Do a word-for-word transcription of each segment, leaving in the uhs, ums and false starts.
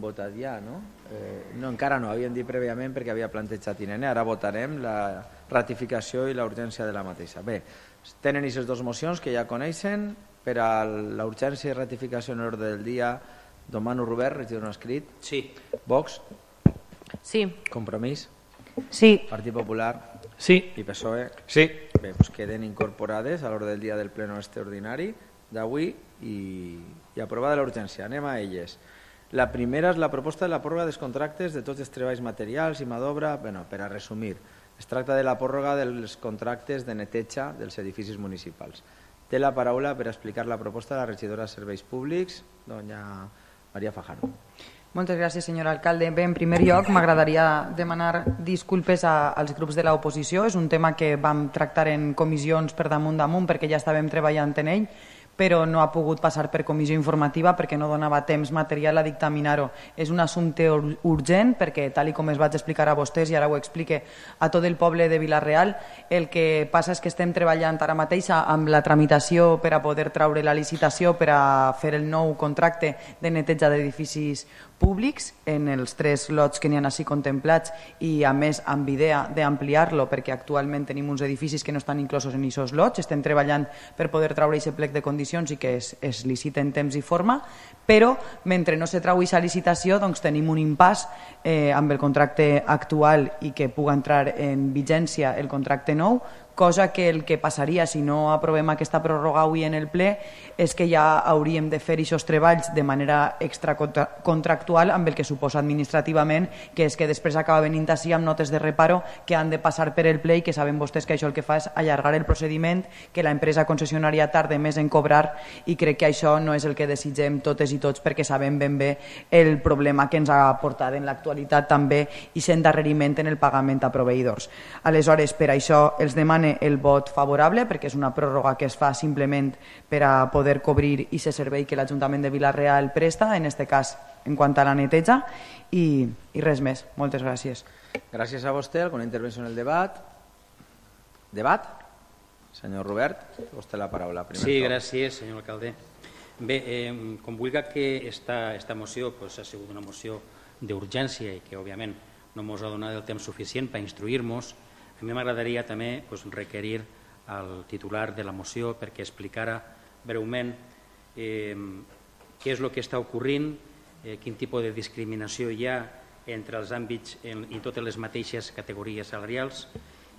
votat ja, no? Eh, no, encara no, havíem dit prèviament perquè havia plantejat I N E, ara votarem la ratificació i la urgència de la mateixa. Bé, tenen aquestes dues mocions que ja coneixen. Per a la urgència i ratificació en l'ordre del dia, demano Robert, regidor no escrit. Sí. Vox? Sí. Compromís? Sí. Partit Popular? Sí. I P S O E? Sí. Bé, doncs queden incorporades a l'ordre del dia del pleno extraordinari d'avui i, i aprovada l'urgència. Anem a elles. La primera és la proposta de la pròrroga dels contractes de tots els treballs materials i mà d'obra. Bueno, per a resumir, es tracta de la pròrroga dels contractes de neteja dels edificis municipals. Té la paraula per explicar la proposta de la regidora de Serveis Públics, doña María Fajardo. Moltes gràcies, senyor alcalde. Bé, en primer lloc, m'agradaria demanar disculpes a, als grups de l'oposició. És un tema que vam tractar en comissions per damunt damunt perquè ja estàvem treballant en ell, però no ha pogut passar per comissió informativa perquè no donava temps material a dictaminar-ho. És un assumpte urgent perquè, tal com es vaig explicar a vostès, i ara ho explique a tot el poble de Vila-real, el que passa és que estem treballant ara mateix amb la tramitació per a poder traure la licitació per a fer el nou contracte de neteja d'edificis públics en els tres lots que n'hi ha així contemplats i a més amb idea d'ampliar-lo perquè actualment tenim uns edificis que no estan inclosos en aquests lots. Estem treballant per poder traure aquest plec de condicions i que es, es licita en temps i forma, però mentre no se trau aquesta licitació doncs tenim un impàs eh, amb el contracte actual i que puga entrar en vigència el contracte nou, cosa que el que passaria si no aprovem aquesta pròrroga avui en el ple és que ja hauríem de fer aquests treballs de manera extracontractual amb el que suposa administrativament, que és que després acaba venint així amb notes de reparo que han de passar per el ple i que saben vostès que això el que fa és allargar el procediment, que la empresa concessionària tarda més en cobrar i crec que això no és el que desitgem totes i tots perquè sabem ben bé el problema que ens ha portat en l'actualitat també i s'endarreriment en el pagament a proveïdors. Aleshores, per això els demane el vot favorable perquè és una pròrroga que es fa simplement per a poder cobrir aquest servei que l'Ajuntament de Vila-real presta, en aquest cas en quant a la neteja, i, i res més. Moltes gràcies. Gràcies a vostè. Alguna intervenció en el debat? Debat? Senyor Robert, vostè la paraula. Primer sí, tot. gràcies, senyor alcalde. Bé, eh, com vulgui que esta, esta moció pues, ha sigut una moció d'urgència i que, òbviament, no ens ha donat el temps suficient per instruir-nos. A mi m'agradaria també pues, requerir al titular de la moció perquè explicara breument eh, què és el que està ocorrint, eh, quin tipus de discriminació hi ha entre els àmbits en, i totes les mateixes categories salarials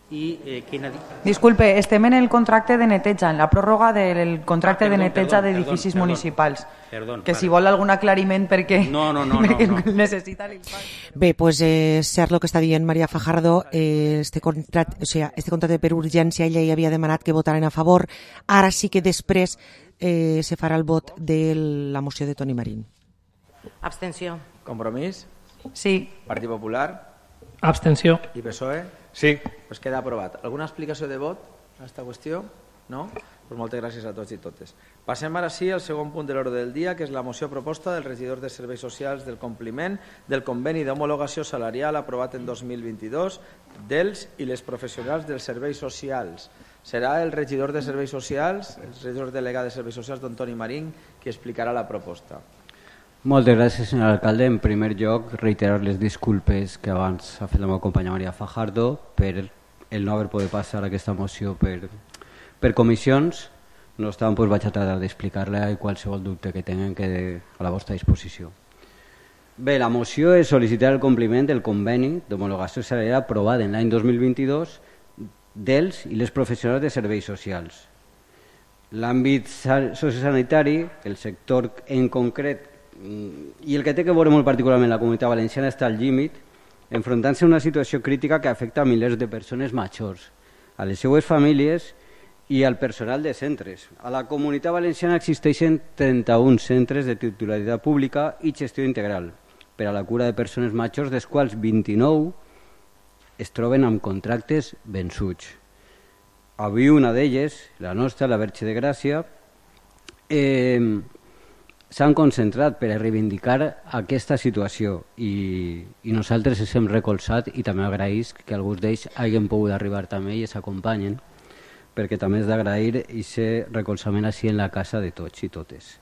i eh, quina... Disculpe, estem en el contracte de neteja, en la pròrroga del contracte ah, perdó, de neteja d'edificis perdó, municipals. Perdó, que vale. si vol algun aclariment perquè, no, no, no, perquè no, no. necessita l'impacte. Bé, pues eh, cert el que està dient María Fajardo, eh, este, contract, o sea, este contracte per urgència ella ja havia demanat que votaren a favor, ara sí que després eh, se farà el vot de la moció de Toni Marín. Abstenció. Compromís? Sí. Partit Popular? Abstenció. I P S O E? Sí. Pues queda aprovat. Alguna explicació de vot a aquesta qüestió? No? Pues moltes gràcies a tots i totes. Passem ara sí al segon punt de l'ordre del dia, que és la moció proposta del regidor de Serveis Socials del compliment del conveni d'homologació salarial aprovat en dos mil vint-i-dos dels i les professionals dels serveis socials. Serà el regidor de Serveis Socials, el regidor delegat de Serveis Socials, don Toni Marín, qui explicarà la proposta. Moltes gràcies, senyor alcalde. En primer lloc, reiterar les disculpes que abans ha fet la meva companya María Fajardo per el no haver pogut passar aquesta moció per, per comissions. No obstant, doncs vaig a tratar d'explicar-la i qualsevol dubte que tinguin que a la vostra disposició. Bé, la moció és sol·licitar el compliment del conveni d'homologació salarial aprovat en l'any dos mil vint-i-dos dels i les professionals de serveis socials. L'àmbit sociosanitari, el sector en concret, i el que té que veure molt particularment la Comunitat Valenciana està al límit, enfrontant-se a una situació crítica que afecta a milers de persones majors, a les seues famílies i al personal de centres. A la Comunitat Valenciana existeixen trenta-un centres de titularitat pública i gestió integral per a la cura de persones majors, dels quals vint-i-nou es troben amb contractes vençuts. Avui una d'elles, la nostra, la Verge de Gràcia, eh, s'han concentrat per a reivindicar aquesta situació i, i nosaltres ens hem recolzat i també agraïs que alguns d'ells hagin pogut arribar també i s'acompanyen, perquè també és d'agrair aquest recolzament així en la casa de tots i totes.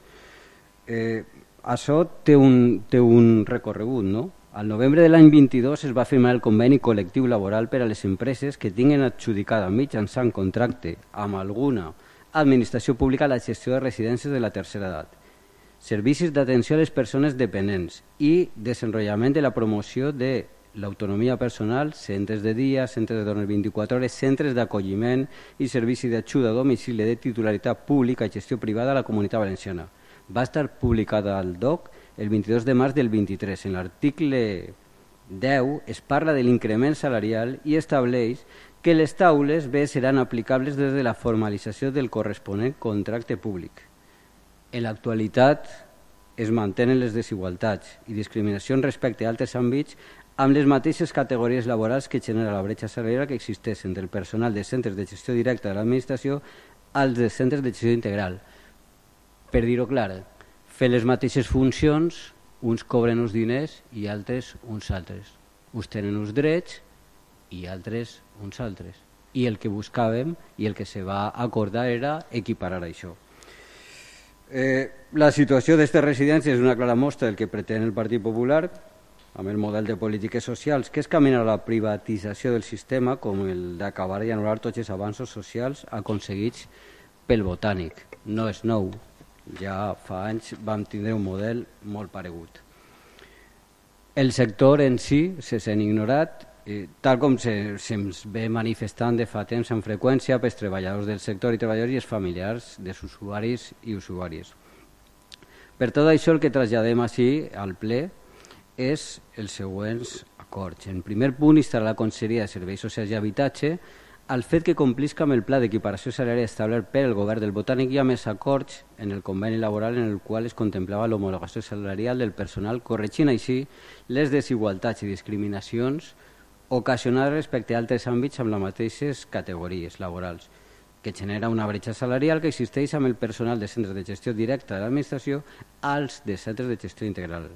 Eh, això té un, té un recorregut, no? Al novembre de l'any vint-i-dos es va firmar el conveni col·lectiu laboral per a les empreses que tinguin adjudicada mitjançant contracte amb alguna administració pública la gestió de residències de la tercera edat, servicis d'atenció a les persones dependents i desenvolupament de la promoció de l'autonomia personal, centres de dia, centres de dones vint-i-quatre hores, centres d'acolliment i servici d'ajuda a domicili de titularitat pública i gestió privada a la Comunitat Valenciana. Va estar publicada al D O C el vint-i-dos de març del vint-i-tres. En l'article deu es parla de l'increment salarial i estableix que les taules B seran aplicables des de la formalització del corresponent contracte públic. En l'actualitat es mantenen les desigualtats i discriminacions respecte a altres àmbits amb les mateixes categories laborals que genera la bretxa salarial que existeix entre el personal de centres de gestió directa de l'administració als de centres de gestió integral. Per dir-ho clar, fent les mateixes funcions, uns cobren uns diners i altres uns altres. Uns tenen uns drets i altres uns altres. I el que buscàvem i el que se va acordar era equiparar això. Eh, la situació d'aquestes residències és una clara mostra del que pretén el Partit Popular amb el model de polítiques socials, que és caminar a la privatització del sistema com el d'acabar i anul·lar tots els avanços socials aconseguits pel Botànic. No és nou. Ja fa anys vam tindre un model molt paregut. El sector en si se sent ignorat, eh, tal com se'ns se ve manifestant de fa temps amb freqüència pels treballadors del sector i treballadors i els familiars dels usuaris i usuàries. Per tot això el que traslladem així al ple és els següents acords. En primer punt, instar la Conselleria de Serveis Socials i Habitatge al fet que complisca amb el pla d'equiparació salarial establert per el govern del Botànic i a més acords en el conveni laboral en el qual es contemplava l'homologació salarial del personal, corregint així les desigualtats i discriminacions ocasionades respecte a altres àmbits amb les mateixes categories laborals, que genera una bretxa salarial que existeix amb el personal de centres de gestió directa de l'administració als de centres de gestió integral.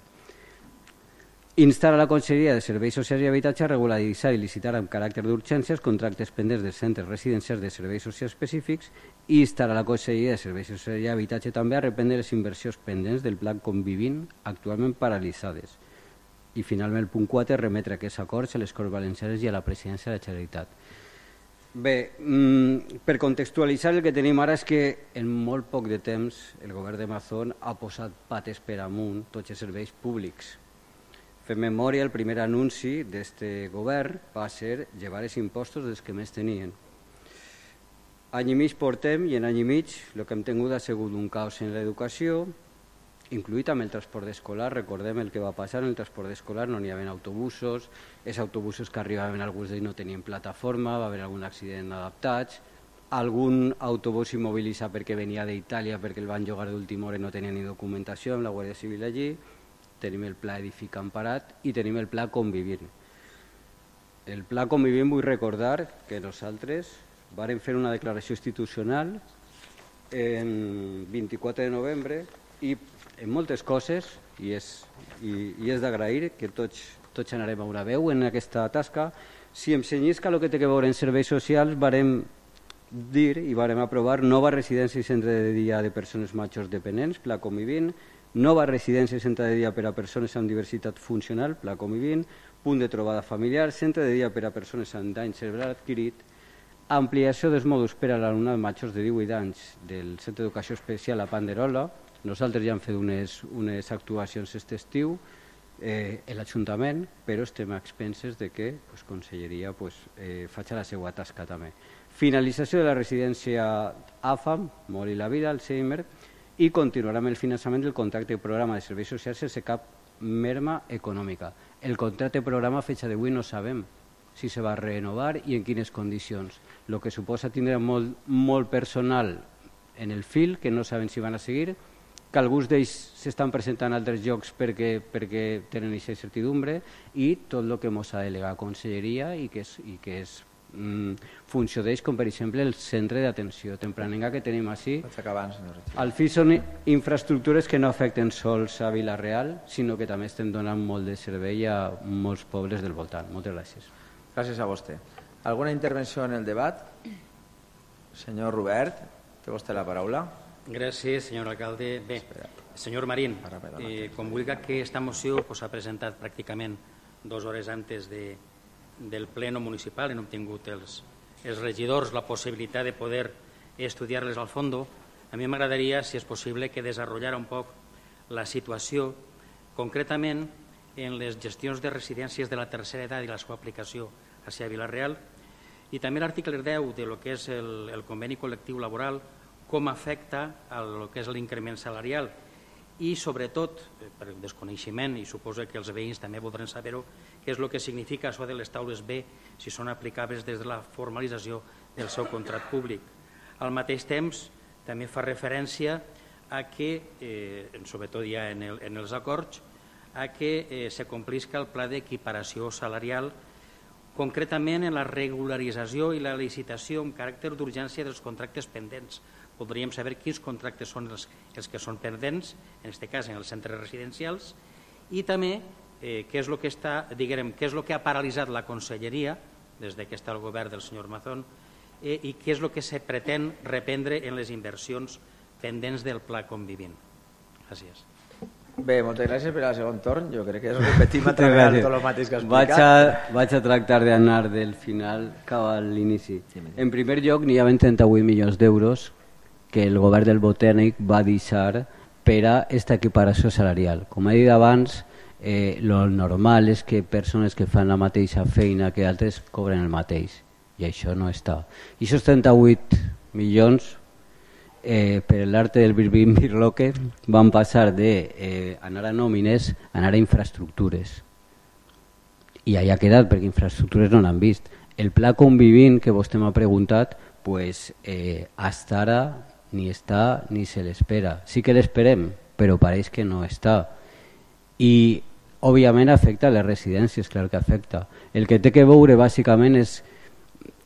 Instar a la Conselleria de Serveis Socials i Habitatge a regularitzar i licitar amb caràcter d'urgència els contractes pendents dels centres residencials de serveis socials específics i instar a la Conselleria de Serveis Socials i Habitatge també a reprendre les inversions pendents del Pla Convivint actualment paralitzades. I finalment el punt quatre, remetre aquests acords a les Corts Valencianes i a la Presidència de la Generalitat. Bé, per contextualitzar el que tenim ara és que en molt poc de temps el govern de Mazón ha posat pates per amunt tots els serveis públics. Fem memòria, el primer anunci d'aquest govern va ser llevar els impostos dels que més tenien. Any i mig portem i en any i mig el que hem tingut ha sigut un caos en l'educació, incluït amb el transport escolar. Recordem el que va passar en el transport escolar, no n'hi havia autobusos, els autobusos que arribaven alguns d'ells no tenien plataforma, va haver algun accident adaptats, algun autobús immobilitzat perquè venia d'Itàlia perquè el van llogar d'última hora i no tenia ni documentació amb la Guàrdia Civil allí. Tenim el pla Edifica Emparat i tenim el pla Convivint. El pla Convivint vull recordar que nosaltres vàrem fer una declaració institucional el vint-i-quatre de novembre i en moltes coses, i és, i, i és d'agrair que tots, tots anarem a una veu en aquesta tasca. Si em senyisca el que té que veure en serveis socials, vàrem dir i vàrem aprovar nova residència i centre de dia de persones majors dependents, pla Convivint, nova residència i centre de dia per a persones amb diversitat funcional, pla Convivint, punt de trobada familiar, centre de dia per a persones amb dany cerebral adquirit, ampliació dels mòduls per a l'alumnat majors de divuit anys del Centre d'Educació Especial a Panderola. Nosaltres ja hem fet unes, unes actuacions aquest estiu eh, en l'Ajuntament, però estem a expenses de que pues, Conselleria pues, eh, faci la seva tasca també. Finalització de la residència A F A M, Mori la Vida, Alzheimer, i continuarà amb el finançament del contracte de programa de serveis socials sense cap merma econòmica. El contracte de programa a fecha d'avui no sabem si se va renovar i en quines condicions, el que suposa tindre molt, molt personal en el fil que no saben si van a seguir, que alguns d'ells s'estan presentant a altres llocs perquè, perquè tenen aquesta incertidumbre i tot el que ens ha delegat a Conselleria i que és, i que és funció d'ells, com per exemple el centre d'atenció tempranenca que tenim així. Al fi són infraestructures que no afecten sols a Vila-real, sinó que també estem donant molt de servei a molts pobles del voltant. Moltes gràcies. Gràcies a vostè. Alguna intervenció en el debat? Senyor Robert, té vostè la paraula. Gràcies, senyor alcalde. Bé, senyor Marín, eh, com vulgui que aquesta moció s'ha pues, presentat pràcticament dues hores antes de, del pleno municipal, hem obtingut els, els regidors la possibilitat de poder estudiar-les al fondo. A mi m'agradaria, si és possible, que desenvolupara un poc la situació, concretament en les gestions de residències de la tercera edat i la seva aplicació hacia Vila-real, i també l'article deu de lo que és el, el conveni col·lectiu laboral, com afecta a lo que és l'increment salarial i, sobretot, per desconeixement, i suposo que els veïns també voldran saber-ho, què és el que significa això de les taules B si són aplicables des de la formalització del seu contracte públic. Al mateix temps, també fa referència a que, eh, sobretot ja en, el, en els acords, a que eh, se complisca el pla d'equiparació salarial, concretament en la regularització i la licitació amb caràcter d'urgència dels contractes pendents. Voldríem saber quins contractes són els, els que són pendents, en aquest cas en els centres residencials, i també eh, què és el que està, diguem, què és el que ha paralitzat la conselleria des que està el govern del senyor Mazón eh, i què és el que se pretén reprendre en les inversions pendents del pla convivint. Gràcies. Bé, moltes gràcies per al segon torn. Jo crec que és repetim a través tot el mateix que ha explicat. Vaig a, vaig a tractar d'anar del final cap a l'inici. En primer lloc, n'hi havia trenta-vuit milions d'euros que el govern del Botànic va deixar per a aquesta equiparació salarial. Com he dit abans, eh, lo normal és que persones que fan la mateixa feina que altres cobren el mateix, i això no està. I aquests trenta-vuit milions, eh, per l'arte del birbim-birloque, van passar d'anar eh, a nòmines a anar a infraestructures. I allà ha quedat, perquè infraestructures no n'han vist. El pla convivint que vostè m'ha preguntat, pues, eh, hasta ara ni està ni se l'espera. Sí que l'esperem, però pareix que no està. I, òbviament, afecta les residències, clar que afecta. El que té que veure, bàsicament, és,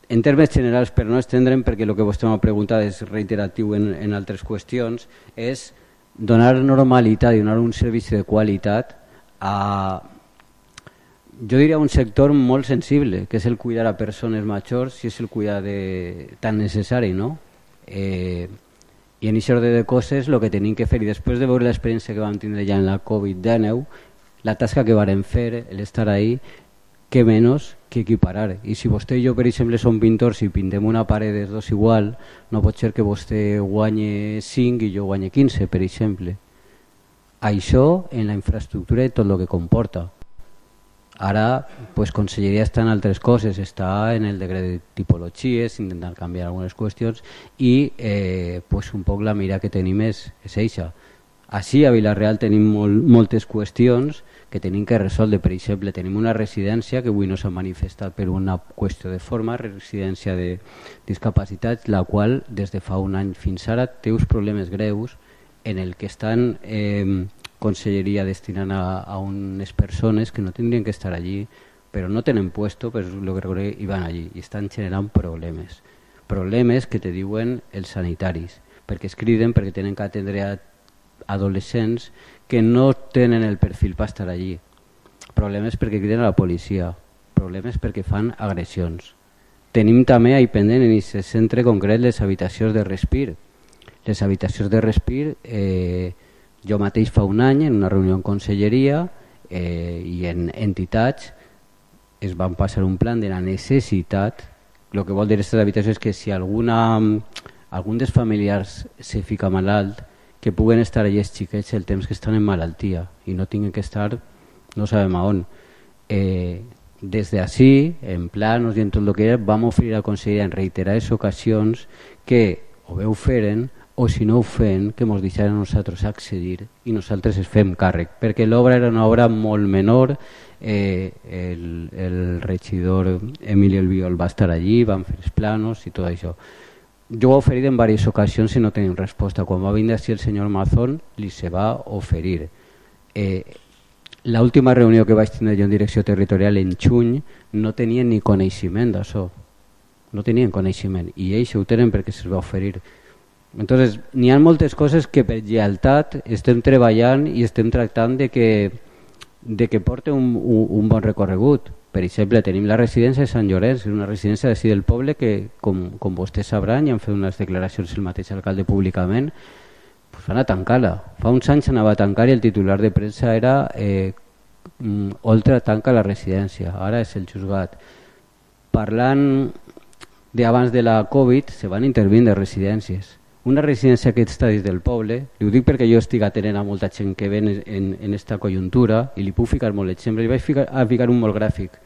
en termes generals, per no estendre'm, perquè el que vostè m'ha preguntat és reiteratiu en, en altres qüestions, és donar normalitat i donar un servici de qualitat a, jo diria, un sector molt sensible, que és el cuidar a persones majors, si és el cuidar de, tan necessari, no? Eh, I en això de coses el que tenim que fer, i després de veure l'experiència que vam tindre ja en la covid dinou, la tasca que vàrem fer, l'estar ahí, que menys que equiparar. I si vostè i jo, per exemple, som pintors i pintem una paret dels dos igual, no pot ser que vostè guanye cinc i jo guanye quinze, per exemple. Això en la infraestructura i tot el que comporta. Ara, pues, conselleria està en altres coses, està en el decret de tipologies, intentant canviar algunes qüestions i eh, pues, un poc la mira que tenim és, és eixa. Així a Vila-real tenim molt, moltes qüestions que tenim que resoldre. Per exemple, tenim una residència que avui no s'ha manifestat per una qüestió de forma, residència de discapacitats, la qual des de fa un any fins ara té uns problemes greus en el que estan eh, conselleria destinant a, a unes persones que no tindrien que estar allí, però no tenen puesto, però el que recorre i van allí i estan generant problemes. Problemes que te diuen els sanitaris, perquè es criden perquè tenen que atendre a adolescents que no tenen el perfil per estar allí. Problemes perquè criden a la policia, problemes perquè fan agressions. Tenim també ahí pendent en aquest centre concret les habitacions de respir. Les habitacions de respir, eh, jo mateix fa un any en una reunió en conselleria eh, i en entitats es van passar un plan de la necessitat. El que vol dir aquestes habitacions és que si alguna, algun dels familiars se fica malalt, que puguen estar allà els xiquets el temps que estan en malaltia i no tinguin que estar no sabem a on. Eh, des d'ací, en planos i en tot el que era, vam oferir a la conselleria en reiterades ocasions que o bé ho feren o si no ho fem, que ens deixaren a nosaltres accedir i nosaltres es fem càrrec, perquè l'obra era una obra molt menor. eh, el, el regidor Emilio Albiol va estar allí, van fer els planos i tot això. Jo ho he oferit en diverses ocasions i no tenim resposta. Quan va vindre així el senyor Mazón, li se va oferir. Eh, L'última reunió que vaig tindre jo en direcció territorial en juny no tenien ni coneixement d'això. No tenien coneixement i ells ho tenen perquè se'ls va oferir. Entonces, n'hi ha moltes coses que per lleialtat estem treballant i estem tractant de que, de que porti un, un, un bon recorregut. Per exemple, tenim la residència de Sant Llorenç, una residència d'ací del poble que, com, com vostès sabran, i han fet unes declaracions el mateix alcalde públicament, pues van a tancar-la. Fa uns anys anava a tancar i el titular de premsa era eh, Oltra tanca la residència, ara és el juzgat. Parlant d'abans de la Covid, se van intervindre residències. Una residència que està dins del poble, li ho dic perquè jo estic atenent a molta gent que ven en, en esta conjuntura i li puc ficar molt exemple, li vaig ficar, a ficar un molt gràfic.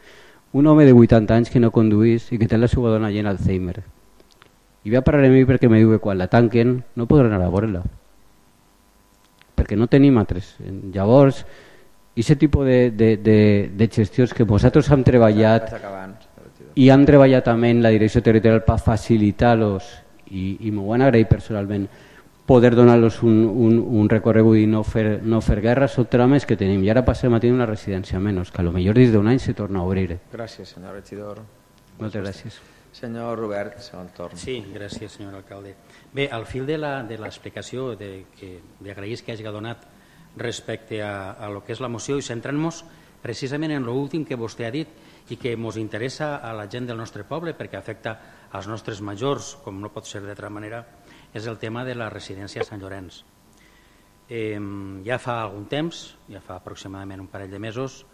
Un home de vuitanta anys que no conduís i que té la seva dona llena Alzheimer. I ve a parlar a mi perquè me diu que quan la tanquen no podrà anar a veure-la. Perquè no tenim altres. Llavors, aquest tipus de, de, de, de gestions que nosaltres hem treballat i hem treballat també en la direcció territorial per facilitar-los i, i m'ho han agraït personalment poder donar-los un, un, un recorregut i no fer, no fer guerra són trames que tenim. I ara passem a tenir una residència menys, que potser dins d'un any se torna a obrir. Gràcies, senyor regidor. Moltes gràcies. Senyor Robert, segon torn. Sí, gràcies, senyor alcalde. Bé, al fil de l'explicació que li agraïs que hagi donat respecte a, a lo que és la moció i centrant-nos precisament en l'últim que vostè ha dit i que ens interessa a la gent del nostre poble perquè afecta als nostres majors, com no pot ser d'altra manera, és el tema de la residència a Sant Llorenç. Eh, ja fa algun temps, ja fa aproximadament un parell de mesos,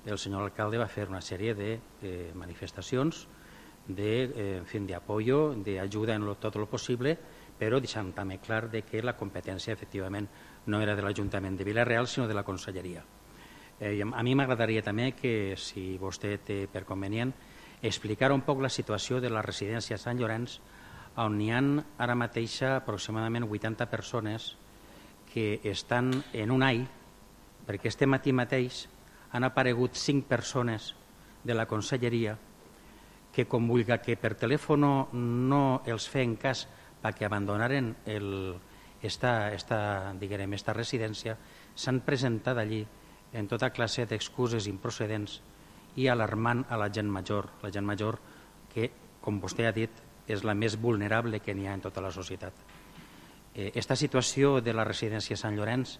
el senyor alcalde va fer una sèrie de eh, manifestacions de, eh, en fin, de apoyo, de ayuda en lo, tot el possible, però deixant també clar de que la competència efectivament no era de l'Ajuntament de Vila-real, sinó de la Conselleria. Eh, a mi m'agradaria també que, si vostè té per convenient, explicar un poc la situació de la residència a Sant Llorenç, on hi ha ara mateix aproximadament vuitanta persones que estan en un all, perquè este matí mateix han aparegut cinc persones de la Conselleria que, com vulga que per telèfon no els feien cas perquè abandonaren el, esta, esta, diguem, esta residència, s'han presentat allí en tota classe d'excuses improcedents i alarmant a la gent major, la gent major que, com vostè ha dit, és la més vulnerable que n'hi ha en tota la societat. Aquesta eh, situació de la residència a Sant Llorenç,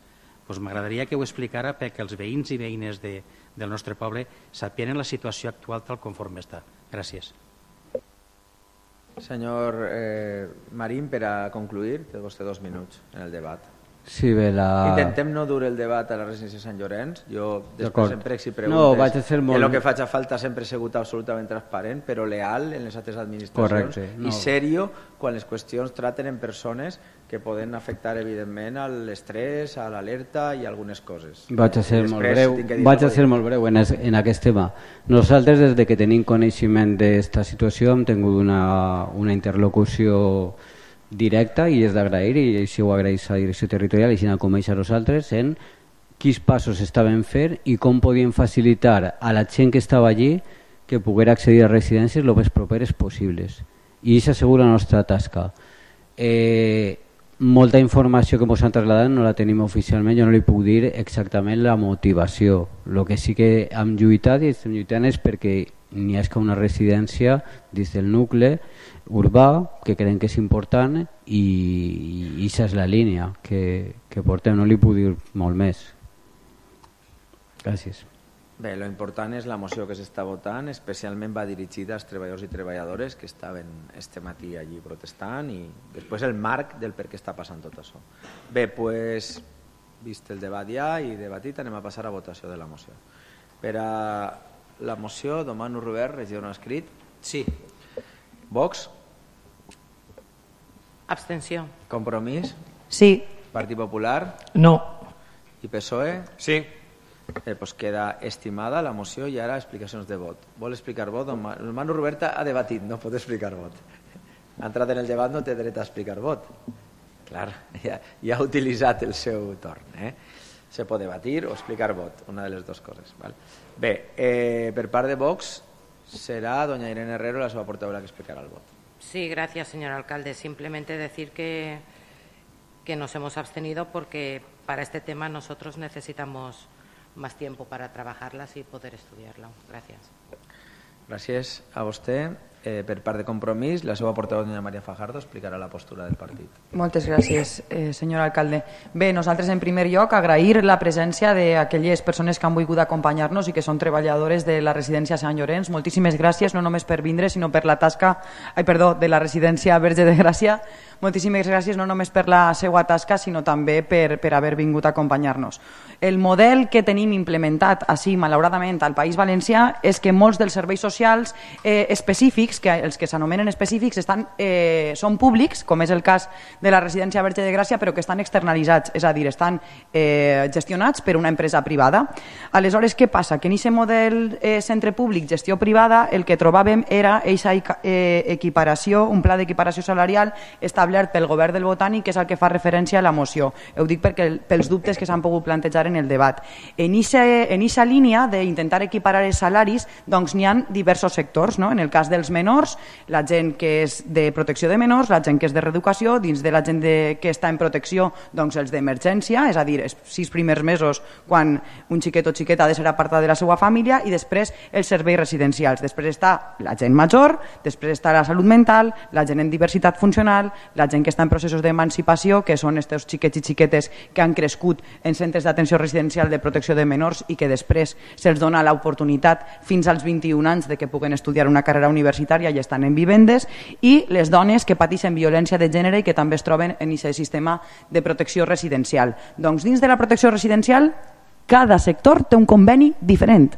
doncs m'agradaria que ho explicara perquè els veïns i veïnes de, del nostre poble sapien la situació actual tal conforme està. Gràcies. Senyor eh, Marín, per a concluir, té vostè dos minuts en el debat. Sí, bé, la... Intentem no dur el debat a la residència de Sant Llorenç. Jo després sempre si preguntes, no, vaig a ser molt... el que faig a falta sempre he sigut absolutament transparent, però leal en les altres administracions. Correcte, no. I serio quan les qüestions traten en persones que poden afectar evidentment a l'estrès, a l'alerta i algunes coses. Vaig a ser molt breu, vaig a ser molt breu en, es, en aquest tema. Nosaltres, des de que tenim coneixement d'aquesta situació, hem tingut una, una interlocució directa i és d'agrair, i així ho agraeix a la direcció territorial i així com ells a nosaltres, en quins passos estaven fent i com podien facilitar a la gent que estava allí que poguera accedir a residències el més properes possibles. I això assegura la nostra tasca. Eh, molta informació que ens han traslladat no la tenim oficialment, jo no li puc dir exactament la motivació. El que sí que hem lluitat i estem lluitant és perquè n'hi ha una residència dins del nucli urbà que creiem que és important i, i això és la línia que, que portem, no li puc dir molt més. Gràcies. Bé, lo important és la moció que s'està votant, especialment va dirigida als treballadors i treballadores que estaven este matí allí protestant i després el marc del per què està passant tot això. Bé, pues, vist el debat ja i debatit, anem a passar a votació de la moció. Per a la moció, demano Robert, regidor no escrit. Sí. Vox? Abstenció. Compromís? Sí. Partit Popular? No. I P S O E? Sí. Eh, pues queda estimada la moció i ara explicacions de vot. Vol explicar vot? El Manu Roberta ha debatit, no pot explicar vot. Ha entrat en el debat, no té dret a explicar vot. Clar, ja, ja ha utilitzat el seu torn. Eh? Se pot debatir o explicar vot, una de les dues coses. Val? Bé, eh, per part de Vox será doña Irene Herrero la seva portaveu la que explicará el voto. Sí, gracias, señor alcalde. Simplemente decir que, que nos hemos abstenido porque para este tema nosotros necesitamos más tiempo para trabajarlas y poder estudiarlo. Gracias. Gràcies a vostè. eh, per part de Compromís, la seva portaveu, doña María Fajardo, explicarà la postura del partit. Moltes gràcies, eh, senyor alcalde. Bé, nosaltres en primer lloc agrair la presència d'aquelles persones que han volgut acompanyar-nos i que són treballadores de la residència Sant Llorenç. Moltíssimes gràcies, no només per vindre, sinó per la tasca, ai, perdó, de la residència Verge de Gràcia. Moltíssimes gràcies no només per la seva tasca, sinó també per, per haver vingut a acompanyar-nos. El model que tenim implementat així, malauradament, al País Valencià és que molts dels serveis socials eh, específics, que els que s'anomenen específics, estan, eh, són públics, com és el cas de la residència Verge de Gràcia, però que estan externalitzats, és a dir, estan eh, gestionats per una empresa privada. Aleshores, què passa? Que en aquest model eh, centre públic, gestió privada, el que trobàvem era aquesta eh, equiparació, un pla d'equiparació salarial establert pel govern del Botànic, que és el que fa referència a la moció. Ho dic perquè, pels dubtes que s'han pogut plantejar en el debat. En aquesta línia d'intentar equiparar els salaris, doncs n'hi ha diversos sectors, no? En el cas dels menors, la gent que és de protecció de menors, la gent que és de reeducació, dins de la gent de, que està en protecció, doncs els d'emergència, és a dir, els sis primers mesos quan un xiquet o xiqueta ha de ser apartat de la seva família, i després els serveis residencials. Després està la gent major, després està la salut mental, la gent en diversitat funcional, la gent que està en processos d'emancipació, que són aquests xiquets i xiquetes que han crescut en centres d'atenció residencial de protecció de menors i que després se'ls dona l'oportunitat fins als vint-i-un anys de que puguen estudiar una carrera universitària i estan en vivendes, i les dones que pateixen violència de gènere i que també es troben en aquest sistema de protecció residencial. Doncs dins de la protecció residencial, cada sector té un conveni diferent,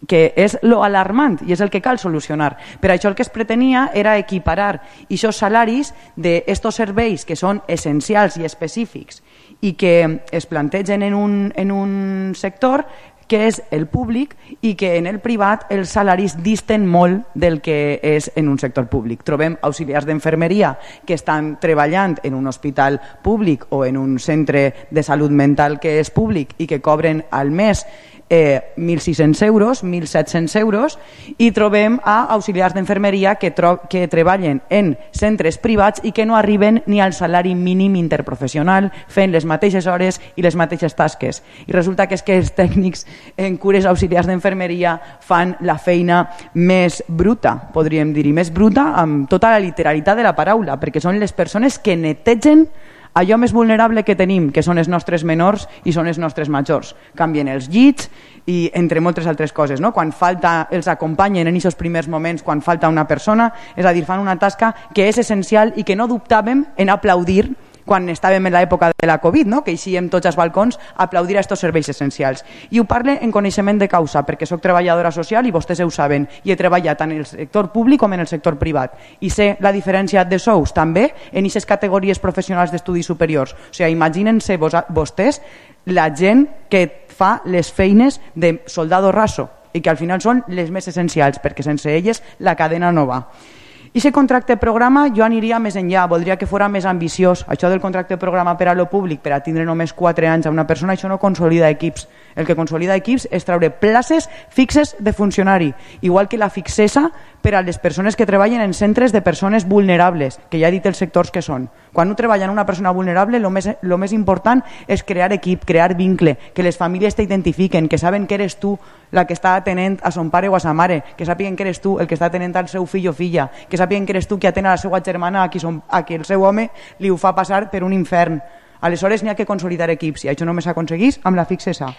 que és lo alarmant i és el que cal solucionar. Per això el que es pretenia era equiparar aquests salaris d'estos serveis que són essencials i específics i que es plantegen en un, en un sector que és el públic, i que en el privat els salaris disten molt del que és en un sector públic. Trobem auxiliars d'enfermeria que estan treballant en un hospital públic o en un centre de salut mental que és públic i que cobren al mes Eh, mil sis-cents euros, mil set-cents euros, i trobem a auxiliars d'enfermeria que, que treballen en centres privats i que no arriben ni al salari mínim interprofessional, fent les mateixes hores i les mateixes tasques. I resulta que és que els tècnics en cures auxiliars d'enfermeria fan la feina més bruta, podríem dir, i més bruta amb tota la literalitat de la paraula, perquè són les persones que netegen allò més vulnerable que tenim, que són els nostres menors i són els nostres majors. Canvien els llits i entre moltes altres coses, no? Quan falta, els acompanyen en aquests primers moments quan falta una persona, és a dir, fan una tasca que és essencial i que no dubtàvem en aplaudir quan estàvem en l'època de la Covid, no? Que eixíem tots als balcons a aplaudir a aquests serveis essencials. I ho parle en coneixement de causa, perquè soc treballadora social i vostès ho saben, i he treballat tant en el sector públic com en el sector privat. I sé la diferència de sous també en aquestes categories professionals d'estudis superiors. O sigui, imaginen-se vostès la gent que fa les feines de soldado raso i que al final són les més essencials, perquè sense elles la cadena no va. I aquest contracte programa jo aniria més enllà, voldria que fos més ambiciós. Això del contracte programa per a lo públic, per a tindre només quatre anys a una persona, això no consolida equips. El que consolida equips és treure places fixes de funcionari, igual que la fixesa per a les persones que treballen en centres de persones vulnerables, que ja he dit els sectors que són. Quan un treballa en una persona vulnerable, el més, lo més important és crear equip, crear vincle, que les famílies t'identifiquen, que saben que eres tu la que està atenent a son pare o a sa mare, que sàpiguen que eres tu el que està atenent al seu fill o filla, que sàpiguen que eres tu que atén a la seva germana a qui, son, a qui el seu home li ho fa passar per un infern. Aleshores n'hi ha que consolidar equips i això només s'aconseguís amb la fixesa.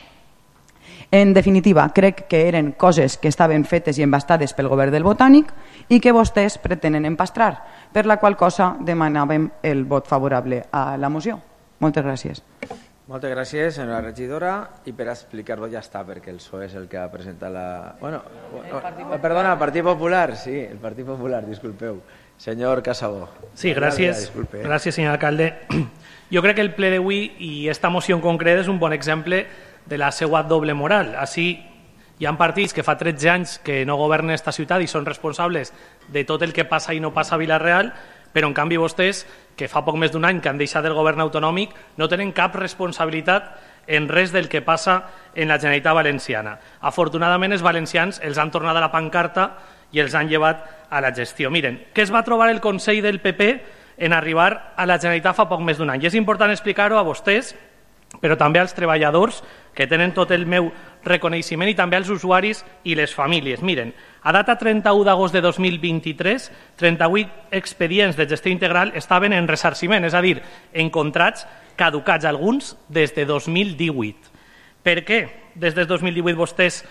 En definitiva, crec que eren coses que estaven fetes i embastades pel govern del Botànic i que vostès pretenen empastrar, per la qual cosa demanàvem el vot favorable a la moció. Moltes gràcies. Moltes gràcies, senyora regidora, i per explicar-ho ja està, perquè el P S O E és el que ha presentat la... Bueno, no, perdona, el Partit Popular, sí, el Partit Popular, disculpeu. Senyor Casabó. Sí, gràcies, gràcies, senyor alcalde. Jo crec que el ple d'avui i esta moció en concret és un bon exemple de la seva doble moral. Així hi ha partits que fa tretze anys que no governen esta ciutat i són responsables de tot el que passa i no passa a Vila-real, però en canvi vostès, que fa poc més d'un any que han deixat el govern autonòmic, no tenen cap responsabilitat en res del que passa en la Generalitat Valenciana. Afortunadament, els valencians els han tornat a la pancarta i els han llevat a la gestió. Miren, què es va trobar el Consell del P P en arribar a la Generalitat fa poc més d'un any? I és important explicar-ho a vostès, però també als treballadors, que tenen tot el meu reconeixement i també als usuaris i les famílies. Miren, a data trenta-u d'agost de dos mil vint-i-tres, trenta-vuit expedients de gestió integral estaven en ressarciment, és a dir, en contrats caducats, alguns des de dos mil divuit. Per què des de dos mil divuit vostès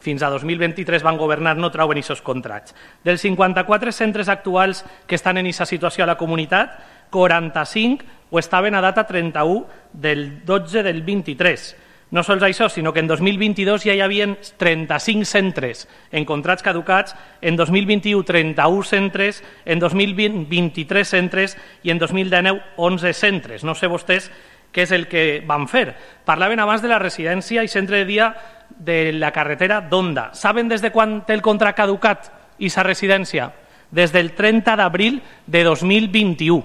fins a dos mil vint-i-tres van governar no trauen aquests contrats? Dels cinquanta-quatre centres actuals que estan en aquesta situació a la comunitat, quaranta-cinc ho estaven a data trenta-u del dotze del vint-i-tres. No sols això, sinó que en dos mil vint-i-dos ja hi havia trenta-cinc centres en contrats caducats, en dos mil vint-i-u trenta-un centres, en dos mil vint vint-i-tres centres i en dos mil dinou onze centres. No sé vostès què és el que van fer. Parlaven abans de la residència i centre de dia de la carretera d'Onda. Saben des de quan té el contracte caducat aquesta residència? Des del trenta d'abril de dos mil vint-i-u.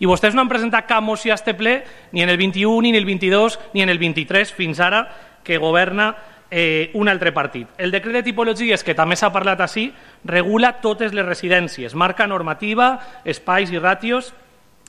I vostès no han presentat cap moció a este ple ni en el vint-i-u, ni en el vint-i-dos, ni en el vint-i-tres, fins ara que governa eh, un altre partit. El decret de tipologies, que també s'ha parlat així, regula totes les residències, marca normativa, espais i ràtios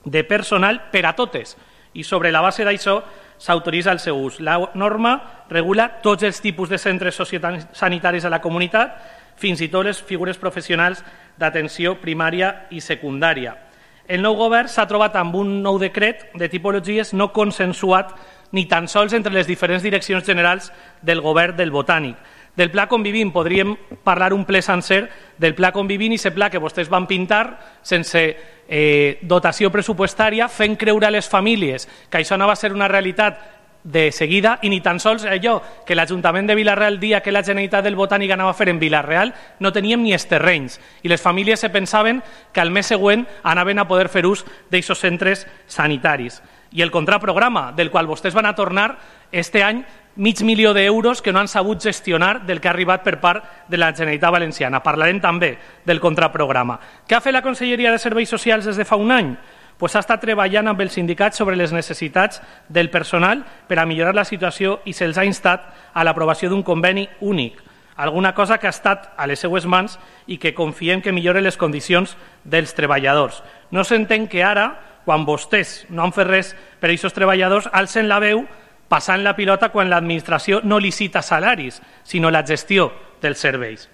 de personal per a totes. I sobre la base d'això s'autoritza el seu ús. La norma regula tots els tipus de centres sociosanitaris a la comunitat, fins i tot les figures professionals d'atenció primària i secundària. El nou govern s'ha trobat amb un nou decret de tipologies no consensuat ni tan sols entre les diferents direccions generals del govern del Botànic. Del Pla Convivint podríem parlar un ple sencer del Pla Convivint i aquest pla que vostès van pintar sense eh, dotació pressupostària, fent creure a les famílies que això no va ser una realitat de seguida i ni tan sols allò que l'Ajuntament de Vila-real, el dia que la Generalitat del Botànic anava a fer en Vila-real, no teníem ni els terrenys i les famílies se pensaven que al mes següent anaven a poder fer ús d'aquests centres sanitaris. I el contraprograma, del qual vostès van a tornar este any mig milió d'euros que no han sabut gestionar del que ha arribat per part de la Generalitat Valenciana. Parlarem també del contraprograma. Què ha fet la Conselleria de Serveis Socials des de fa un any? Pues ha estat treballant amb els sindicats sobre les necessitats del personal per a millorar la situació i se'ls ha instat a l'aprovació d'un conveni únic, alguna cosa que ha estat a les seues mans i que confiem que millore les condicions dels treballadors. No s'entén que ara, quan vostès no han fet res per a aquests treballadors, alcen la veu passant la pilota quan l'administració no licita salaris, sinó la gestió dels serveis.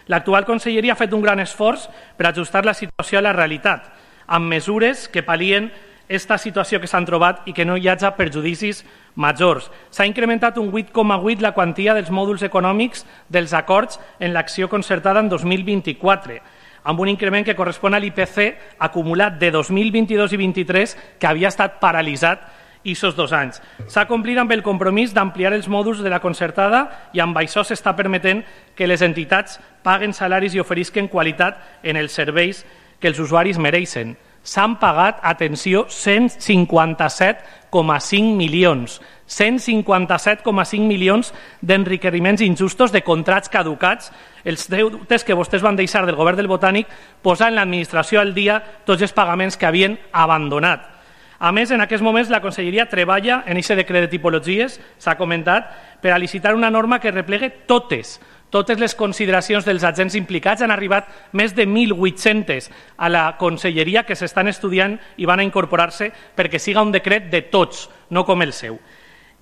L'actual conselleria ha fet un gran esforç per ajustar la situació a la realitat, amb mesures que pal·lien aquesta situació que s'han trobat i que no hi hagi perjudicis majors. S'ha incrementat un vuit coma vuit la quantia dels mòduls econòmics dels acords en l'acció concertada en dos mil vint-i-quatre, amb un increment que correspon a l'I P C acumulat de dos mil vint-i-dos i vint-i-tres, que havia estat paralitzat aquests dos anys. S'ha complit amb el compromís d'ampliar els mòduls de la concertada i amb això s'està permetent que les entitats paguen salaris i oferisquen qualitat en els serveis que els usuaris mereixen. S'han pagat, atenció, cent cinquanta-set coma cinc milions. cent cinquanta-set coma cinc milions d'enriquiments injustos de contrats caducats, els deutes que vostès van deixar del govern del Botànic posant l'administració al dia tots els pagaments que havien abandonat. A més, en aquests moments la Conselleria treballa en aquest decret de tipologies, s'ha comentat, per a licitar una norma que replegue totes, totes les consideracions dels agents implicats. Han arribat més de mil vuit-cents a la Conselleria que s'estan estudiant i van a incorporar-se perquè siga un decret de tots, no com el seu.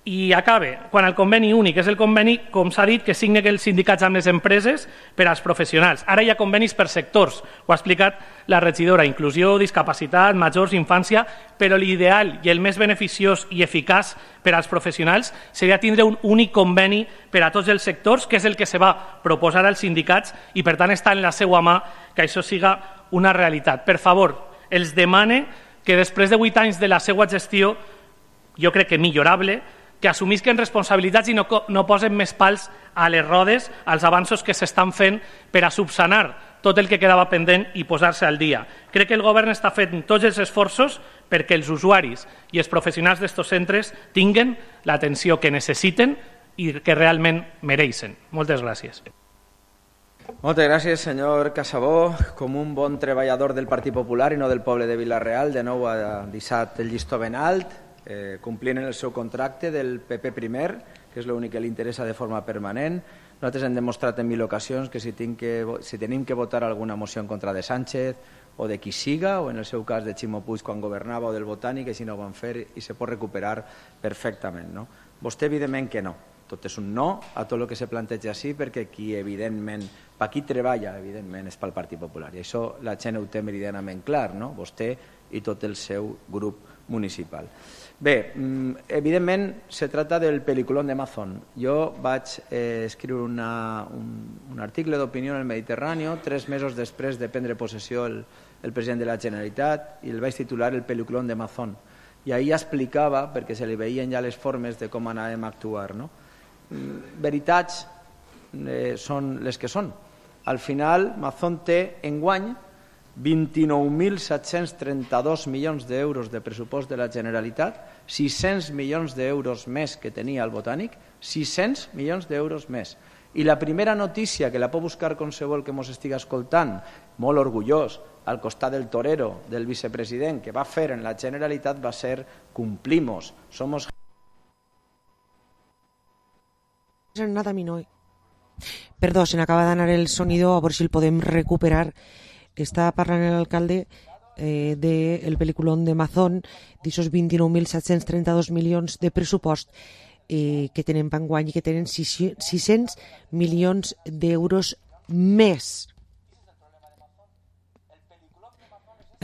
I acabe, quan el conveni únic és el conveni, com s'ha dit, que signen els sindicats amb les empreses per als professionals. Ara hi ha convenis per sectors, ho ha explicat la regidora, inclusió, discapacitat, majors, infància, però l'ideal i el més beneficiós i eficaç per als professionals seria tindre un únic conveni per a tots els sectors, que és el que se va proposar als sindicats i, per tant, està en la seva mà que això siga una realitat. Per favor, els demane que després de vuit anys de la seva gestió, jo crec que millorable, que assumisquen responsabilitats i no, no posen més pals a les rodes als avanços que s'estan fent per a subsanar tot el que quedava pendent i posar-se al dia. Crec que el govern està fent tots els esforços perquè els usuaris i els professionals d'estos centres tinguen l'atenció que necessiten i que realment mereixen. Moltes gràcies. Moltes gràcies, senyor Casabó. Com un bon treballador del Partit Popular i no del poble de Vila-real, de nou ha deixat el llistó ben alt, Eh, complint el seu contracte del P P primer, que és l'únic que li interessa de forma permanent. Nosaltres hem demostrat en mil ocasions que si, que si tenim que votar alguna moció en contra de Sánchez o de qui siga, o en el seu cas de Ximo Puig quan governava o del Botànic, així no ho van fer i se pot recuperar perfectament. No? Vostè evidentment que no. tot és un no a tot el que se planteja així, perquè qui evidentment, per qui treballa evidentment és pel Partit Popular, i això la gent ho té meridianament clar, no? Vostè i tot el seu grup municipal. Bé, evidentment se trata del peliculón de Amazon. Jo vaig eh, escriure una, un, un article d'opinió en el Mediterrani tres mesos després de prendre possessió el, el president de la Generalitat i el vaig titular El peliculón de Amazon. I ahir explicava, perquè se li veien ja les formes de com anàvem a actuar, no? Veritats eh, són les que són. Al final, Amazon té enguany vint-i-nou mil set-cents trenta-dos milions d'euros de pressupost de la Generalitat, sis-cents milions d'euros més que tenia el Botànic, sis-cents milions d'euros més. I la primera notícia, que la pot buscar qualsevol que ens estigui escoltant, molt orgullós, al costat del torero del vicepresident que va fer en la Generalitat, va ser «Cumplimos, somos...». Nada, mi no. Perdó, se n'acaba d'anar el sonido, a veure si el podem recuperar. Està parlant l'alcalde eh, del peliculón de Amazon, d'aixòs vint-i-nou mil set-cents trenta-dos milions de pressupost eh, que tenen enguany i que tenen sis-cents milions d'euros més.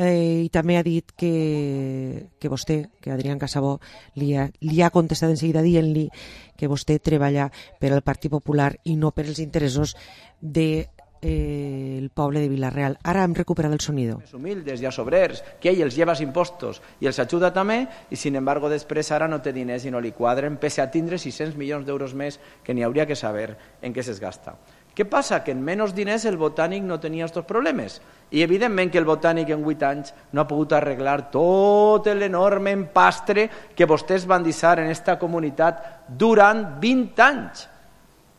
Eh, I també ha dit que, que vostè, que Adrián Casabó, li ha, li ha contestat en seguida dient-li que vostè treballa per al Partit Popular i no per els interessos de Eh, el poble de Vila-real. Ara hem recuperat el sonido. Humildes i sobrers, que ell els lleva impostos i els ajuda també, i sin embargo després ara no té diners i no li quadren, pese a tindre sis-cents milions d'euros més que n'hi hauria que saber en què es gasta. Què passa? Que en menys diners el Botànic no tenia aquests problemes. I evidentment que el Botànic en vuit anys no ha pogut arreglar tot l'enorme empastre que vostès van deixar en esta comunitat durant vint anys.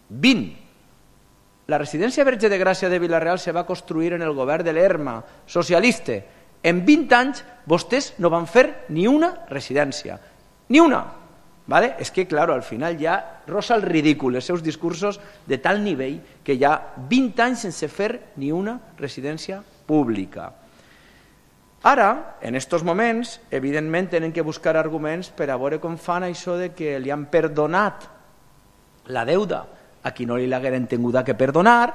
vint. La residència Verge de Gràcia de Vila-real se va construir en el govern de l'Erma, socialista. En vint anys vostès no van fer ni una residència. Ni una. ¿Vale? És que, claro, al final ja rosa el ridícul els seus discursos de tal nivell que hi ha vint anys sense fer ni una residència pública. Ara, en estos moments, evidentment tenen que buscar arguments per a veure com fan això de que li han perdonat la deuda a qui no li l'hagueren tinguda que perdonar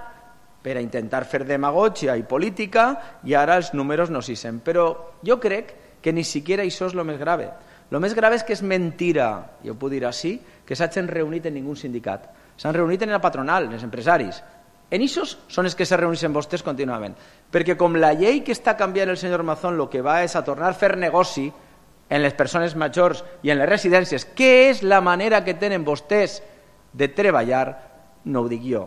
per a intentar fer demagògia i política, i ara els números no s'hi sent. Però jo crec que ni siquiera això és el més grave. El més grave és que és mentira, jo puc dir així, que s'hagin reunit en ningú sindicat. S'han reunit en la patronal, en els empresaris. En aquests són els que se reuneixen vostès contínuament. Perquè com la llei que està canviant el senyor Mazón el que va és a tornar a fer negoci en les persones majors i en les residències, que és la manera que tenen vostès de treballar, no ho dic jo,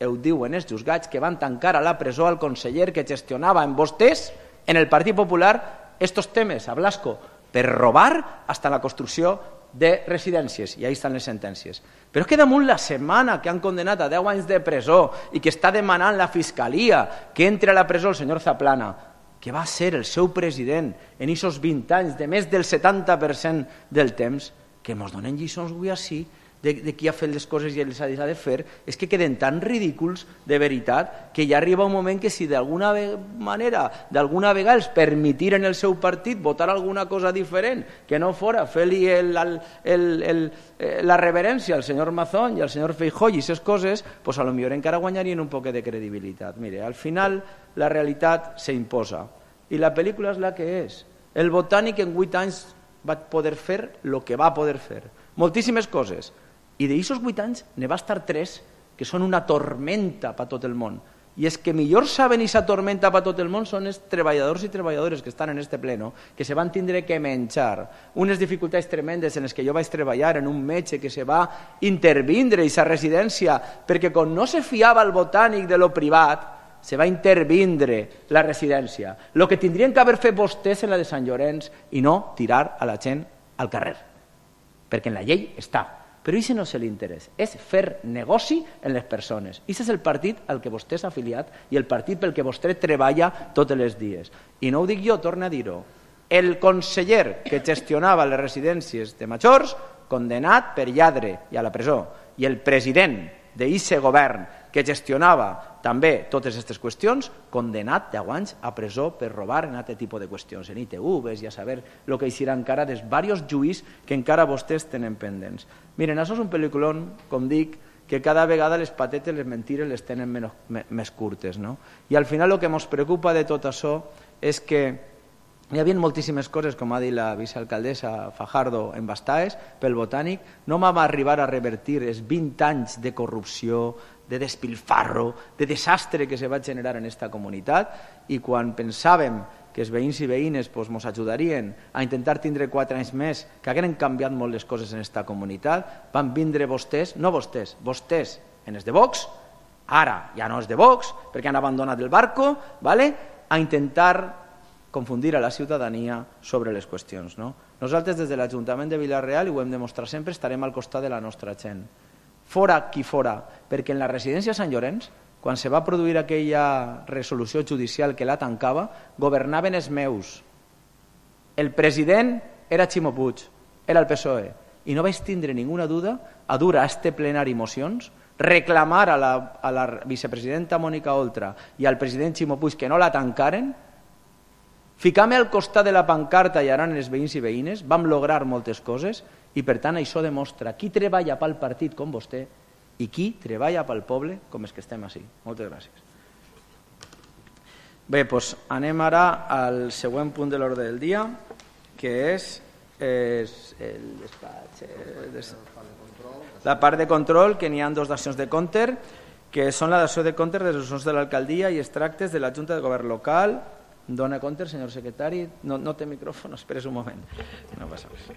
ho diuen els jutjats que van tancar a la presó al conseller que gestionava en vostès, en el Partit Popular, estos temes a Blasco, per robar hasta la construcció de residències, i ahí estan les sentències. Però és que damunt la setmana que han condenat a deu anys de presó i que està demanant la Fiscalia que entre a la presó el senyor Zaplana, que va ser el seu president en aquests vint anys de més del setanta per cent del temps, que ens donen lliçons avui així, de, de qui ha fet les coses i les ha de fer, és que queden tan ridículs de veritat que ja arriba un moment que si d'alguna manera, d'alguna vegada els permitiren el seu partit votar alguna cosa diferent, que no fora fer-li el, el, el, el, la reverència al senyor Mazón i al senyor Feijóo i aquestes coses, pues a lo millor encara guanyarien un poc de credibilitat. Mire, al final la realitat s'imposa i la pel·lícula és la que és. El Botànic en vuit anys va poder fer el que va poder fer. Moltíssimes coses. I d'aquests vuit anys ne va estar tres que són una tormenta per tot el món. I és que millor saben aquesta tormenta per tot el món són els treballadors i treballadores que estan en este pleno, que se van tindre que menjar unes dificultats tremendes en les que jo vaig treballar, en un metge que se va intervindre a aquesta residència, perquè com no se fiava el Botànic de lo privat, se va intervindre la residència. El que tindrien que haver fet vostès en la de Sant Llorenç i no tirar a la gent al carrer. Perquè en la llei està. Però això no és l'interès, és fer negoci en les persones. Això és el partit al que vostè s'ha afiliat i el partit pel que vostè treballa tots els dies. I no ho dic jo, torno a dir-ho. El conseller que gestionava les residències de majors, condenat per lladre i a la presó, i el president d'aquest govern que gestionava també totes aquestes qüestions, condenat deu anys a presó per robar en aquest tipus de qüestions, en I T Vs i a saber el que hi encara dels diversos juís que encara vostès tenen pendents. Miren, això és un pel·lículon, com dic, que cada vegada les patetes, les mentires, les tenen menys, més curtes. No? I al final el que ens preocupa de tot això és que hi havia moltíssimes coses, com ha dit la vicealcaldessa Fajardo en Bastaes, pel Botànic, no vam arribar a revertir els vint anys de corrupció, de despilfarro, de desastre que se va generar en aquesta comunitat, i quan pensàvem que els veïns i veïnes ens ajudarien a intentar tindre quatre anys més, que hagueren canviat molt les coses en aquesta comunitat, van vindre vostès, no vostès, vostès en els de Vox, ara ja no és de Vox, perquè han abandonat el barco, ¿vale? A intentar confundir a la ciutadania sobre les qüestions. No? Nosaltres des de l'Ajuntament de Vila-real, i ho hem demostrat sempre, estarem al costat de la nostra gent. Fora qui fora, perquè en la residència Sant Llorenç, quan se va produir aquella resolució judicial que la tancava, governaven els meus. El president era Ximo Puig, era el P S O E, i no vaig tindre ninguna duda a dur a este plenari mocions, reclamar a la, a la vicepresidenta Mònica Oltra i al president Ximo Puig que no la tancaren, ficar-me al costat de la pancarta i ara els veïns i veïnes, vam lograr moltes coses i per tant això demostra qui treballa pel partit com vostè i qui treballa pel poble com els que estem així. Moltes gràcies. Bé, doncs anem ara al següent punt de l'ordre del dia, que és, és el despatx, el, la part de control, que n'hi ha dos d'accions de compte, que són la d'acció de compte de les resolucions de l'alcaldia i els tractes de la Junta de Govern Local. Dona compte, senyor secretari. No, no té micròfon, esperes un moment. No passa res.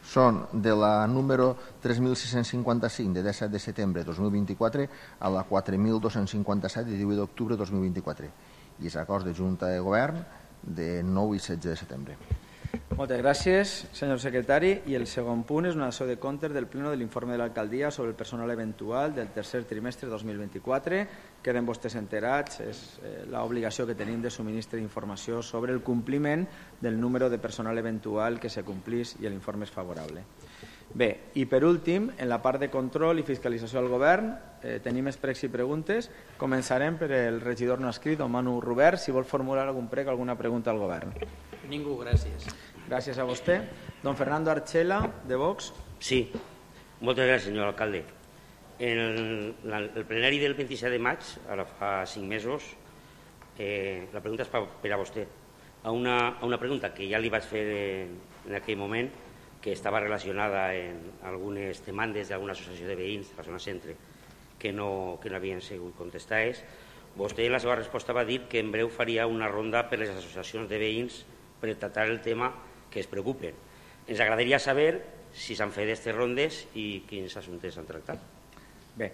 Són de la número tres mil sis-cents cinquanta-cinc de disset de setembre de dos mil vint-i-quatre a la quatre mil dos-cents cinquanta-set de divuit d'octubre de dos mil vint-i-quatre i els acords de Junta de Govern de nou i setze de setembre. Moltes gràcies, senyor secretari. I el segon punt és una acció de comptes del pleno de l'informe de l'alcaldia sobre el personal eventual del tercer trimestre de dos mil vint-i-quatre. Queden vostès enterats, és l'obligació que tenim de subministrar informació sobre el compliment del número de personal eventual que se complís i l'informe és favorable. Bé, i per últim, en la part de control i fiscalització al govern, eh, tenim expregs i preguntes. Començarem per el regidor no escrit, don Manu Robert, si vol formular algun prec o alguna pregunta al govern. Ningú, gràcies. Gràcies a vostè. Don Fernando Archela, de Vox. Sí, moltes gràcies, senyor alcalde. En el, la, el plenari del vint-i-set de maig, ara fa cinc mesos, eh, la pregunta és per a vostè. A una, a una pregunta que ja li vaig fer en, en aquell moment, que estava relacionada amb algunes demandes d'alguna associació de veïns de la zona centre que no, que no havien sigut contestades. Vostè en la seva resposta va dir que en breu faria una ronda per les associacions de veïns per tractar el tema que es preocupen. Ens agradaria saber si s'han fet aquestes rondes i quins assumptes s'han tractat. Bé,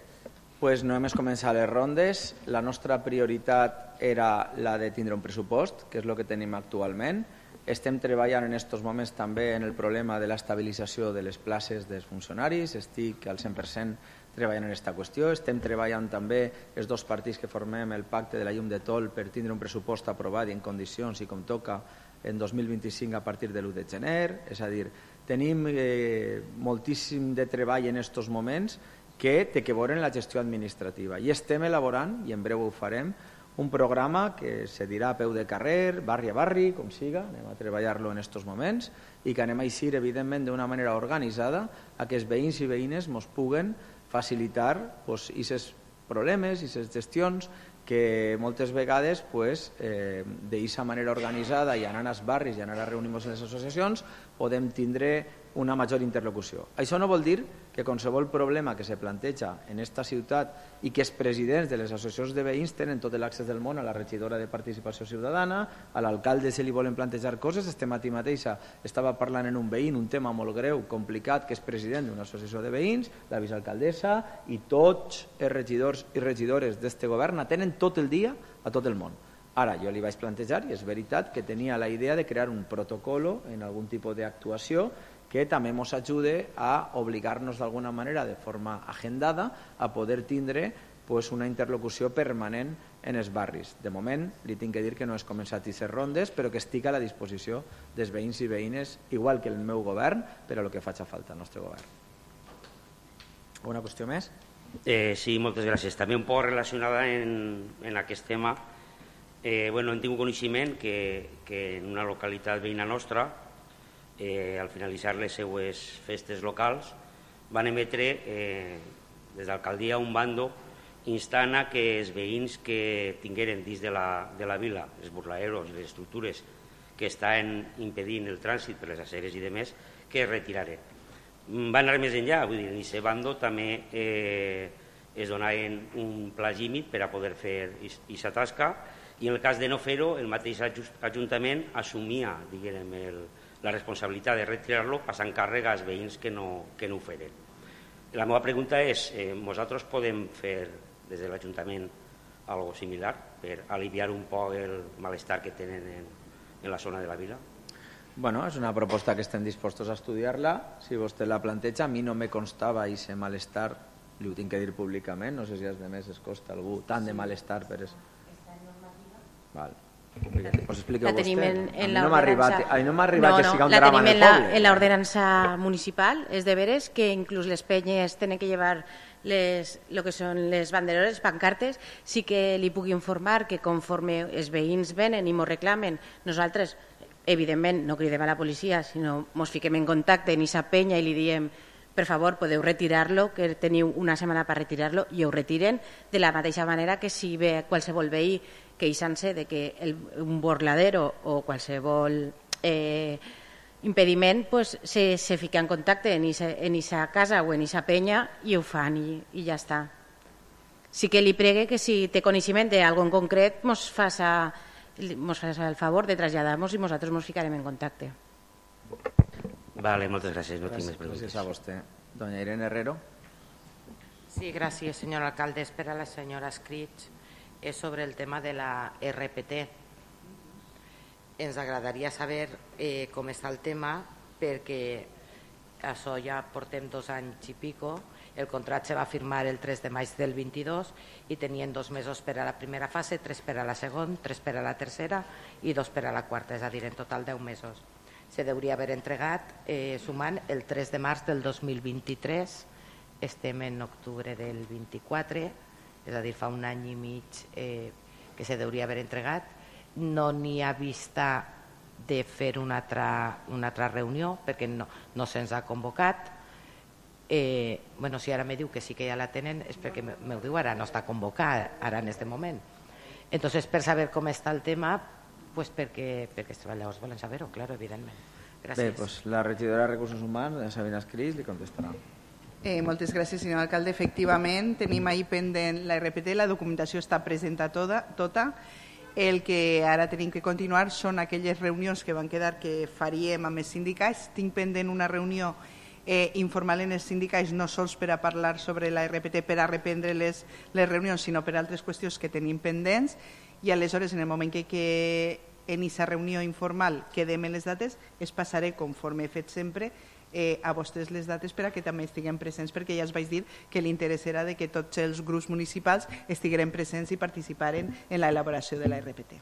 doncs no hem començat les rondes. La nostra prioritat era la de tindre un pressupost, que és el que tenim actualment. Estem treballant en aquests moments també en el problema de l'estabilització de les places dels funcionaris. Estic al cent per cent treballant en aquesta qüestió. Estem treballant també els dos partits que formem el pacte de la llum de Tol per tindre un pressupost aprovat i en condicions i com toca en dos mil vint-i-cinc a partir de l'u de gener. És a dir, tenim eh, moltíssim de treball en aquests moments que té que veure en la gestió administrativa. I estem elaborant, i en breu ho farem, un programa que se dirà a peu de carrer, barri a barri, com siga, anem a treballar-lo en aquests moments i que anem a eixir, evidentment, d'una manera organitzada a que els veïns i veïnes ens puguen facilitar aquests problemes i aquestes gestions que moltes vegades pues, eh, d'aquesta manera organitzada i anant als barris i anant a reunir-nos en les associacions podem tindre una major interlocució. Això no vol dir que qualsevol problema que se planteja en aquesta ciutat i que els presidents de les associacions de veïns tenen tot l'accés del món a la regidora de Participació Ciutadana, a l'alcalde si li volen plantejar coses. Este matí mateixa estava parlant en un veïn un tema molt greu, complicat, que és president d'una associació de veïns, la vicealcaldessa i tots els regidors i regidores d'este govern tenen tot el dia a tot el món. Ara, jo li vaig plantejar, i és veritat, que tenia la idea de crear un protocolo en algun tipus d'actuació que també ens ajude a obligar-nos d'alguna manera, de forma agendada, a poder tindre pues, una interlocució permanent en els barris. De moment, li tinc que dir que no he començat aquestes rondes, però que estic a la disposició dels veïns i veïnes, igual que el meu govern, per a el que faci falta al nostre govern. Alguna qüestió més? Eh, sí, moltes gràcies. També un poc relacionada en, en aquest tema. Eh, bueno, hem tingut coneixement que, que en una localitat veïna nostra, eh, al finalitzar les seues festes locals, van emetre eh, des d'alcaldia un bando instant a que els veïns que tingueren dins de la, de la vila, els burlaeros, les estructures que estan impedint el trànsit per les aceres i demés, que es retiraren. Van anar més enllà, vull dir, en aquest bando també eh, es donaven un pla límit per a poder fer aquesta tasca, i en el cas de no fer-ho, el mateix Ajuntament assumia, diguem, el, la responsabilitat de retirar-lo passant càrrega als veïns que no, que no ho feren. La meva pregunta és, eh, nosaltres podem fer des de l'Ajuntament algo similar per aliviar un poc el malestar que tenen en, en la zona de la vila? Bueno, és una proposta que estem dispostos a estudiar-la. Si vostè la planteja, a mi no me constava aquest malestar, li ho tinc que dir públicament, no sé si als demés es costa algú tant de malestar per això. Val. Pues expliqueu la tenim vostè. en, en a mi la no m'ha arribat, ordenança... a mi no m'ha arribat no, que no, siga un la drama tenim del en la, poble. en la ordenança municipal, és de veres que inclús les penyes tenen que llevar les, lo que són les banderoles, pancartes, sí que li puc informar que conforme els veïns venen i m'ho reclamen, nosaltres, evidentment, no cridem a la policia, sinó ens fiquem en contacte en aquesta penya i li diem per favor, podeu retirar-lo, que teniu una setmana per retirar-lo, i ho retiren de la mateixa manera que si ve qualsevol veí queixant-se de que el, un burladero o qualsevol eh, impediment pues, se, se fica en contacte en aquesta casa o en aquesta penya i ho fan i, i ja està. Sí que li pregue que si té coneixement d'algú en concret mos faça, mos faça el favor de traslladar-nos i nosaltres mos ficarem en contacte. Vale, moltes gràcies, no tinc més preguntes. Gràcies a vostè. Doña Irene Herrero. Sí, gràcies, senyor alcalde. Per a la senyora Escrits, és sobre el tema de la R P T. Ens agradaria saber eh, com està el tema, perquè això ja portem dos anys i pico. El contracte se va firmar el tres de maig del vint-i-dos i tenien dos mesos per a la primera fase, tres per a la segona, tres per a la tercera i dos per a la quarta, és a dir, en total deu mesos. Se deuria haver entregat eh, sumant el tres de març del dos mil vint-i-tres, estem en octubre del vint-i-quatre, és a dir, fa un any i mig eh, que se deuria haver entregat. No n'hi ha vista de fer una altra, una altra reunió perquè no, no se'ns ha convocat. Eh, bueno, si ara me diu que sí que ja la tenen és perquè me ho diu ara, no està convocada ara en aquest moment. Entonces, per saber com està el tema, pues perquè, perquè els treballadors volen saber-ho, claro, evidentment. Gràcies. Bé, pues la regidora de Recursos Humans, Sabina Escrits, li contestarà. Eh, moltes gràcies, senyor alcalde. Efectivament, tenim ahir pendent la R P T, la documentació està presenta tota, tota. El que ara tenim que continuar són aquelles reunions que van quedar que faríem amb els sindicats. Tinc pendent una reunió eh, informal en els sindicats, no sols per a parlar sobre la R P T, per a reprendre les, les reunions, sinó per altres qüestions que tenim pendents. I aleshores, en el moment que, que en aquesta reunió informal quedem en les dates, es passaré, conforme he fet sempre, eh, a vostès les dates per a que també estiguem presents, perquè ja us vaig dir que l'interès era de que tots els grups municipals estigueren presents i participaren en l'elaboració de la R P T.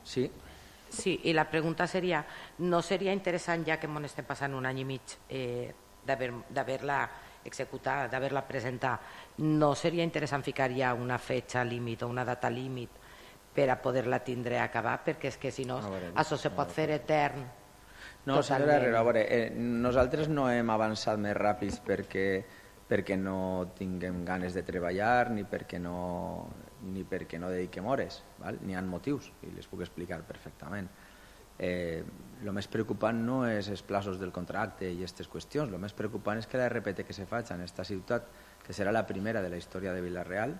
Sí. Sí, i la pregunta seria, no seria interessant, ja que m'on estem passant un any i mig eh, d'haver-la executar, d'haver-la presentar, no seria interessant ficar ja una fetxa límit o una data límit per a poder-la tindre a acabar, perquè és que si no, això se pot fer etern. No, senyora Herrera, a veure, eh, nosaltres no hem avançat més ràpids perquè, perquè no tinguem ganes de treballar ni perquè no, ni perquè no dediquem hores, val? N'hi ha motius i les puc explicar perfectament. Eh, el més preocupant no és els plaços del contracte i aquestes qüestions, el més preocupant és que la R P T que se faig en aquesta ciutat, que serà la primera de la història de Vila-real,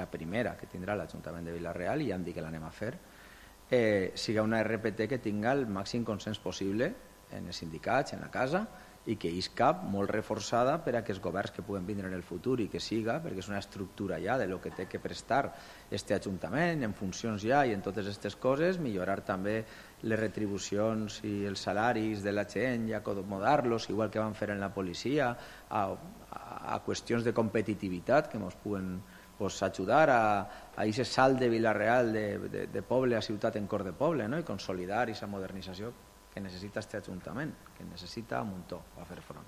la primera que tindrà l'Ajuntament de Vila-real, i ja em dic que l'anem a fer, eh, siga una R P T que tinga el màxim consens possible en els sindicats, en la casa, i que isca molt reforçada per a que els governs que puguen vindre en el futur i que siga, perquè és una estructura ja de lo que té que prestar este Ajuntament en funcions ja i en totes aquestes coses, millorar també les retribucions i els salaris de la gent i acomodar-los, igual que van fer en la policia, a, a, a qüestions de competitivitat que ens puguen pues, ajudar a aquest salt de Vila-real de, de, de poble a ciutat en cor de poble, no? I consolidar aquesta modernització que necessita este Ajuntament, que necessita un muntó a fer front.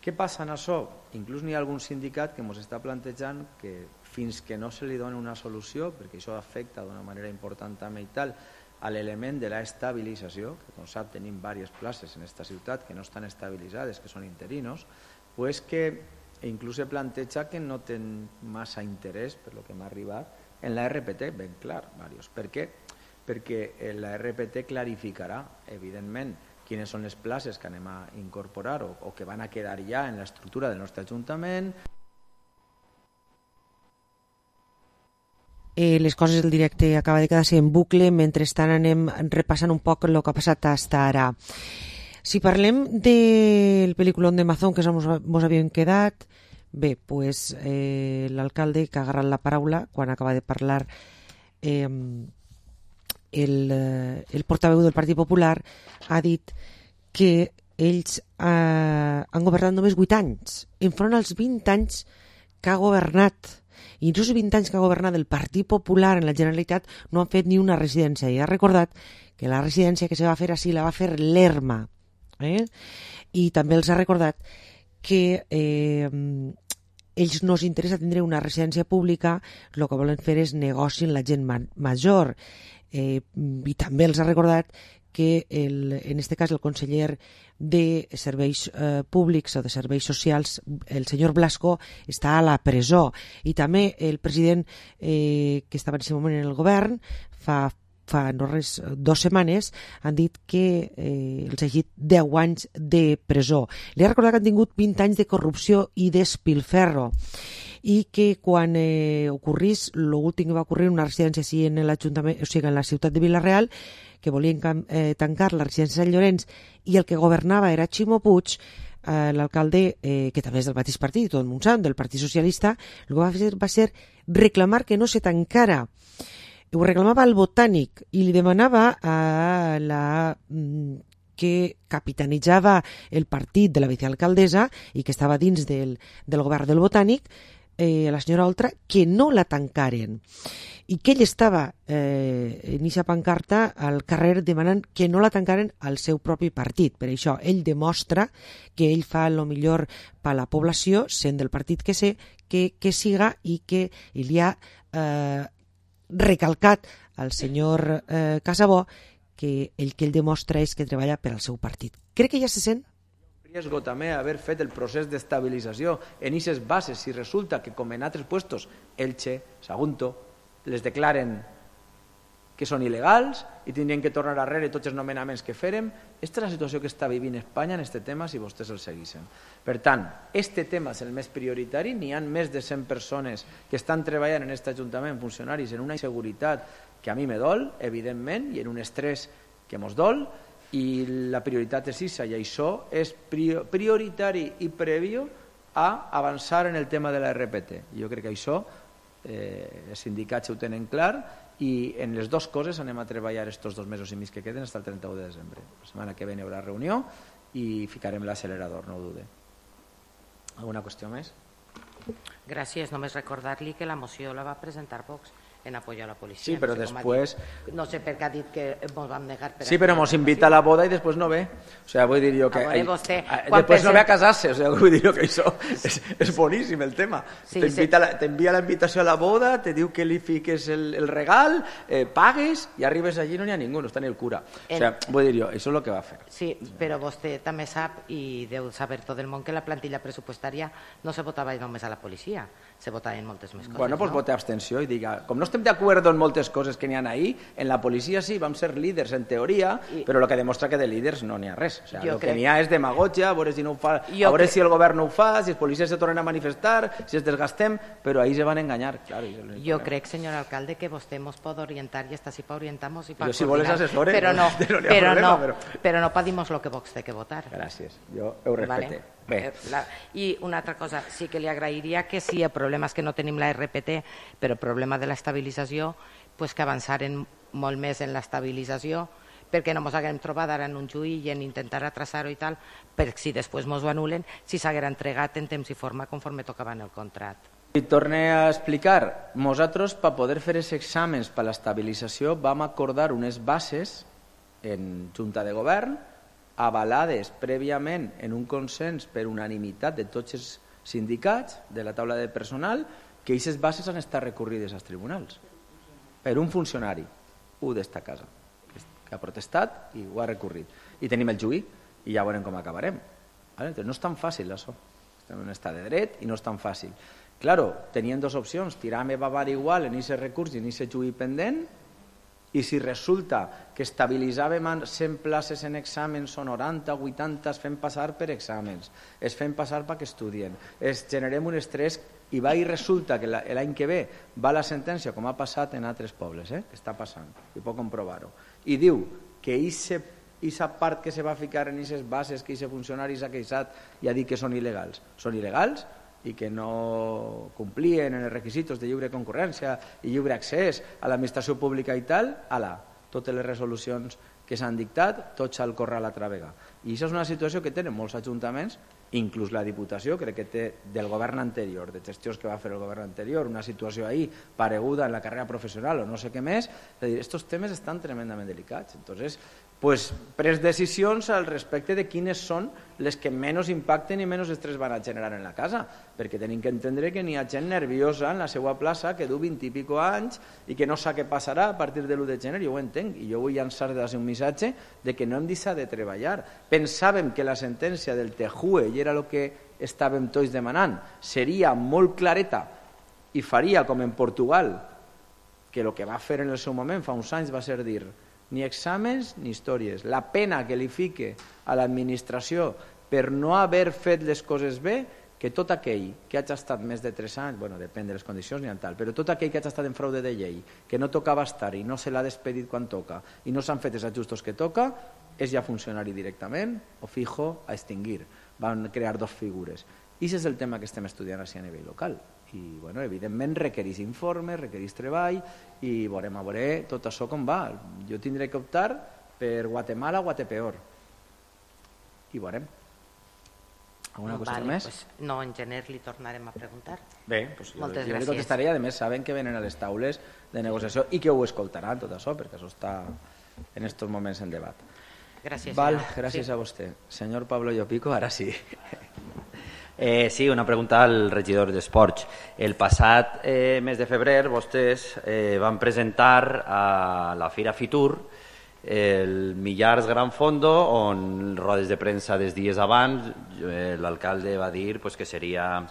Què passa en això? Inclús n'hi ha algun sindicat que ens està plantejant que fins que no se li doni una solució, perquè això afecta d'una manera important també i tal, a l'element de l'estabilització, que com sap tenim diverses places en aquesta ciutat que no estan estabilitzades, que són interinos, pues que inclús se planteja que no ten massa interès, per lo que m'ha arribat, en la R P T, ben clar, varios. Per què? Perquè la R P T clarificarà, evidentment, quines són les places que anem a incorporar o, o que van a quedar ja en l'estructura del nostre Ajuntament. Eh, les coses del directe acaba de quedar-se en bucle, mentrestant anem repassant un poc el que ha passat fins ara. Si parlem del pel·lículon de Mazón que ens havíem quedat, bé, pues, eh, l'alcalde que ha agarrat la paraula quan acaba de parlar eh, el, el portaveu del Partit Popular ha dit que ells eh, han governat només vuit anys, enfront als vint anys que ha governat. I en aquests vint anys que ha governat el Partit Popular en la Generalitat no han fet ni una residència. I ha recordat que la residència que se va fer així la va fer l'Erma. Eh? I també els ha recordat que eh, ells no els interessa tindre una residència pública, el que volen fer és negoci amb la gent ma major. Eh, I també els ha recordat que el, en aquest cas el conseller de Serveis eh, Públics o de Serveis Socials, el senyor Blasco, està a la presó. I també el president eh, que estava en aquest moment en el govern, fa, fa no res, dues setmanes, han dit que eh, els ha llegit deu anys de presó. Li ha recordat que han tingut vint anys de corrupció i despilferro i que quan eh, ocorrís, l'últim que va ocorrir una residència així en l'Ajuntament, o sigui, en la ciutat de Vila-real, que volien eh, tancar la residència de Sant Llorenç i el que governava era Ximo Puig, eh, l'alcalde, eh, que també és del mateix partit, tot el món sap, del Partit Socialista, el que va fer va ser reclamar que no se tancara. Ho reclamava al Botànic i li demanava a la que capitanitzava el partit de la vicealcaldessa i que estava dins del, del govern del Botànic, eh, la senyora Oltra, que no la tancaren. I que ell estava eh, en aquesta pancarta al carrer demanant que no la tancaren al seu propi partit. Per això ell demostra que ell fa el millor per a la població, sent del partit que sé, que, que siga i que li ha eh, recalcat al senyor eh, Casabó que el que ell demostra és que treballa per al seu partit. Crec que ja se sent. Riesgo també haver fet el procés d'estabilització en aquestes bases si resulta que com en altres puestos Elche, Sagunto, les declaren que són il·legals i tindrien que tornar darrere tots els nomenaments que fèrem. Aquesta és la situació que està vivint Espanya en aquest tema si vostès el seguissin. Per tant, aquest tema és el més prioritari. N'hi ha més de cent persones que estan treballant en aquest Ajuntament, funcionaris, en una inseguretat que a mi me dol, evidentment, i en un estrès que mos dol, i la prioritat és això, i això és prioritari i previ a avançar en el tema de la R P T. Jo crec que això eh, els sindicats ho tenen clar i en les dues coses anem a treballar estos dos mesos i mig que queden fins al trenta-u de desembre. La setmana que ve hi haurà reunió i ficarem l'accelerador, no ho dude. Alguna qüestió més? Gràcies. Només recordar-li que la moció la va presentar Vox en apoyo a la policia. Sí, però no sé després... No sé per què ha dit que ens vam negar... Per sí, però ens invita a la boda i després no ve. O sea, vull dir jo que... Ah, vostè, després no ve a casar-se. O sea, vull dir jo que això és, és boníssim el tema. Sí, t'envia la invitació a la boda, te diu que li fiques el, el regal, eh, pagues i arribes allí i no n'hi ha ningú, no està ni el cura. O sea, vull dir jo, això és el que va fer. Sí, però vostè també sap, i deu saber tot el món, que la plantilla pressupostària no se votava només a la policia, se votava en moltes més coses. Bueno, doncs vote abstenció i diga, com no estem d'acord en moltes coses que n'hi ha ahí, en la policia sí, vam ser líders en teoria, I... però el que demostra que de líders no n'hi ha res. O sea, el crec... que n'hi ha és demagogia, a veure si no ho fa, jo a veure crec... si el govern no ho fa, si els policies se tornen a manifestar, si es desgastem, però ahí se van enganyar. Claro, jo crec, senyor alcalde, que vostè ens pot orientar i està així per orientar-nos i per jo, si vols assessores, però no, no, però, problema, no, però... però no pa dir-nos el que Vox té que votar. Gràcies, jo ho respecte. Vale. Bé. La... I una altra cosa, sí que li agrairia que si el problema és que no tenim la R P T, però el problema de l'estabilització, pues que avançaren molt més en l'estabilització, perquè no ens haguem trobat ara en un juí i en intentar atrasar-ho i tal, per si després ens ho anulen, si s'haguera entregat en temps i forma conforme tocava en el contracte. I torne a explicar, nosaltres per poder fer els exàmens per l'estabilització vam acordar unes bases en Junta de Govern avalades prèviament en un consens per unanimitat de tots els sindicats de la taula de personal, que aquestes bases han estat recorrides als tribunals per un funcionari, un d'esta casa, que ha protestat i ho ha recorrit. I tenim el juí i ja veurem com acabarem. No és tan fàcil això. Estem en un estat de dret i no és tan fàcil. Claro, tenien dues opcions, tirar-me bavar igual en aquest recurs i en aquest juí pendent, i si resulta que estabilitzàvem cent places en exàmens o noranta, vuitanta, es fem passar per exàmens, es fem passar perquè estudien, es generem un estrès i va i resulta que l'any que ve va la sentència, com ha passat en altres pobles, eh? que està passant, i puc comprovar-ho, i diu que aquesta part que se va ficar en aquestes bases que aquest funcionari s'ha queixat i ha dit que són il·legals, són il·legals i que no complien en els requisits de lliure concurrència i lliure accés a l'administració pública i tal, ala, totes les resolucions que s'han dictat, tots al corral a travega. I això és una situació que tenen molts ajuntaments, inclús la Diputació, crec que té del govern anterior, de gestions que va fer el govern anterior, una situació ahí pareguda en la carrera professional o no sé què més, és a dir, estos temes estan tremendament delicats. Entonces, pues, pres decisions al respecte de quines són les que menys impacten i menys estrès van a generar en la casa, perquè tenim que entendre que n'hi ha gent nerviosa en la seva plaça que du vint i pico anys i que no sap què passarà a partir de l'u de gener, jo ho entenc, i jo vull llançar un missatge de que no hem deixat de treballar. Pensàvem que la sentència del T J U E, i era el que estàvem tots demanant, seria molt clareta i faria com en Portugal, que el que va fer en el seu moment fa uns anys va ser dir ni exàmens ni històries. La pena que li fique a l'administració per no haver fet les coses bé, que tot aquell que hagi estat més de tres anys, bueno, depèn de les condicions ni tal, però tot aquell que hagi estat en fraude de llei, que no tocava estar i no se l'ha despedit quan toca i no s'han fet els ajustos que toca, és ja funcionari directament o fijo a extingir. Van crear dos figures. I aquest és el tema que estem estudiant així a nivell local. I, bueno, evidentment, requereix informes, requereix treball i veurem a veure tot això com va. Jo tindré que optar per Guatemala o Guatepeor. I veurem. Alguna cosa vale, més? Pues, no, en gener li tornarem a preguntar. Bé, pues, moltes jo gràcies. li contestaré i a més saben que venen a les taules de negociació i que ho escoltaran tot això, perquè això està en aquests moments en debat. Gràcies, Val, senyor. gràcies Sí. a vostè. Senyor Pablo Llopico, ara sí. Eh, sí, una pregunta al regidor d'Esports. El passat eh, mes de febrer vostès eh, van presentar a la Fira Fitur el Millars Gran Fondo, on rodes de premsa des dies abans eh, l'alcalde va dir pues, que seria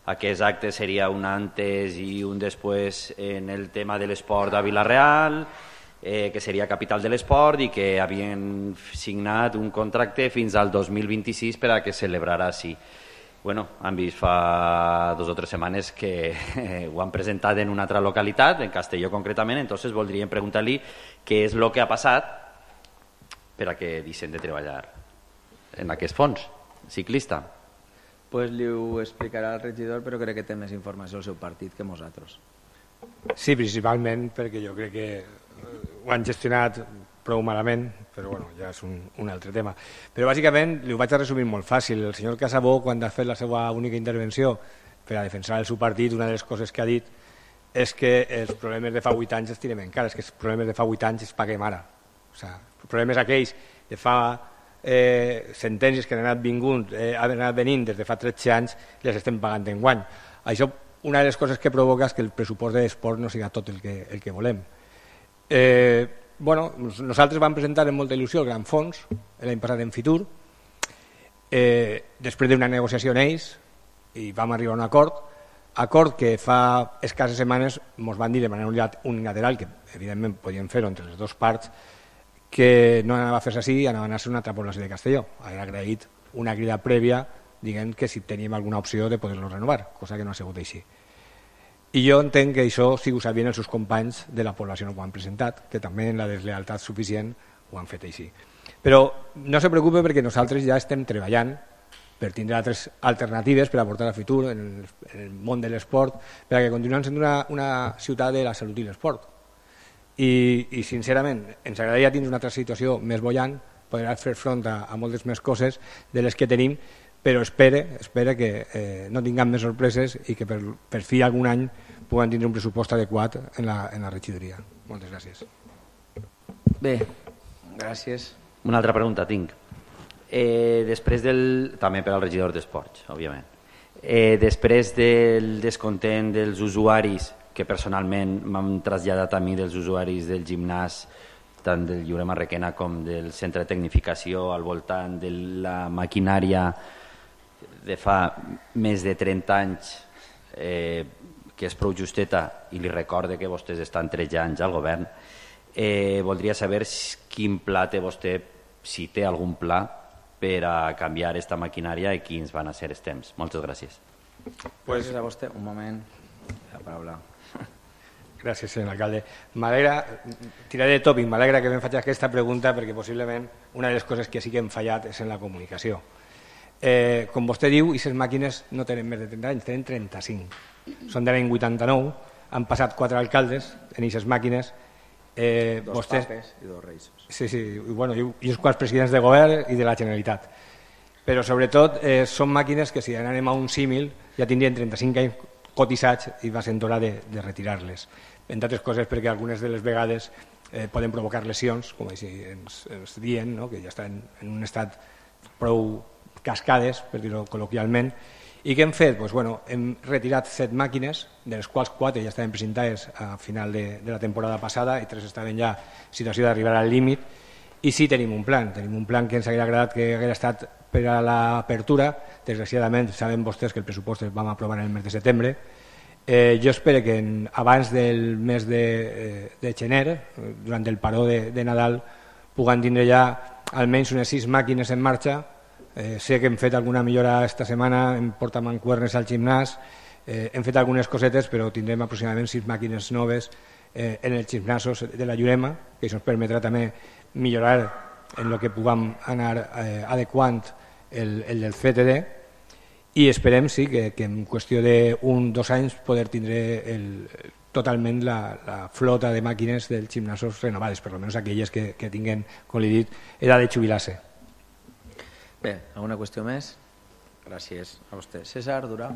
aquest acte seria un antes i un després en el tema de l'esport a Vila-real, eh, que seria capital de l'esport i que havien signat un contracte fins al dos mil vint-i-sis per a que celebrarà així. Bueno, han vist fa dos o tres setmanes que eh, ho han presentat en una altra localitat, en Castelló concretament, entonces voldríem preguntar-li què és el que ha passat per a que deixen de treballar en aquest fons ciclista. Pues li ho explicarà el regidor, però crec que té més informació al seu partit que nosaltres. Sí, principalment perquè jo crec que ho han gestionat prou malament, però bueno, ja és un, un altre tema. Però bàsicament li ho vaig a resumir molt fàcil. El senyor Casabó, quan ha fet la seva única intervenció per a defensar el seu partit, una de les coses que ha dit és que els problemes de fa vuit anys els tirem encara, és que els problemes de fa vuit anys els paguem ara. O sigui, els problemes aquells de fa eh, sentències que han anat vingut, eh, han anat venint des de fa tretze anys, les estem pagant enguany. Això, una de les coses que provoca és que el pressupost de l'esport no siga tot el que, el que volem. Eh, bueno, nosaltres vam presentar amb molta il·lusió el Gran Fons l'any passat en Fitur, eh, després d'una negociació en ells i vam arribar a un acord acord que fa escasses setmanes ens van dir de manera unilateral, que evidentment podien fer-ho entre les dues parts, que no anava a fer-se així i anava a anar-se una altra població de Castelló. Ha agraït una crida prèvia dient que si teníem alguna opció de poder-lo renovar, cosa que no ha sigut així. I jo entenc que això sí ho sabien els seus companys de la població no ho han presentat, que també en la deslealtat suficient ho han fet així. Però no se preocupe perquè nosaltres ja estem treballant per tindre altres alternatives per aportar al futur en el, en el món de l'esport, per a que continuem sent una, una ciutat de la salut i l'esport. I, I sincerament ens agradaria tindre una altra situació més bollant, poder fer front a, a moltes més coses de les que tenim, però espere, espere que eh, no tinguem més sorpreses i que per, per fi algun any puguem tindre un pressupost adequat en la, en la regidoria. Moltes gràcies. Bé, gràcies. Una altra pregunta tinc. Eh, després del... També per al regidor d'Esports, òbviament. Eh, després del descontent dels usuaris, que personalment m'han traslladat a mi dels usuaris del gimnàs, tant del Lliurema Requena com del centre de tecnificació al voltant de la maquinària de fa més de trenta anys, eh, que és prou justeta, i li recorde que vostès estan tretze anys al govern, eh, voldria saber quin pla té vostè, si té algun pla per a canviar aquesta maquinària i quins van a ser els temps. Moltes gràcies. Pues, gràcies a vostè. Un moment. La paraula. Gràcies, senyor alcalde. M'alegra, tiraré de tòpic, m'alegra que em faci aquesta pregunta perquè possiblement una de les coses que sí que hem fallat és en la comunicació. Eh, com vostè diu, aquestes màquines no tenen més de trenta anys, tenen trenta-cinc. Són de l'any vuitanta-nou, han passat quatre alcaldes en aquestes màquines. Eh, dos vostès... papes i dos reis. Sí, sí, i, bueno, i, i els quals presidents de govern i de la Generalitat. Però sobretot eh, són màquines que si anem a un símil ja tindrien trenta-cinc anys cotitzats i va ser hora de, de retirar-les. Entre altres coses perquè algunes de les vegades eh, poden provocar lesions, com així ens, ens diuen, no? Que ja estan en un estat prou cascades, per dir-ho col·loquialment. I què hem fet? Pues, bueno, hem retirat set màquines, de les quals quatre ja estaven presentades a final de, de la temporada passada i tres estaven ja en situació d'arribar al límit. I sí tenim un plan, tenim un plan que ens hauria agradat que hagués estat per a l'apertura. Desgraciadament, saben vostès que el pressupost el vam aprovar en el mes de setembre. Eh, jo espero que en, abans del mes de, eh, de gener, durant el paró de, de Nadal, puguen tindre ja almenys unes sis màquines en marxa. Eh, sé que hem fet alguna millora esta setmana, hem portat mancuernes al gimnàs, eh, hem fet algunes cosetes, però tindrem aproximadament sis màquines noves eh, en els gimnasos de la Llurema, que això ens permetrà també millorar en el que puguem anar eh, adequant el, el del C T D, i esperem sí, que, que en qüestió d'un o dos anys poder tindre el, totalment la, la flota de màquines dels gimnasos renovades, per almenys aquelles que, que tinguen, com li he dit, edat de jubilar-se. Bé, alguna qüestió més? Gràcies a vostè. César Durà.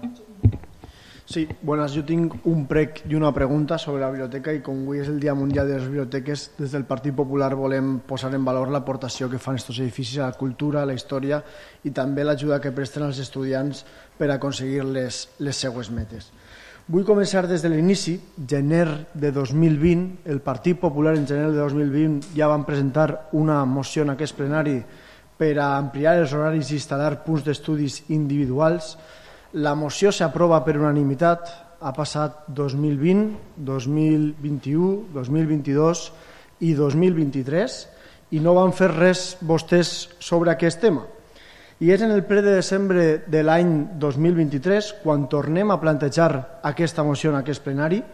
Sí, buenas. Yo tengo un prec y una pregunta sobre la biblioteca y com avui és el Dia Mundial de les Biblioteques, des del Partit Popular volem posar en valor l'aportació que fan estos edificis a la cultura, a la història i també l'ajuda que presten als estudiants per aconseguir les, les seues metes. Vull començar des de l'inici. Gener de dos mil vint, el Partit Popular en gener de dos mil vint ja van presentar una moció en aquest plenari per a ampliar els horaris i instal·lar punts d'estudis individuals. La moció s'aprova per unanimitat, ha passat dos mil vint, dos mil vint-i-u, dos mil vint-i-dos i dos mil vint-i-tres i no van fer res vostès sobre aquest tema. I és en el ple de desembre de l'any dos mil vint-i-tres quan tornem a plantejar aquesta moció en aquest plenari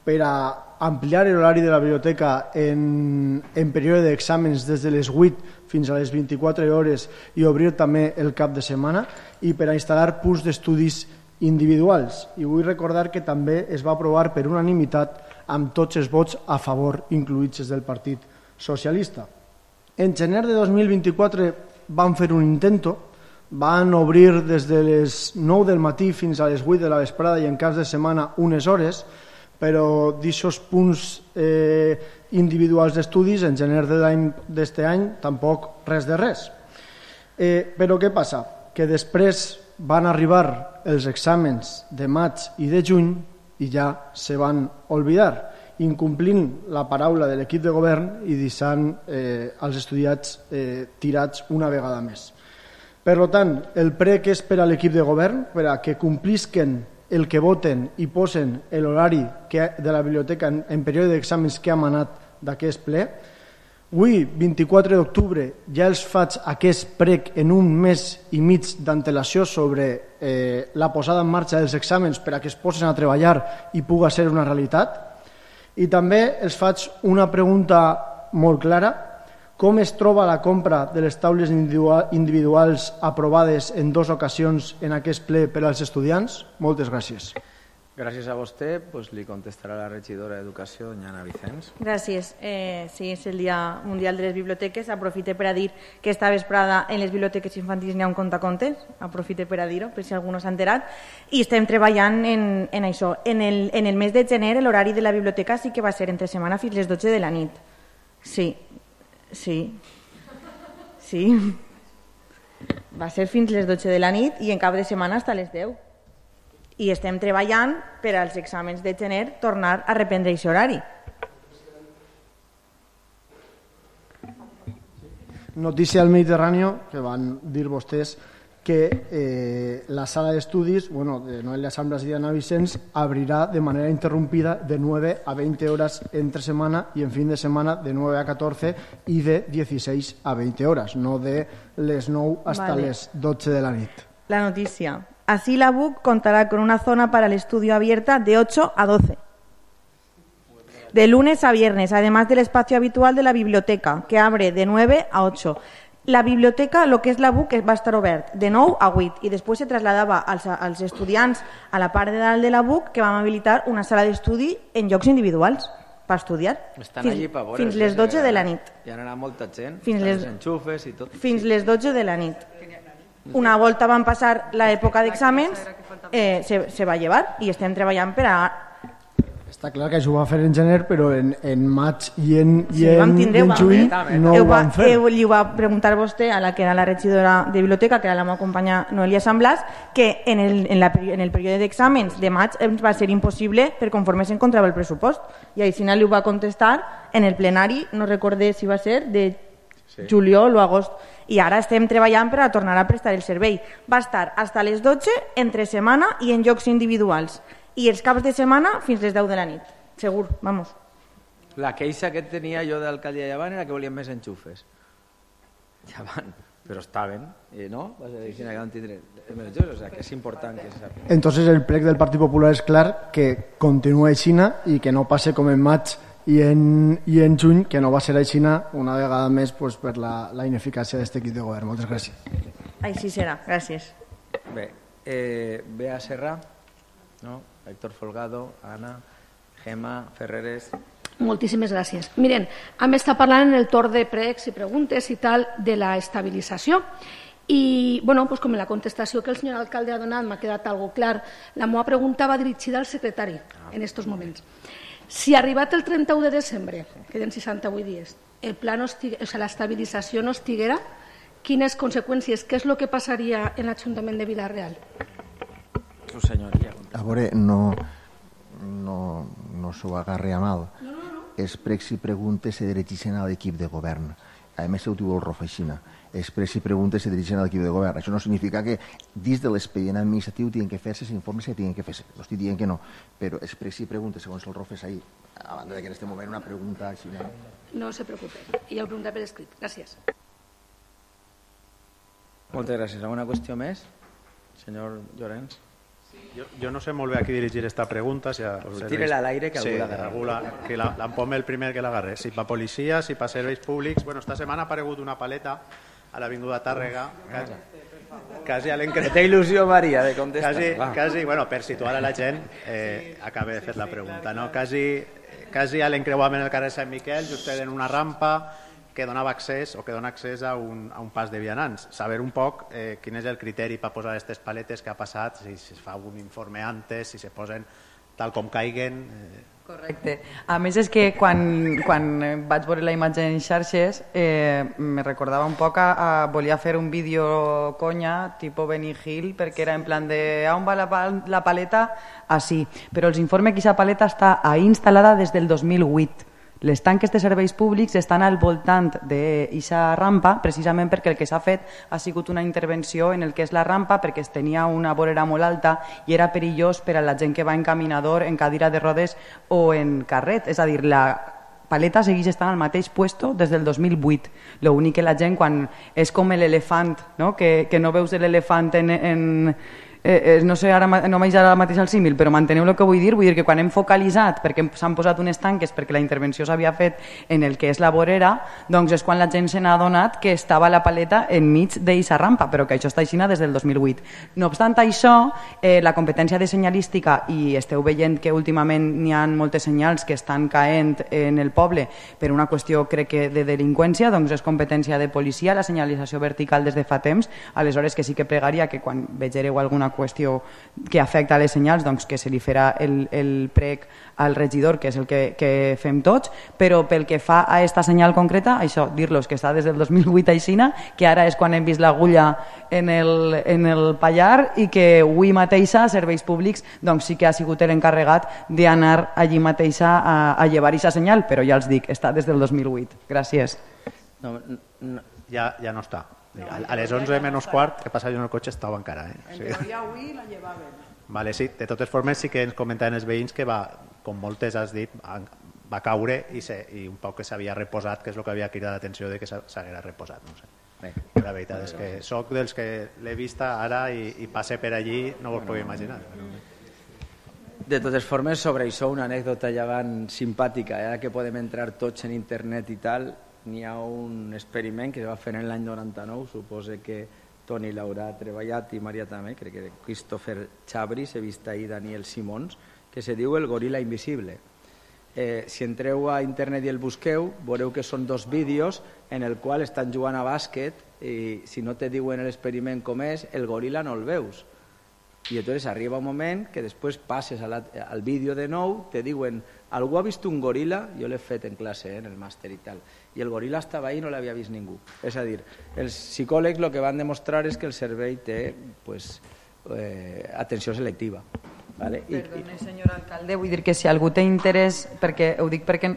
per a ampliar l'horari de la biblioteca en, en període d'exàmens des de les vuit fins a les vint-i-quatre hores i obrir també el cap de setmana i per a instal·lar punts d'estudis individuals. I vull recordar que també es va aprovar per unanimitat amb tots els vots a favor, incluïts des del Partit Socialista. En gener de dos mil vint-i-quatre van fer un intento, van obrir des de les nou del matí fins a les vuit de la vesprada i en cas de setmana unes hores, però d'aixòs punts eh, individuals d'estudis en gener de l'any d'este any tampoc res de res. Eh, però què passa? Que després van arribar els exàmens de maig i de juny i ja se van oblidar, incomplint la paraula de l'equip de govern i deixant eh, els estudiants eh, tirats una vegada més. Per tant, el prec és per a l'equip de govern, per a que complisquen el que voten i posen l'horari de la biblioteca en, en període d'exàmens que ha manat d'aquest ple. Avui, vint-i-quatre d'octubre, ja els faig aquest prec en un mes i mig d'antelació sobre eh, la posada en marxa dels exàmens per a que es posen a treballar i puga ser una realitat. I també els faig una pregunta molt clara. Com es troba la compra de les taules individuals aprovades en dues ocasions en aquest ple per als estudiants? Moltes gràcies. Gràcies a vostè. Pues li contestarà la regidora d'Educació, doña Ana Vicens. Gràcies. Eh, sí, és el Dia Mundial de les Biblioteques. Aprofite per a dir que esta vesprada en les biblioteques infantils n'hi ha un contacontes. Aprofite per a dir-ho, per si algú no s'ha enterat. I estem treballant en, en això. En el, en el mes de gener l'horari de la biblioteca sí que va ser entre setmana fins les dotze de la nit. Sí. Sí, sí. Va ser fins les dotze de la nit i en cap de setmana hasta les deu. I estem treballant per als exàmens de gener tornar a reprendre aquest horari. Notícia al Mediterrani, que van dir vostès que eh, la sala d'estudis, bueno, de Noelia Samblas y de Ana Vicens, abrirá de manera interrumpida de nueve a veinte horas entre semana y en fin de semana de nueve a catorce y de dieciséis a veinte horas, no de les nou hasta Vale. les dotze de la nit. La noticia. Así la B U C contará con una zona para el estudio abierta de ocho a doce. De lunes a viernes, además del espacio habitual de la biblioteca, que abre de nueve a ocho. La biblioteca, lo que és la B U C, va estar obert de nou a vuit i després se traslladava als, als estudiants a la part de dalt de la B U C, que vam habilitar una sala d'estudi en llocs individuals per estudiar. Estan fins, allí per veure. fins les dotze de la nit. Hi ha anat molta gent, Fins fins les- les enxufes i tot. Fins les dotze de la nit. Una volta van passar l'època d'exàmens, eh, se, se va llevar i estem treballant per a... Està clar que això ho va fer en gener, però en, en maig i en, i Sí, en, vam tindre, i en vam juny fer. no Heu ho va- van fer. heu- li ho va preguntar vostè a la que era la regidora de biblioteca, que era la meva companya Noelia Sant Blas, que en el, en la, peri- en el període d'exàmens de maig ens va ser impossible per conforme s'encontrava el pressupost. I així li ho va contestar en el plenari, no recordé si va ser de Sí. juliol o agost. I ara estem treballant per a tornar a prestar el servei. Va estar fins a les dotze entre setmana i en llocs individuals. I els caps de setmana fins les deu de la nit. Segur, vamos. La queixa que tenia jo d'alcaldia Llevant era que volien més enxufes. Ja van, però estaven, i no? Va ser així que van tindre més enxufes, o sea, que és important que se sàpiga. Entonces el plec del Partit Popular és clar que continua aixina i que no passe com en maig i en, i en juny, que no va ser aixina una vegada més pues, per la, la ineficàcia d'aquest equip de govern. Moltes gràcies. Així serà. Gràcies. Bé, eh, Bea Serra, no? Héctor Folgado, Ana, Gemma, Ferreres... Moltíssimes gràcies. Miren, hem estat parlant en el torn de pregs i preguntes i tal de la estabilització i, bueno, pues com en la contestació que el senyor alcalde ha donat m'ha quedat algo clar. La meva pregunta va dirigida al secretari en estos moments. Si arribat el trenta-u de desembre, queden seixanta-vuit dies, el pla no estig... o sigui, l'estabilització no estiguera, quines conseqüències, què és el que passaria en l'Ajuntament de Vila-real? Su senyoria. A veure, no, no, no s'ho agarri a mal. No, no, no. Els pregs i preguntes se dirigeixen a l'equip de govern. A més, ho diu el Rofeixina. Els pregs i preguntes se dirigeixen a l'equip de govern. Això no significa que dins de l'expedient administratiu tinguin que fer-se els informes que tinguin que fer-se. No estic dient que no, però els pregs i preguntes, segons el Rofes ahir, a banda de que en aquest moment una pregunta així... No? No se preocupe. I el pregunta per escrit. Gràcies. Moltes gràcies. Alguna qüestió més? Senyor Llorenç. Yo, yo no sé molt bé a qui dirigir esta pregunta. Si a Pues serveis- tírela al aire que algú sí, l'agarra. algú la, que la, l'empome el primer que l'agarre. Si pa policia, si pa serveis públics... Bueno, esta setmana ha aparegut una paleta a l'Avinguda Tàrrega. Quasi, quasi a l'encre... Que té il·lusió, Maria, de contestar. Quasi, Va. quasi, bueno, per situar a la gent, eh, acabé de fer la pregunta. No? Quasi, quasi a l'encreuament del carrer Sant Miquel, just en una rampa que donava accés o que dona accés a un, a un pas de vianants. Saber un poc eh, quin és el criteri per posar aquestes paletes que ha passat, si, si es fa un informe antes, si se posen tal com caiguen... Eh. Correcte. A més és que quan, quan vaig veure la imatge en xarxes eh, me recordava un poc a, a volia fer un vídeo conya tipo Benny Hill perquè era en plan de on va la, la paleta? Així. Però els informes que aquesta paleta està ahí instal·lada des del dos mil vuit. Les tanques de serveis públics estan al voltant d'aquesta rampa precisament perquè el que s'ha fet ha sigut una intervenció en el que és la rampa perquè es tenia una vorera molt alta i era perillós per a la gent que va en caminador, en cadira de rodes o en carret. És a dir, la paleta segueix estant al mateix puesto des del dos mil vuit. L'únic que la gent quan és com l'elefant, no? Que, que no veus l'elefant en... en Eh, no sé, ara no m'haig ara mateix el símil, però manteneu el que vull dir, vull dir que quan hem focalitzat, perquè s'han posat unes tanques perquè la intervenció s'havia fet en el que és la vorera, doncs és quan la gent se n'ha adonat que estava la paleta enmig d'eixa rampa, però que això està aixina des del dos mil vuit. No obstant això, eh, la competència de senyalística, i esteu veient que últimament n'hi ha moltes senyals que estan caent en el poble per una qüestió, crec que, de delinqüència, doncs és competència de policia, la senyalització vertical des de fa temps, aleshores que sí que pregaria que quan vegereu alguna qüestió que afecta a les senyals, doncs que se li farà el, el prec al regidor, que és el que, que fem tots, però pel que fa a esta senyal concreta, això, dir-los que està des del dos mil vuit a Ixina, que ara és quan hem vist l'agulla en el, en el pallar i que avui mateixa, Serveis Públics, doncs sí que ha sigut l'encarregat d'anar allí mateixa a, a llevar aquesta senyal, però ja els dic, està des del dos mil vuit. Gràcies. No, no, ja, ja no està. A les onze menys quart, que passa jo en el cotxe, estava encara. Eh? En teoria avui la llevaven. Vale, sí. De totes formes sí que ens comentaven els veïns que va, com moltes has dit, va caure i, se, i un poc que s'havia reposat, que és el que havia cridat l'atenció de que s'haguera reposat. No sé. Bé, la veritat és que soc dels que l'he vista ara i, i passe per allí, no vos podeu imaginar. De totes formes, sobre això, una anècdota ja van simpàtica, eh? Que podem entrar tots en internet i tal. N'hi ha un experiment que es va fer en l'any noranta-nou, suposo que Toni l'haurà treballat i Maria també, crec que Christopher Chabris, he vist ahir Daniel Simons, que se diu el goril·la invisible. Eh, si entreu a internet i el busqueu, veureu que són dos vídeos en el qual estan jugant a bàsquet i si no te diuen l'experiment com és, el goril·la no el veus. I llavors arriba un moment que després passes a la, al vídeo de nou, te diuen, algú ha vist un goril·la? Jo l'he fet en classe, eh, en el màster i tal. I el goril·la estava ahí i no l'havia vist ningú. És a dir, els psicòlegs el que van demostrar és que el cervell té pues, eh, atenció selectiva. Vale? Perdone, senyor alcalde, vull dir que si algú té interès, perquè ho dic perquè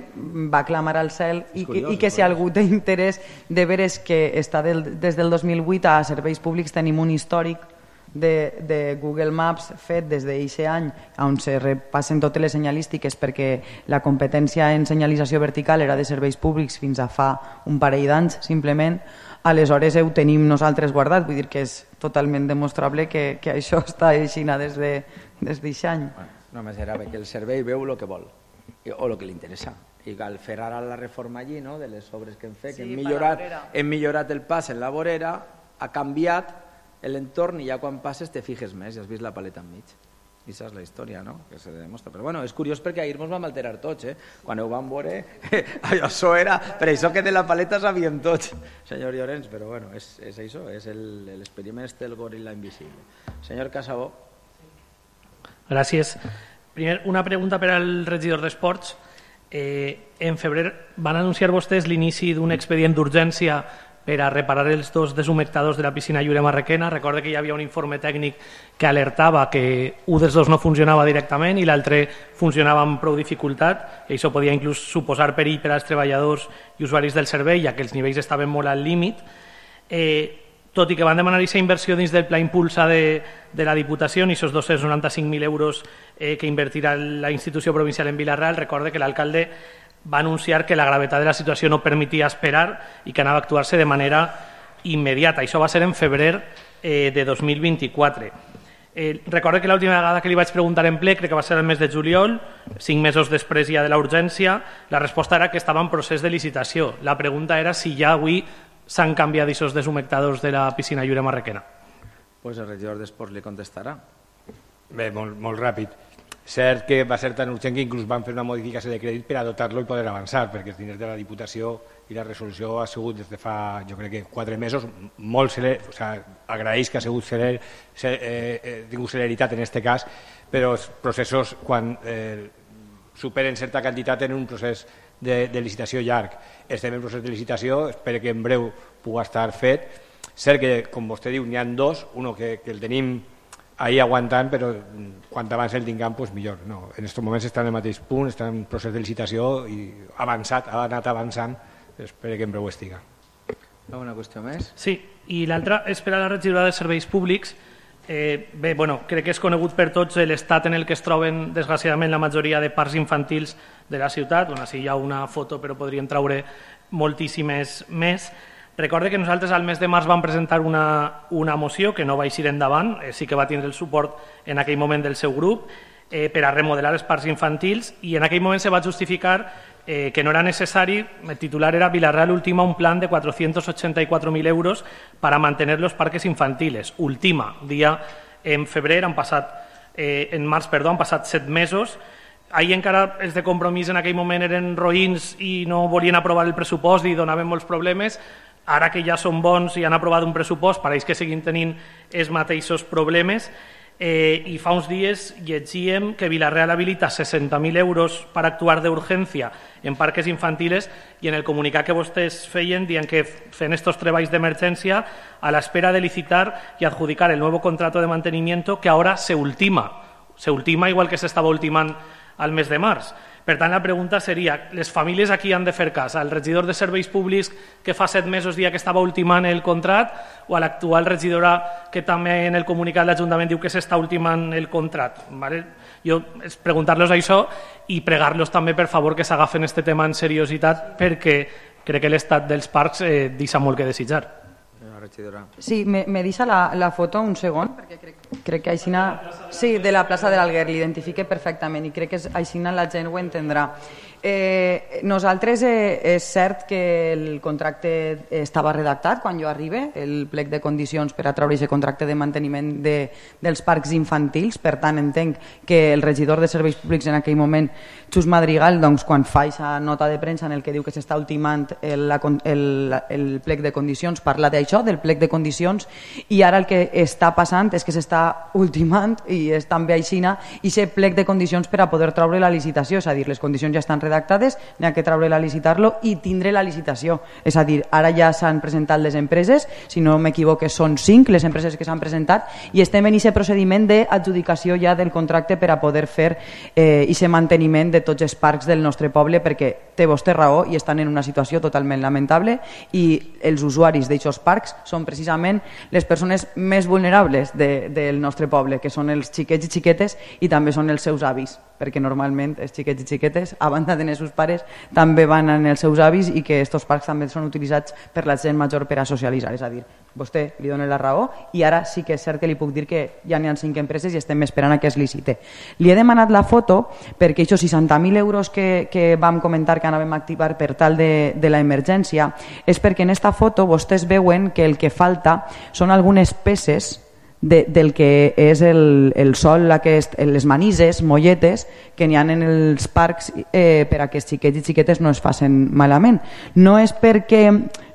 va clamar al cel, i, curiós, i que si algú té interès de veres que està del, des del dos mil vuit a Serveis Públics tenim un històric de, de Google Maps fet des d'aquest any on se repassen totes les senyalístiques perquè la competència en senyalització vertical era de Serveis Públics fins a fa un parell d'anys simplement, aleshores ho tenim nosaltres guardat, vull dir que és totalment demostrable que, que això està així des de des d'aquest any. Bueno, només era que el servei veu el que vol o el que li interessa. I al fer ara la reforma allí, no?, de les obres que hem fet, sí, que hem millorat, hem millorat el pas en la vorera, ha canviat l'entorn i ja quan passes te fijes més i has vist la paleta enmig. I això és la història, no?, que se demostra. Però bueno, és curiós perquè ahir ens vam alterar tots, eh? Quan ho vam veure, això era... Per això que de la paleta sabíem tots, senyor Llorenç, però bueno, és, és això, és l'experiment este del goril·la invisible. Senyor Casabó. Gràcies. Primer, una pregunta per al regidor d'Esports. Eh, en febrer van anunciar vostès l'inici d'un expedient d'urgència per a reparar els dos deshumectadors de la piscina Lliure Marrequena. Recorda que hi havia un informe tècnic que alertava que un dels dos no funcionava directament i l'altre funcionava amb prou dificultat, i això podia inclús suposar perill per als treballadors i usuaris del servei, ja que els nivells estaven molt al límit. Eh, tot i que van demanar aquesta inversió dins del pla impulsa de, de la Diputació i aquests dos-cents noranta-cinc mil euros eh, que invertirà la institució provincial en Vila-real, recorde que l'alcalde va anunciar que la gravetat de la situació no permetia esperar i que anava a actuar-se de manera immediata. Això va ser en febrer eh, de dos mil vint-i-quatre. Eh, recorde que l'última vegada que li vaig preguntar en ple, crec que va ser el mes de juliol, cinc mesos després ja de la urgència, la resposta era que estava en procés de licitació. La pregunta era si ja avui s'han canviat aquests deshumectadors de la piscina Lliure Marrequena. Pues el regidor d'Esports li contestarà. Bé, molt, molt ràpid. Cert que va ser tan urgent que inclús van fer una modificació de crèdit per a dotar-lo i poder avançar, perquè els diners de la Diputació i la resolució ha sigut des de fa, jo crec que quatre mesos, molt celer, o sigui, agraeix que ha sigut celer, eh, eh, tingut celeritat en aquest cas, però els processos, quan eh, superen certa quantitat, tenen un procés de, de licitació llarg. Estem en procés de licitació, espero que en breu pugui estar fet. Cert que, com vostè diu, n'hi ha dos, un que, que el tenim ahí aguantant, però quan abans el tinguem, doncs millor. No, en aquests moments està en el mateix punt, està en procés de licitació i ha avançat, ha anat avançant, espero que en breu estiga. Alguna qüestió més? Sí, i l'altra és per a la regidora de Serveis Públics. Eh, bé, bueno, crec que és conegut per tots l'estat en el que es troben, desgraciadament, la majoria de parcs infantils de la ciutat. Bueno, sí, hi ha una foto, però podríem treure moltíssimes més. Recorde que nosaltres al mes de març vam presentar una, una moció que no va eixir endavant, eh, sí que va tindre el suport en aquell moment del seu grup, eh, per a remodelar els parcs infantils, i en aquell moment se va justificar eh, que no era necessari, el titular era Vila-real ultima un plan de cuatrocientos ochenta y cuatro mil euros para mantener los parques infantiles. Ultima, dia en febrer, han passat, eh, en març, perdó, han passat set mesos. Ahir encara els de Compromís en aquell moment eren roïns i no volien aprovar el pressupost i donaven molts problemes. Ara que ja són bons i han aprovat un pressupost, pareix que seguim tenint els mateixos problemes. Eh, I fa uns dies llegíem que Vila-real habilita seixanta mil euros per actuar d'urgència en parques infantiles i en el comunicat que vostès feien dient que fent estos treballs d'emergència a l'espera de licitar y adjudicar el nuevo contrato de mantenimiento que ahora se ultima. Se ultima igual que s'estava ultimant al mes de març. Per tant, la pregunta seria, les famílies aquí han de fer cas al regidor de serveis públics que fa set mesos dia que estava ultimant el contrat o a l'actual regidora que també en el comunicat l'Ajuntament diu que s'està ultimant el contrat. Vale? Jo és preguntar-los això i pregar-los també, per favor, que s'agafen aquest tema en seriositat perquè crec que l'estat dels parcs eh, deixa molt que desitjar. Sí, me, me deixa la, la foto un segon, perquè crec, crec que aixina... Sí, de la plaça de l'Alguer, l'identifique perfectament i crec que aixina la gent ho entendrà. Eh, nosaltres eh, és cert que el contracte estava redactat quan jo arribe, el plec de condicions per a treure aquest contracte de manteniment de, dels parcs infantils, per tant entenc que el regidor de serveis públics en aquell moment, Xus Madrigal, doncs, quan fa aquesta nota de premsa en el que diu que s'està ultimant el, el, el plec de condicions, parla d'això, del plec de condicions, i ara el que està passant és que s'està ultimant i és també aixina i aquest plec de condicions per a poder treure la licitació, és a dir, les condicions ja estan redactades, n'hi ha que treure-la a licitar-lo i tindre la licitació. És a dir, ara ja s'han presentat les empreses, si no m'equivoque són cinc les empreses que s'han presentat i estem en aquest procediment d'adjudicació ja del contracte per a poder fer aquest eh, manteniment de tots els parcs del nostre poble perquè té vostè raó i estan en una situació totalment lamentable i els usuaris d'aquests parcs són precisament les persones més vulnerables de, del nostre poble, que són els xiquets i xiquetes i també són els seus avis, perquè normalment els xiquets i xiquetes, a banda de els seus pares, també van en els seus avis i que aquests parcs també són utilitzats per la gent major per a socialitzar. És a dir, vostè li dona la raó i ara sí que és cert que li puc dir que ja n'hi ha cinc empreses i estem esperant a que es licite. Li he demanat la foto perquè aquests seixanta mil euros que, que vam comentar que anàvem a activar per tal de, de la emergència és perquè en esta foto vostès veuen que el que falta són algunes peces De, del que és el, el sol, aquest, les manises, molletes que n'hi ha en els parcs eh, per a que els xiquets i xiquetes no es facin malament. No és perquè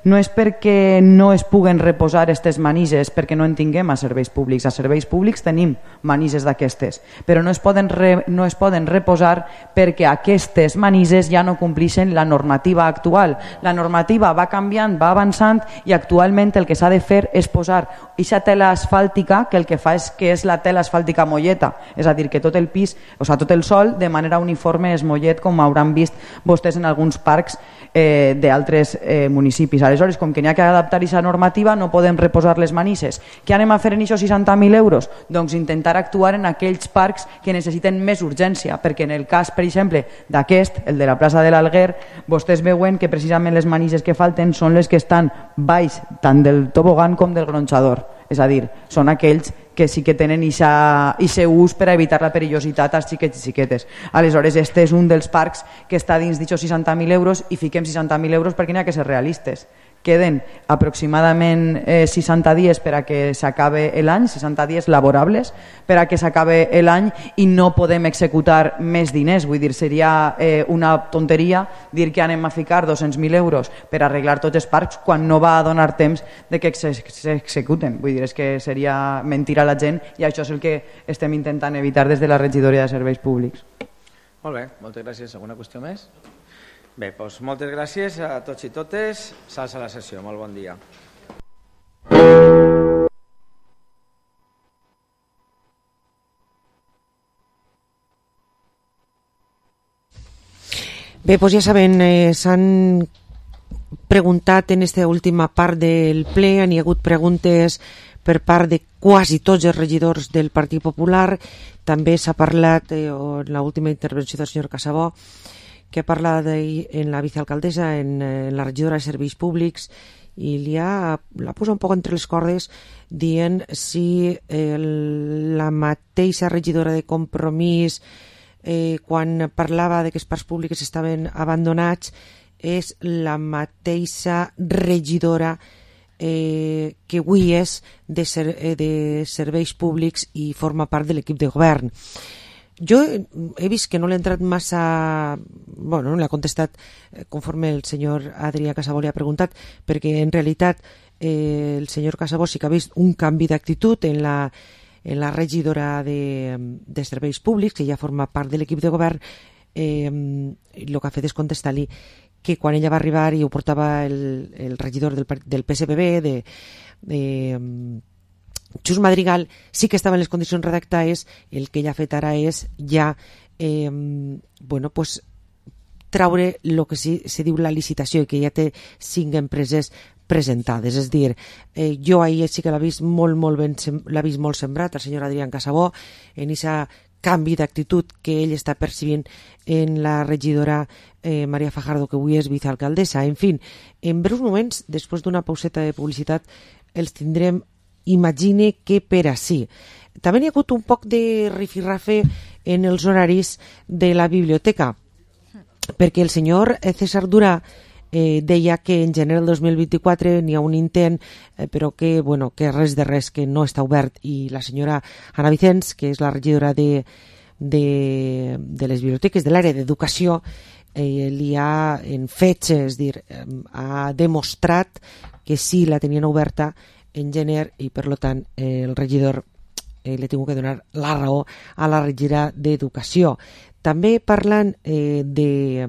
no és perquè no es puguen reposar aquestes manises perquè no en tinguem a serveis públics. A serveis públics tenim manises d'aquestes, però no es poden, re, no es poden reposar perquè aquestes manises ja no complixen la normativa actual. La normativa va canviant, va avançant i actualment el que s'ha de fer és posar aquesta tela asfàltica que el que fa és que és la tela asfàltica molleta, és a dir, que tot el pis, o sigui, tot el sol de manera uniforme és mollet, com hauran vist vostès en alguns parcs eh, d'altres eh, municipis. Aleshores, com que n'hi ha que adaptar aquesta normativa, no podem reposar les manises. Què anem a fer en aquests seixanta mil euros? Doncs intentar actuar en aquells parcs que necessiten més urgència, perquè en el cas, per exemple, d'aquest, el de la plaça de l'Alguer, vostès veuen que precisament les manises que falten són les que estan baix tant del tobogan com del gronxador. És a dir, són aquells que sí que tenen aquest ús per a evitar la perillositat als xiquets i xiquetes. Aleshores, este és un dels parcs que està dins d'aquests seixanta mil euros i fiquem seixanta mil euros perquè n'hi ha que ser realistes. Queden aproximadament eh, seixanta dies per a que s'acabe l'any, seixanta dies laborables per a que s'acabe l'any i no podem executar més diners. Vull dir, seria eh, una tonteria dir que anem a ficar dos-cents mil euros per arreglar tots els parcs quan no va a donar temps de que s'executen. Vull dir, és que seria mentir a la gent i això és el que estem intentant evitar des de la regidoria de serveis públics. Molt bé, moltes gràcies. Alguna qüestió més? Bé, doncs moltes gràcies a tots i totes. S'alça la sessió. Molt bon dia. Bé, doncs ja saben, eh, s'han preguntat en aquesta última part del ple, han hi ha hagut preguntes per part de quasi tots els regidors del Partit Popular. També s'ha parlat eh, en l'última intervenció del senyor Casabó, que ha parlat en la vicealcaldessa, en, en la regidora de Serveis Públics, i li ha, l'ha posat un poc entre les cordes dient si eh, la mateixa regidora de Compromís, eh, quan parlava de que els parcs públics estaven abandonats, és la mateixa regidora eh, que avui és de, ser, eh, de Serveis Públics i forma part de l'equip de govern. Jo he vist que no l'ha entrat massa... Bueno, no l'ha contestat conforme el senyor Adrià Casabó li ha preguntat, perquè en realitat eh, el senyor Casabó sí que ha vist un canvi d'actitud en la, en la regidora de, de Serveis Públics, que ja forma part de l'equip de govern, eh, el que ha fet és contestar-li que quan ella va arribar i ho portava el, el regidor del, del P S P B, de, de Xus Madrigal, sí que estava en les condicions redactades. El que ella ha fet ara és ja eh, bueno, pues, traure el que sí, se diu la licitació, i que ja té cinc empreses presentades. És dir, eh, jo ahir sí que l'ha vist molt, molt ben, l'ha vist molt sembrat el senyor Adrián Casabó en aquesta canvi d'actitud que ell està percibint en la regidora eh, Maria Fajardo, que avui és vicealcaldessa. En fi, en breus moments, després d'una pauseta de publicitat, els tindrem, imagine que per ací. També hi ha hagut un poc de rifirrafe en els horaris de la biblioteca, perquè el senyor César Durà eh, deia que en gener del dos mil vint-i-quatre n'hi ha un intent, eh, però que, bueno, que res de res, que no està obert, i la senyora Ana Vicens, que és la regidora de, de, de les biblioteques de l'àrea d'educació, eh, li ha en fets, és dir, eh, ha demostrat que sí la tenien oberta en gener, i per tant eh, el regidor eh, li ha tingut que donar la raó a la regidora d'educació. També parlant eh, de,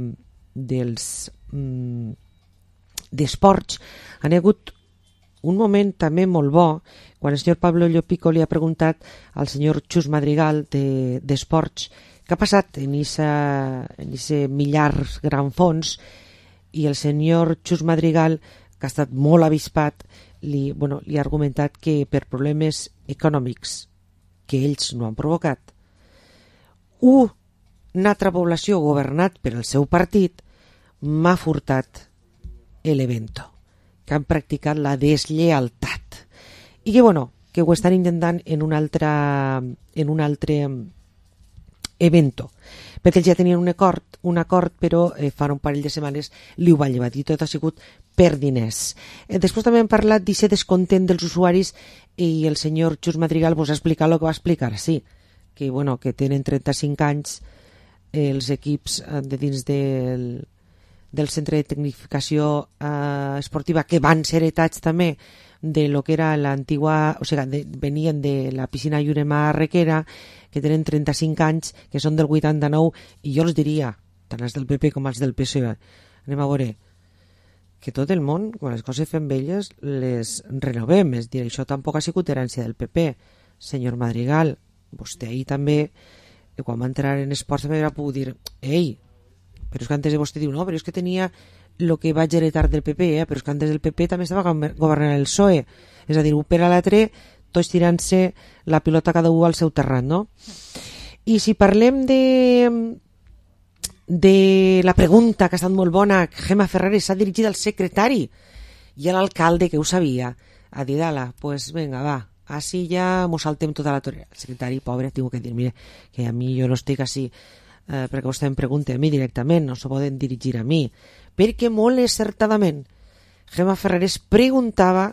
dels mm, d'esports, han hagut un moment també molt bo quan el senyor Pablo Llopico li ha preguntat al senyor Xus Madrigal d'esports de, què ha passat en aquest millars gran fons, i el senyor Xus Madrigal, que ha estat molt avispat, li, bueno, li ha argumentat que per problemes econòmics que ells no han provocat, un una altra població governat per el seu partit m'ha furtat l'evento, que han practicat la desllealtat, i que, bueno, que ho estan intentant en un altre, en un altre evento, perquè ells ja tenien un acord, un acord però eh, fa un parell de setmanes li ho van llevar, i tot ha sigut per diners. Eh, després també hem parlat d'aquest descontent dels usuaris, i el senyor Xus Madrigal vos ha explicat el que va explicar, sí, que, bueno, que tenen trenta-cinc anys els equips de dins del, del centre de tecnificació eh, esportiva, que van ser heretats també de lo que era l'antigua, o sigui, de, venien de la piscina Llurema Requera, que tenen trenta-cinc anys, que són del vuitanta-nou, i jo els diria, tant els del P P com els del P S O E, anem a veure, que tot el món, quan les coses fem velles, les renovem. És dir, això tampoc ha sigut herència del P P. Senyor Madrigal, vostè ahir també, que quan va entrar en esports també va poder dir, ei, però és que antes de vostè diu, no, però és que tenia el que vaig heretar del P P, eh? Però és que antes del P P també estava governant el P S O E. És a dir, un per a l'altre, tots tirant-se la pilota cada un al seu terrat, no? I si parlem de de la pregunta, que ha estat molt bona, Gemma Ferreres s'ha dirigit al secretari i a l'alcalde, que ho sabia, a dir, ala, pues venga, va, així ja mos saltem tota la torera. El secretari, pobre, tinc que dir, mire, que a mi jo no estic així eh, perquè vostè em pregunta a mi directament, no s'ho poden dirigir a mi, perquè molt encertadament Gemma Ferreres preguntava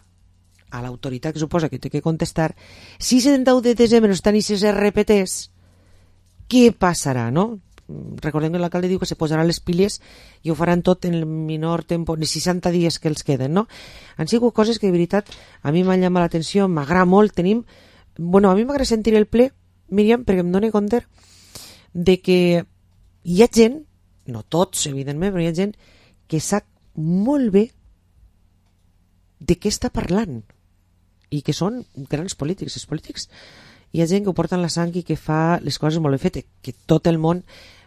a l'autoritat que suposa que té que contestar si el trenta-u de desembre estan aquestes R P Ts, què passarà, no? Recordem que l'alcalde diu que se posaran les piles i ho faran tot en el menor temps, en seixanta dies que els queden, no? Han sigut coses que de veritat a mi m'han llamat l'atenció, m'agrada molt. Tenim, bueno, a mi m'agrada sentir el ple, Míriam, perquè em dóna compte de que hi ha gent, no tots evidentment, però hi ha gent que sap molt bé de què està parlant i que són grans polítics. Els polítics, hi ha gent que ho porta en la sang i que fa les coses molt ben fetes, que tot el món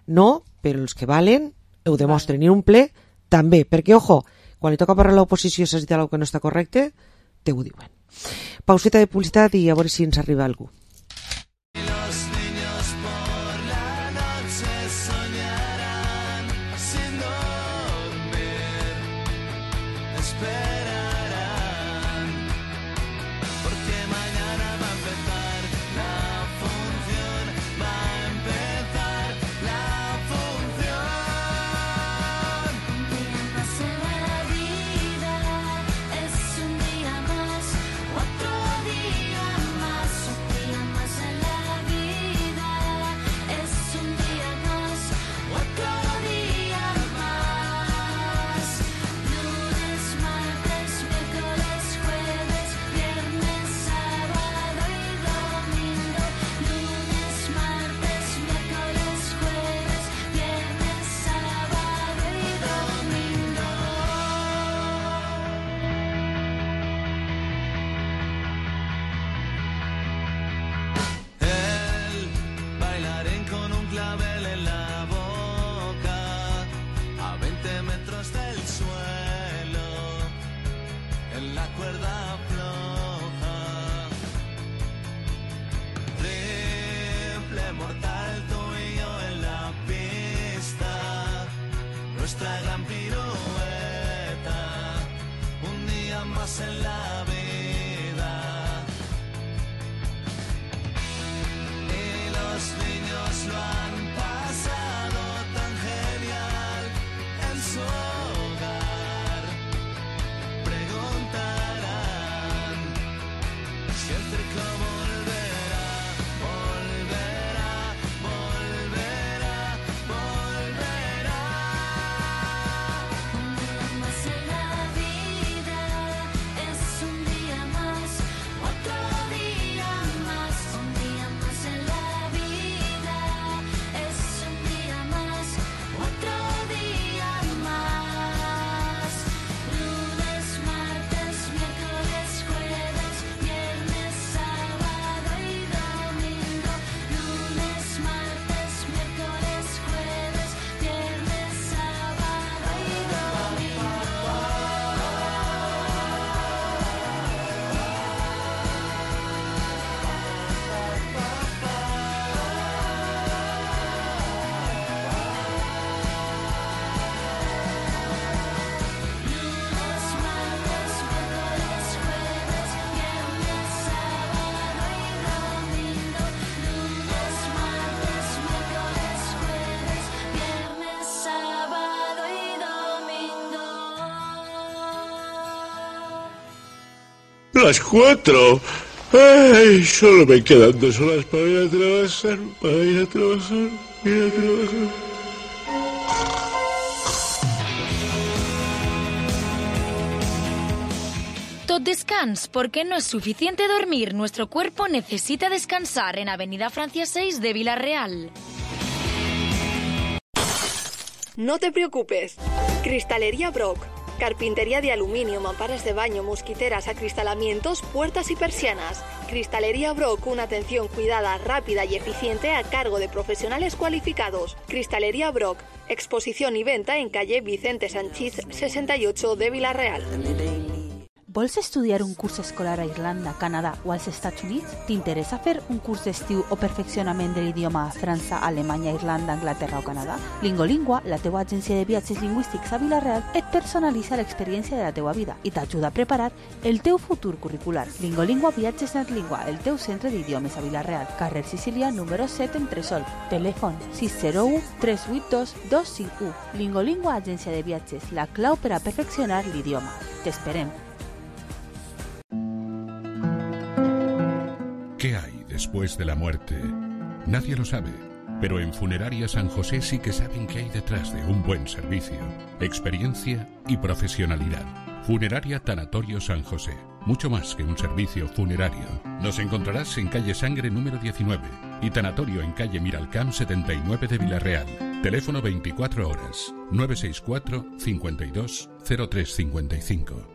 no, però els que valen ho demostren, i un ple també, perquè, ojo, quan li toca parlar a l'oposició s'ha dit alguna cosa que no està correcte, te ho diuen. Pauseta de publicitat i a veure si ens arriba algú. Otro día más, otro día nuestra gran pirueta, un día más en la vida. Y los niños lo han pasado tan genial en su hogar. Preguntarán si el circo volverá, volverá, volverá, volverá. Un día más en la vida es un día más, otro día más. Un día más en la vida es un día más, otro día más. Lunes, martes, miércoles, jueves, viernes, sábado y domingo. Lunes, martes, miércoles, jueves, viernes, sábado y domingo. Lunes, martes, miércoles, jueves, viernes, sábado y domingo. Lunes, martes, miércoles, jueves, viernes, sábado y domingo. Las cuatro. Ay, solo me quedan dos horas para ir a trabajar, para ir a trabajar, ir a trabajar. Tot descans, porque no es suficiente dormir. Nuestro cuerpo necesita descansar en Avenida Francia seis de Villarreal. No te preocupes. Cristalería Brock. Carpintería de aluminio, mamparas de baño, mosquiteras, acristalamientos, puertas y persianas. Cristalería Brock, una atención cuidada, rápida y eficiente a cargo de profesionales cualificados. Cristalería Brock, exposición y venta en calle Vicente Sanchís sesenta y ocho de Villarreal. Vols estudiar un curs escolar a Irlanda, Canadà o als Estats Units? T'interessa fer un curs d'estiu o perfeccionament de l'idioma a França, Alemanya, Irlanda, Anglaterra o Canadà? Lingolingua, la teua agència de viatges lingüístics a Vila-real, et personalitza l'experiència de la teua vida i t'ajuda a preparar el teu futur curricular. Lingolingua Viatges Netlingua, el teu centre d'idiomes a Vila-real, carrer Sicília, número set, Entresol. Telèfon sis zero u tres vuit dos dos cinc u. Lingolingua, agència de viatges, la clau per a perfeccionar l'idioma. T'esperem. ¿Qué hay después de la muerte? Nadie lo sabe, pero en Funeraria San José sí que saben qué hay detrás de un buen servicio, experiencia y profesionalidad. Funeraria Tanatorio San José, mucho más que un servicio funerario. Nos encontrarás en calle Sangre número diecinueve y Tanatorio en calle Miralcamp setenta y nueve de Villarreal. Teléfono veinticuatro horas, nueve seis cuatro, cincuenta y dos, cero tres cincuenta y cinco.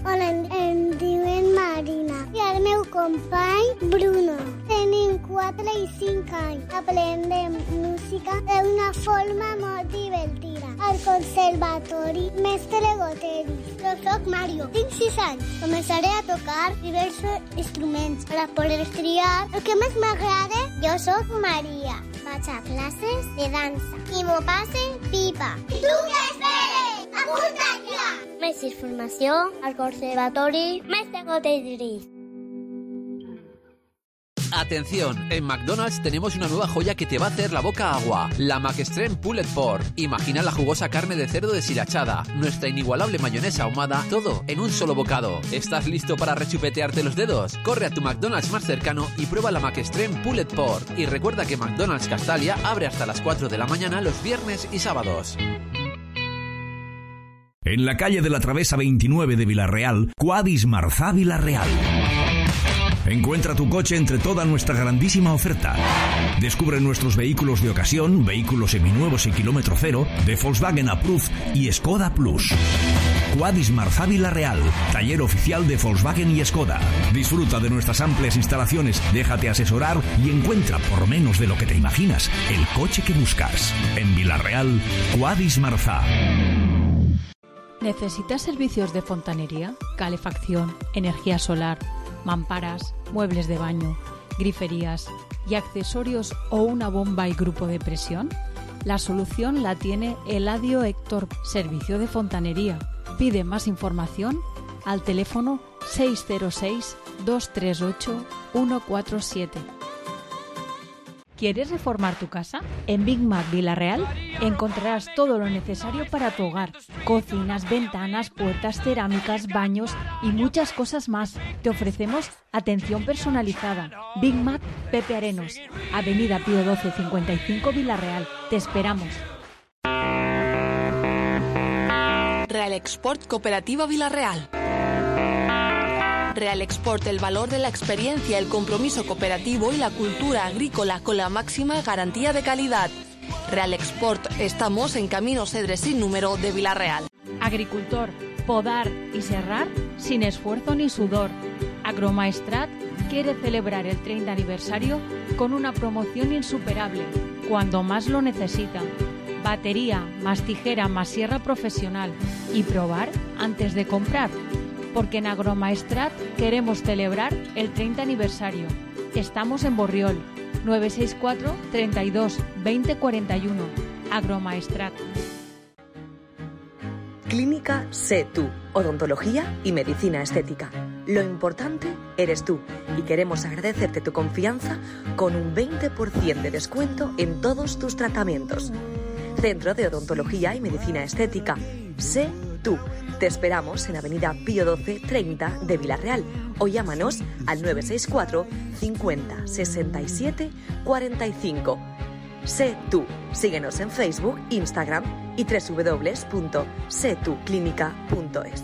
Hola, em diuen Marina i el meu company Bruno. Tenim quatre i cinc anys. Aprendem música d'una forma molt divertida. Al conservatori Mestre Goteris. Jo soc Mario, tinc sis anys. Començaré a tocar diversos instruments per a poder triar el que més m'agrada. Jo soc Maria. Vaig a classes de dansa i m'ho passe pipa. I tu què esperes? Apunta't ja! Més informació al Conservatori Mestre Goteris. Atención, en McDonald's tenemos una nueva joya que te va a hacer la boca agua. La McExtreme Pulled Pork. Imagina la jugosa carne de cerdo deshilachada, nuestra inigualable mayonesa ahumada, todo en un solo bocado. ¿Estás listo para rechupetearte los dedos? Corre a tu McDonald's más cercano y prueba la McExtreme Pulled Pork. Y recuerda que McDonald's Castalia abre hasta las cuatro de la mañana los viernes y sábados. En la calle de la Travesa veintinueve de Villarreal, Quadis Marzá Villarreal. Encuentra tu coche entre toda nuestra grandísima oferta. Descubre nuestros vehículos de ocasión, vehículos seminuevos y kilómetro cero, de Volkswagen Approved y Skoda Plus. Quadis Marzá Villarreal, taller oficial de Volkswagen y Skoda. Disfruta de nuestras amplias instalaciones, déjate asesorar y encuentra, por menos de lo que te imaginas, el coche que buscas. En Villarreal, Quadis Marzá. ¿Necesitas servicios de fontanería, calefacción, energía solar, mamparas, muebles de baño, griferías, y accesorios o una bomba y grupo de presión? La solución la tiene Eladio Héctor, servicio de fontanería. Pide más información al teléfono seis cero seis, dos tres ocho, uno cuatro siete. ¿Quieres reformar tu casa? En Big Mac Villarreal encontrarás todo lo necesario para tu hogar. Cocinas, ventanas, puertas, cerámicas, baños y muchas cosas más. Te ofrecemos atención personalizada. Big Mac Pepe Arenos, Avenida Pío doce cincuenta y cinco Villarreal. Te esperamos. Real Export Cooperativa Villarreal. Real Export, el valor de la experiencia, el compromiso cooperativo y la cultura agrícola con la máxima garantía de calidad. Real Export, estamos en Camino Cedres sin número de Villarreal. Agricultor, podar y serrar sin esfuerzo ni sudor. Agromaestrat quiere celebrar el treinta aniversario con una promoción insuperable, cuando más lo necesita. Batería, más tijera, más sierra profesional. Y probar antes de comprar. Porque en Agromaestrat queremos celebrar el treinta aniversario. Estamos en Borriol, nueve seis cuatro, treinta y dos, veinte cuarenta y uno. Agromaestrat. Clínica Sé Tú, odontología y medicina estética. Lo importante eres tú y queremos agradecerte tu confianza con un veinte por ciento de descuento en todos tus tratamientos. Centro de Odontología y Medicina Estética. Sé Tú. Te esperamos en Avenida Pío doce treinta de Villarreal o llámanos al nueve seis cuatro, cincuenta, sesenta y siete, cuarenta y cinco. Sé Tú. Síguenos en Facebook, Instagram y doble u doble u doble u punto sé tú clínica punto es.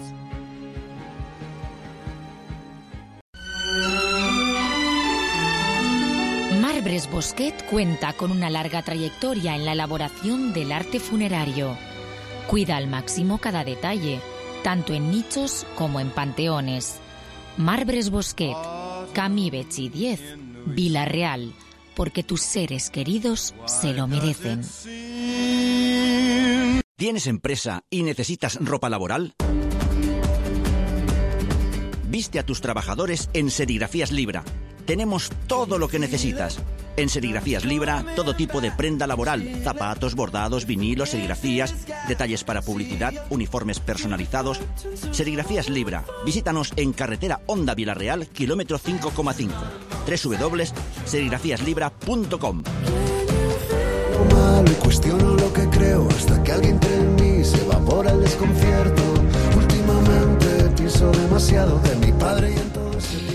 Marbres Bosquet cuenta con una larga trayectoria en la elaboración del arte funerario. Cuida al máximo cada detalle, tanto en nichos como en panteones. Marbres Bosquet, Camí Betxí diez, Villarreal, porque tus seres queridos se lo merecen. ¿Tienes empresa y necesitas ropa laboral? Viste a tus trabajadores en Serigrafías Libra. Tenemos todo lo que necesitas. En Serigrafías Libra, todo tipo de prenda laboral, zapatos, bordados, vinilos, serigrafías, detalles para publicidad, uniformes personalizados. Serigrafías Libra. Visítanos en carretera Honda Villarreal, kilómetro cinco coma cinco. doble u doble u doble u punto serigrafías libra punto com. Malo y cuestiono lo que creo hasta que alguien entre en mí se evapora el desconcierto. Últimamente pienso demasiado de mi padre y en todo ese tiempo.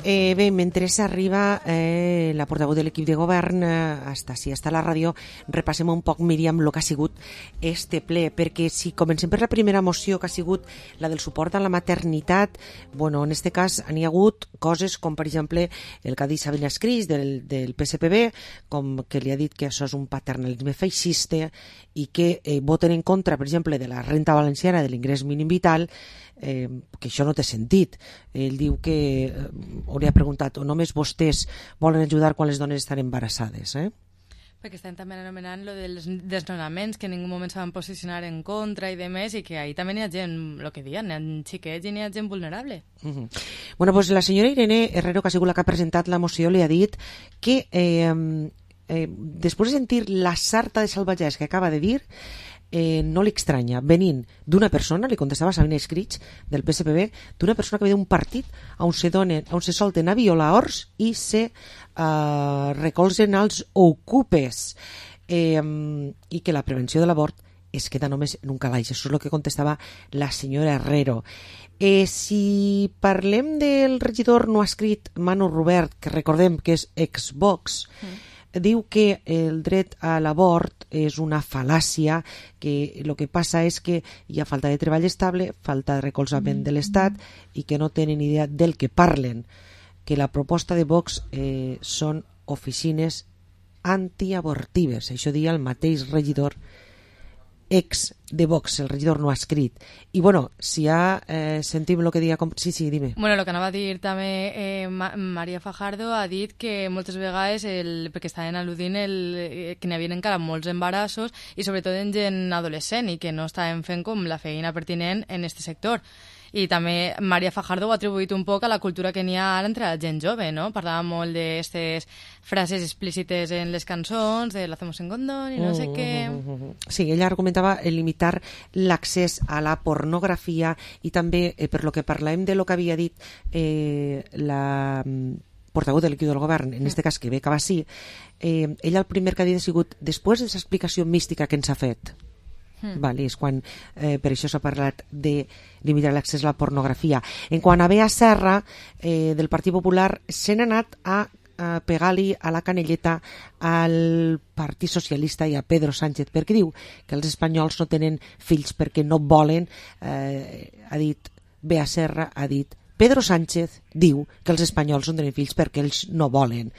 Eh, bé, mentre s'arriba eh, la portaveu de l'equip de govern eh, hasta si està a la ràdio, repassem un poc, Míriam, el que ha sigut este ple, perquè si comencem per la primera moció, que ha sigut la del suport a la maternitat, bueno, en este cas n'hi ha hagut coses com, per exemple, el que ha dit Sabina Escris del, del P S P B, com que li ha dit que això és un paternalisme feixista i que eh, voten en contra, per exemple, de la renta valenciana de l'ingrés mínim vital, eh, que això no té sentit. Ell diu que eh, hauria preguntat, o només vostès volen ajudar quan les dones estan embarassades, eh? Perquè estan també anomenant lo dels desnonaments, que en ningú moment se van posicionar en contra i demés, i que ahí també n'hi ha gent, el que diuen, n'hi ha xiquets i n'hi ha gent vulnerable. Uh -huh. Bueno, pues la senyora Irene Herrero, que ha sigut la que ha presentat la moció, li ha dit que eh, eh, després de sentir la sarta de salvatges que acaba de dir, Eh, no li estranya, venint d'una persona, li contestava Sabina Escrig del P S P B, d'una persona que ve d'un partit on se, donen, on se solten a violar horts i se uh, recolzen als ocupes, eh, i que la prevenció de l'abort es queda només en un calaix. Això és el que contestava la senyora Herrero. Eh, si parlem del regidor no escrit Manu Robert, que recordem que és ex-Vox, mm. diu que el dret a l'abort és una fal·làcia, que el que passa és que hi ha falta de treball estable, falta de recolzament de l'Estat i que no tenen idea del que parlen, que la proposta de Vox eh, són oficines antiabortives. Això dia el mateix regidor ex de Vox, el regidor no ha escrit. I bueno, si ja eh, sentim el que diga... Com... Sí, sí, dime. Bueno, el que anava a dir també eh, Ma Maria Fajardo ha dit que moltes vegades, el, perquè estaven al·ludint el, eh, que n'hi havia encara molts embarassos i sobretot en gent adolescent i que no estaven fent com la feina pertinent en aquest sector. I també Maria Fajardo ho ha atribuït un poc a la cultura que n'hi ha ara entre la gent jove, no? Parlava molt d'aquestes frases explícites en les cançons, de l'hacemos en condón i no sé què... Sí, ella argumentava limitar l'accés a la pornografia i també, eh, per lo que parlàvem de lo que havia dit eh, la portaveu de l'equip del govern, en este cas que ve Cabassí, eh, ella el primer que havia sigut, després de aquesta explicació mística que ens ha fet, Mm. Vale, és quan eh, per això s'ha parlat de limitar l'accés a la pornografia. En quant a Bea Serra, eh, del Partit Popular, se n'ha anat a, a pegar-li a la canelleta al Partit Socialista i a Pedro Sánchez, perquè diu que els espanyols no tenen fills perquè no volen, eh, ha dit Bea Serra, ha dit Pedro Sánchez diu que els espanyols no tenen fills perquè ells no volen.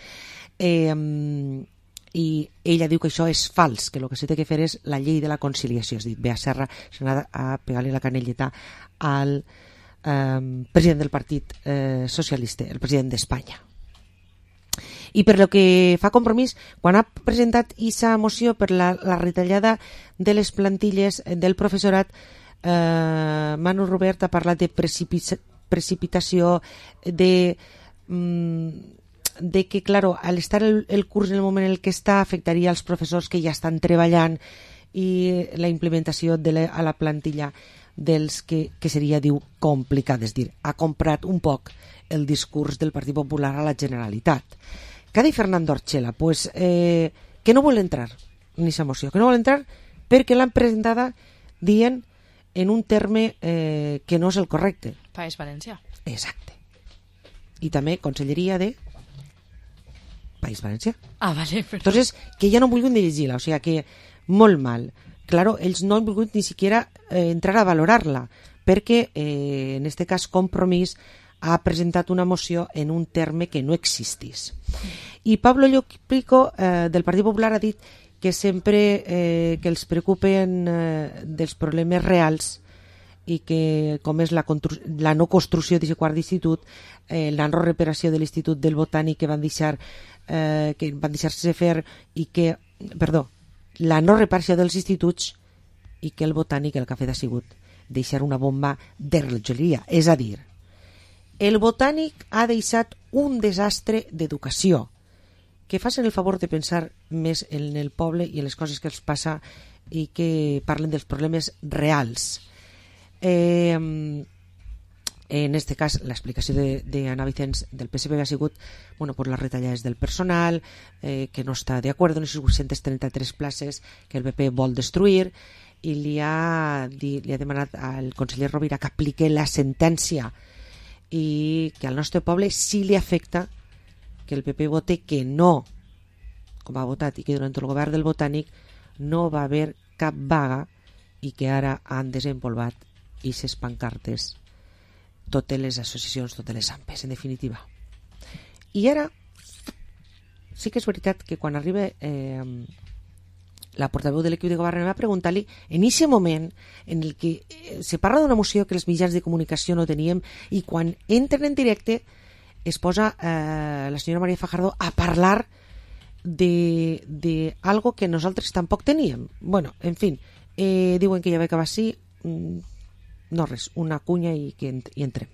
Eh, i ella diu que això és fals, que el que s'ha de fer és la llei de la conciliació. És a dir, Bea Serra s'ha anat a pegar-li la canelleta al eh, president del Partit eh, Socialista, el president d'Espanya. I per lo que fa Compromís, quan ha presentat aquesta moció per la, la retallada de les plantilles del professorat, eh, Manu Robert ha parlat de precipi- precipitació, de... Mm, de que, claro, al estar el, el curs en el moment en el que està, afectaria als professors que ja estan treballant i la implementació de la, a la plantilla dels que, que seria, diu, complicat. És dir, ha comprat un poc el discurs del Partit Popular a la Generalitat. Què ha dit Fernando Orchela? Pues, eh, que no vol entrar en aquesta moció, que no vol entrar perquè l'han presentada dient en un terme eh, que no és el correcte. País Valencià. Exacte. I també Conselleria de País Valencià. Ah, vale. Però... Entonces, que ja no han volgut ni llegir-la, o sigui que molt mal. Claro, ells no han volgut ni siquiera eh, entrar a valorar-la, perquè eh, en este cas Compromís ha presentat una moció en un terme que no existís. I Pablo Llopico, eh, del Partit Popular, ha dit que sempre eh, que els preocupen eh, dels problemes reals i que, com és la, la no construcció d'aquest quart d'institut, eh, la no reparació de l'Institut del Botànic que van deixar eh, que van deixar-se fer i que, perdó, la no reparació dels instituts i que el Botànic el que ha fet ha sigut deixar una bomba de relojeria. És a dir, el Botànic ha deixat un desastre d'educació, que facin el favor de pensar més en el poble i en les coses que els passa i que parlen dels problemes reals. Eh, en este cas l'explicació d'Anna Vicens del P S P ha sigut, bueno, pues les retallades del personal, eh, que no està d'acord en les vuit-centes trenta-tres places que el P P vol destruir, i li ha, li, li ha demanat al conseller Rovira que aplique la sentència i que al nostre poble sí li afecta que el P P vote que no, com ha votat, i que durant el govern del Botànic no va haver cap vaga i que ara han desempolvat i ses pancartes totes les associacions, totes les AMPes, en definitiva. I ara sí que és veritat que quan arriba eh, la portaveu de l'equip de govern va preguntar-li en aquest moment en el que eh, se parla d'una moció que els mitjans de comunicació no teníem i quan entren en directe es posa eh, la senyora Maria Fajardo a parlar de, de algo que nosaltres tampoc teníem. Bueno, en fin, eh, diuen que ja va acabar així. Mm, No res, una cuña y que ent y entre.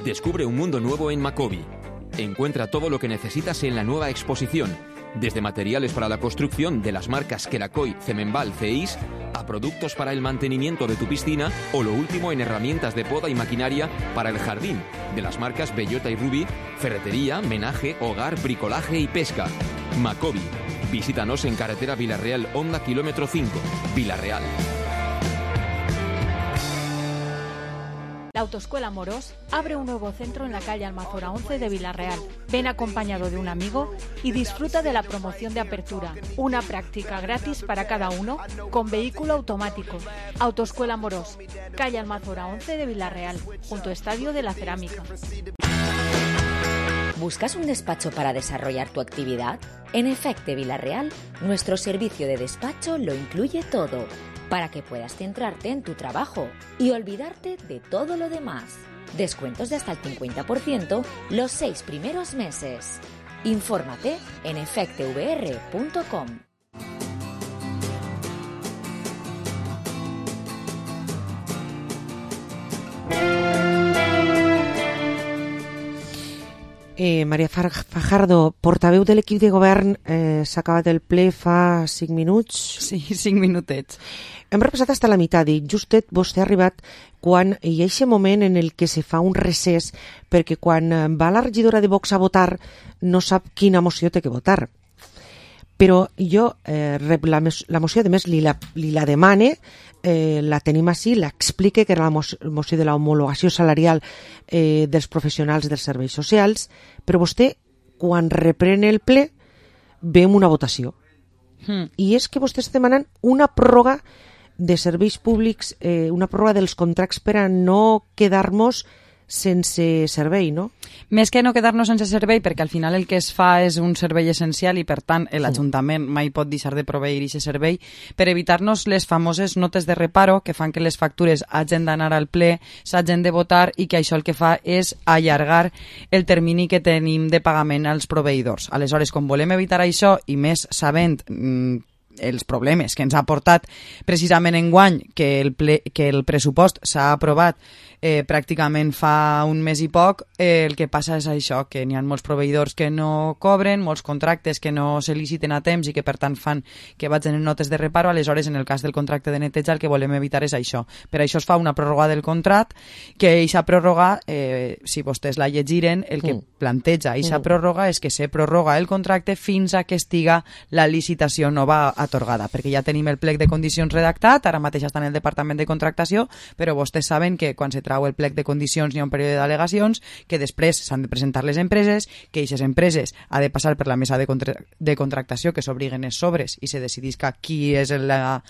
Descubre un mundo nuevo en Macobi. Encuentra todo lo que necesitas en la nueva exposición, desde materiales para la construcción de las marcas Kerakoy, Cemenbal, Ceis, a productos para el mantenimiento de tu piscina o lo último en herramientas de poda y maquinaria para el jardín, de las marcas Bellota y Ruby, ferretería, menaje, hogar, bricolaje y pesca. Macobi. Visítanos en carretera Villarreal, Honda kilómetro cinco, Villarreal. La Autoescuela Morós abre un nuevo centro en la calle Almazora once de Villarreal. Ven acompañado de un amigo y disfruta de la promoción de apertura. Una práctica gratis para cada uno con vehículo automático. Autoescuela Morós, calle Almazora once de Villarreal, junto a Estadio de la Cerámica. ¿Buscas un despacho para desarrollar tu actividad? En Efecte Villarreal, nuestro servicio de despacho lo incluye todo, para que puedas centrarte en tu trabajo y olvidarte de todo lo demás. Descuentos de hasta el cincuenta por ciento los seis primeros meses. Infórmate en efecte v r punto com. Eh, Maria Fajardo, portaveu de l'equip de govern, eh, s'ha acabat el ple fa cinc minuts. Sí, cinc minutets. Hem repassat fins a la meitat i justet vostè ha arribat quan hi ha aquest moment en el que se fa un recés perquè quan va la regidora de Vox a votar no sap quina moció té que votar. Però jo eh, rep la, la moció, a més li la, li la demane, eh, la tenim així, l'explique, que era la moció de l'homologació salarial eh, dels professionals dels serveis socials, però vostè, quan reprèn el ple, ve amb una votació. Mm. I és que vostè està demanant una pròrroga de serveis públics, eh, una pròrroga dels contractes per a no quedar-nos sense servei, no? Més que no quedar-nos sense servei, perquè al final el que es fa és un servei essencial i, per tant, l'Ajuntament mai pot deixar de proveir aquest servei, per evitar-nos les famoses notes de reparo que fan que les factures hagin d'anar al ple, s'hagin de votar i que això el que fa és allargar el termini que tenim de pagament als proveïdors. Aleshores, com volem evitar això, i més sabent mmm, els problemes que ens ha portat precisament enguany que el, ple, que el pressupost s'ha aprovat eh, pràcticament fa un mes i poc, eh, el que passa és això, que n'hi ha molts proveïdors que no cobren, molts contractes que no se liciten a temps i que per tant fan que vagin en notes de reparo. Aleshores, en el cas del contracte de neteja, el que volem evitar és això. Per això es fa una pròrroga del contracte, que eixa pròrroga, eh, si vostès la llegiren, el que mm. planteja eixa mm. pròrroga és que se prorroga el contracte fins a que estiga la licitació nova atorgada, perquè ja tenim el plec de condicions redactat, ara mateix està en el Departament de Contractació, però vostès saben que quan se trau el plec de condicions hi ha un període d'al·legacions, que després s'han de presentar les empreses, que aquestes empreses ha de passar per la mesa de, contra de contractació, que s'obriguen els sobres i se decidisca qui és la,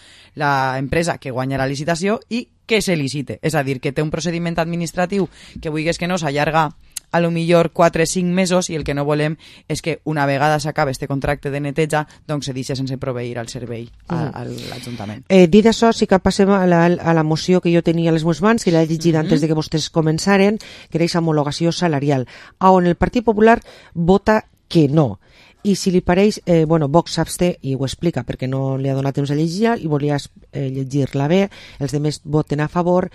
la empresa que guanya la licitació i que se licite. És a dir, que té un procediment administratiu que vulguis que no s'allarga a lo millor quatre o cinc mesos i el que no volem és que una vegada s'acaba este contracte de neteja doncs se deixa sense proveir al servei a, a l'Ajuntament. Eh, dit això, sí que passem a la, a la moció que jo tenia a les meves mans, que l'he llegit mm-hmm. antes de que vostès començaren, que era aquesta homologació salarial, on el Partit Popular vota que no. I si li pareix, eh, bueno, Vox s'absté i ho explica perquè no li ha donat temps a llegir i volia eh, llegir-la bé, els demés voten a favor.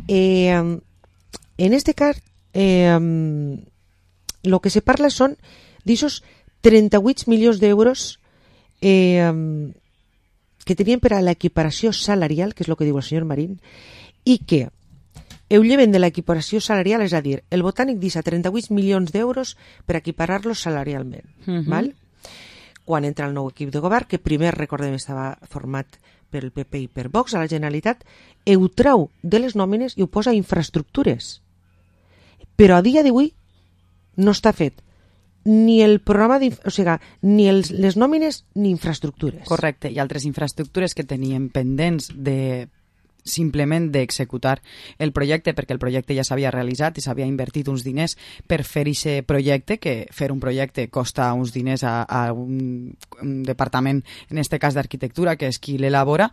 Eh, en este cas, Eh, lo que se parla són d'aixòs trenta-vuit milions d'euros eh, que tenien per a l'equiparació salarial, que és el que diu el senyor Marín, i que ho lleven de l'equiparació salarial, és a dir, el Botànic deixa trenta-vuit milions d'euros per equiparar-los salarialment. Uh-huh. Val? Quan entra el nou equip de govern, que primer, recordem, estava format per el P P i per Vox a la Generalitat, ho trau de les nòmines i ho posa a infraestructures. Però a dia d'avui no està fet ni el programa, o sigui, ni els, les nòmines ni infraestructures. Correcte, i altres infraestructures que teníem pendents de simplement d'executar el projecte, perquè el projecte ja s'havia realitzat i s'havia invertit uns diners per fer aquest projecte, que fer un projecte costa uns diners a, a un, un departament, en este cas d'arquitectura, que és qui l'elabora.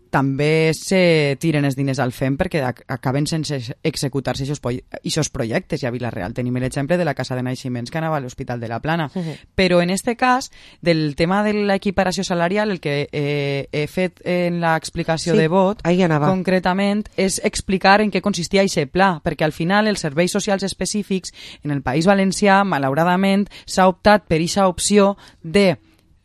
També se tiren els diners al F E M perquè acaben sense executar-se aquests projectes. I a Vila-real tenim l'exemple de la casa de naixements que anava a l'Hospital de la Plana. Uh-huh. Però en este cas, del tema de l'equiparació salarial, el que eh, he fet en l'explicació sí, de vot, concretament, és explicar en què consistia aquest pla, perquè al final els serveis socials específics en el País Valencià, malauradament, s'ha optat per aquesta opció de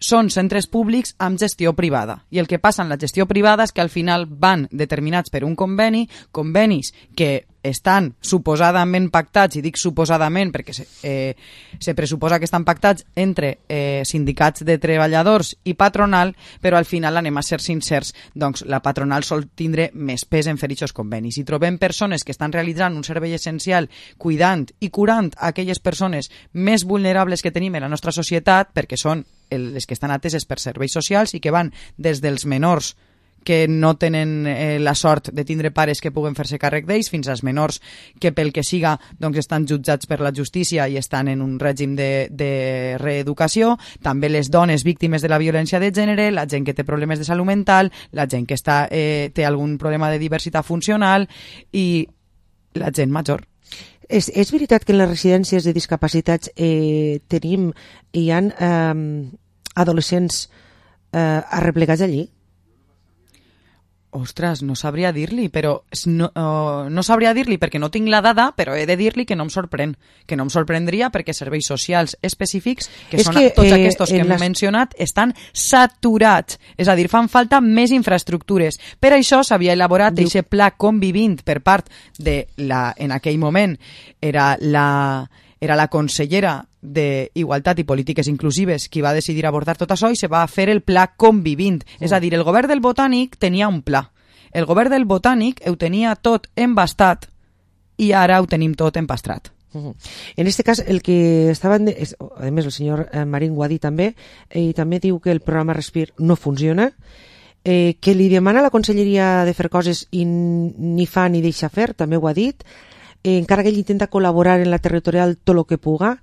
són centres públics amb gestió privada. I el que passa en la gestió privada és que al final van determinats per un conveni, convenis que estan suposadament pactats, i dic suposadament perquè se, eh, se pressuposa que estan pactats entre eh, sindicats de treballadors i patronal, però al final, anem a ser sincers, doncs la patronal sol tindre més pes en fer aquests convenis. I trobem persones que estan realitzant un servei essencial cuidant i curant aquelles persones més vulnerables que tenim en la nostra societat, perquè són les que estan ateses per serveis socials i que van des dels menors que no tenen eh, la sort de tindre pares que puguen fer-se càrrec d'ells, fins als menors que pel que siga doncs, estan jutjats per la justícia i estan en un règim de, de reeducació, també les dones víctimes de la violència de gènere, la gent que té problemes de salut mental, la gent que està, eh, té algun problema de diversitat funcional i la gent major. És, és veritat que en les residències de discapacitats eh, tenim, hi ha eh, adolescents eh, arreplegats allí? Ostres, no sabria dir-li, però no, uh, no sabria dir-li perquè no tinc la dada, però he de dir-li que no em sorprèn, que no em sorprendria perquè serveis socials específics, que És són que, tots eh, aquests que en hem les- mencionat, estan saturats. És a dir, fan falta més infraestructures. Per això s'havia elaborat Diu- aquest pla convivint per part de la, en aquell moment, era la, era la consellera d'Igualtat i Polítiques Inclusives qui va decidir abordar tot això i se va fer el pla convivint. És a dir, el govern del Botànic tenia un pla. El govern del Botànic ho tenia tot embastat i ara ho tenim tot empastrat. Ujú. En este cas, el que estaven... De, és, a més, el senyor eh, Marín ho ha dit també, eh, i també diu que el programa Respir no funciona, eh, que li demana a la conselleria de fer coses i n- ni fa ni deixa fer, també ho ha dit, eh, encara que ell intenta col·laborar en la territorial tot el que puga.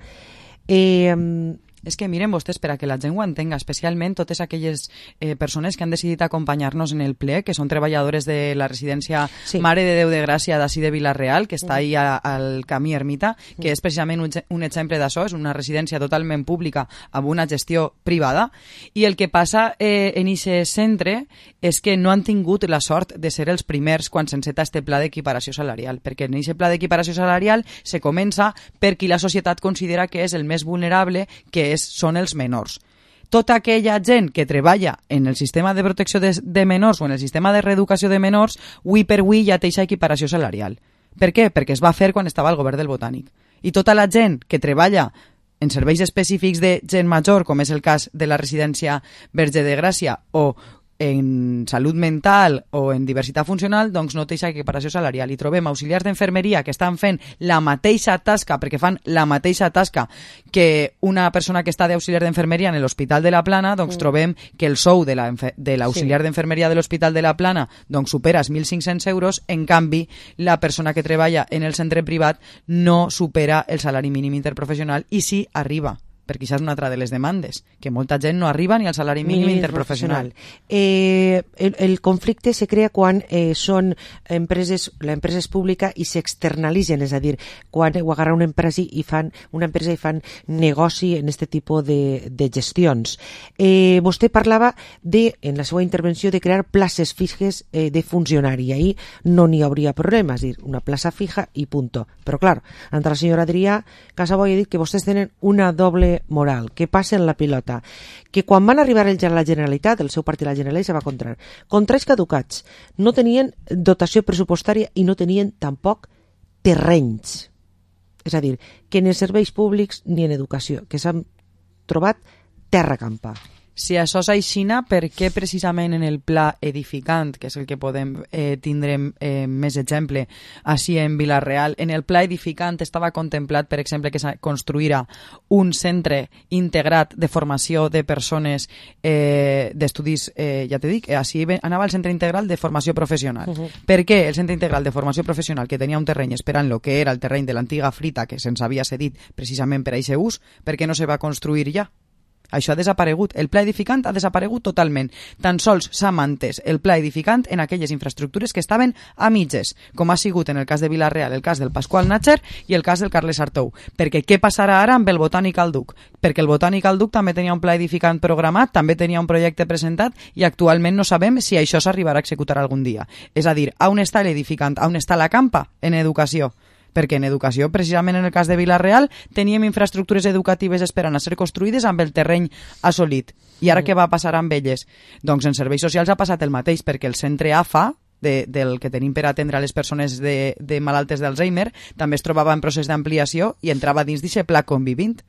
Eh, És que miren vostès, per a que la gent ho entenga, especialment totes aquelles eh, persones que han decidit acompanyar-nos en el ple, que són treballadores de la residència Sí. Mare de Déu de Gràcia d'ací de Vila-real, que està Mm. ahí a, al camí Ermita, que és precisament un, ge- un exemple d'això, és una residència totalment pública amb una gestió privada, i el que passa eh, en aquest centre és que no han tingut la sort de ser els primers quan s'enceta este pla d'equiparació salarial, perquè en aquest pla d'equiparació salarial se comença per qui la societat considera que és el més vulnerable, que és, són els menors. Tota aquella gent que treballa en el sistema de protecció de, de menors o en el sistema de reeducació de menors, avui per avui ja té aquesta equiparació salarial. Per què? Perquè es va fer quan estava al govern del Botànic. I tota la gent que treballa en serveis específics de gent major, com és el cas de la residència Verge de Gràcia, o en salut mental o en diversitat funcional, doncs no té aquesta equiparació salarial. I trobem auxiliars d'enfermeria que estan fent la mateixa tasca, perquè fan la mateixa tasca que una persona que està d'auxiliar d'enfermeria en l'Hospital de la Plana, doncs Mm. trobem que el sou de la enfe- de l'auxiliar Sí. d'enfermeria de l'Hospital de la Plana doncs supera els mil cinc-cents euros, en canvi la persona que treballa en el centre privat no supera el salari mínim interprofessional i sí arriba, perquè això és una altra de les demandes, que molta gent no arriba ni al salari mínim interprofessional. Eh, el, el conflicte se crea quan eh, són empreses, la empresa és pública i s'externalitzen, és a dir, quan ho agarra una empresa i fan una empresa i fan negoci en aquest tipus de, de gestions. Eh, vostè parlava de, en la seva intervenció, de crear places fixes eh, de funcionari, i ahí no n'hi hauria problema, és a dir, una plaça fija i punto. Però clar, entre la senyora Adrià Casaboy ha dit que vostès tenen una doble moral, que passen la pilota, que quan van arribar ells a la Generalitat, el seu partit a la Generalitat se va contra contrats caducats, no tenien dotació pressupostària i no tenien tampoc terrenys, és a dir, que ni en serveis públics ni en educació, que s'han trobat terra campa. Si això és aixina, per què precisament en el pla edificant, que és el que podem eh, tindre eh, més exemple així en Vila-real, en el pla edificant estava contemplat, per exemple, que es construïra un centre integrat de formació de persones eh, d'estudis, eh, ja te dic, així anava el centre integral de formació professional. Uh-huh. Per què el centre integral de formació professional, que tenia un terreny esperant lo que era el terreny de l'antiga Frita, que se'ns havia cedit precisament per a aquest ús, per què no se va construir ja? Això ha desaparegut. El pla edificant ha desaparegut totalment. Tan sols s'ha mantès el pla edificant en aquelles infraestructures que estaven a mitges, com ha sigut en el cas de Vila-real, el cas del Pasqual Natcher i el cas del Carles Artou. Perquè què passarà ara amb el Botànic al Duc? Perquè el Botànic al Duc també tenia un pla edificant programat, també tenia un projecte presentat i actualment no sabem si això s'arribarà a executar algun dia. És a dir, on està l'edificant? On està la campa? En educació. Perquè en educació, precisament en el cas de Vila-real, teníem infraestructures educatives esperant a ser construïdes amb el terreny assolit. I ara què va passar amb elles? Doncs en serveis socials ha passat el mateix, perquè el centre A F A, de, del que tenim per atendre a les persones de, de malaltes d'Alzheimer, també es trobava en procés d'ampliació i entrava dins d'aquest pla convivint.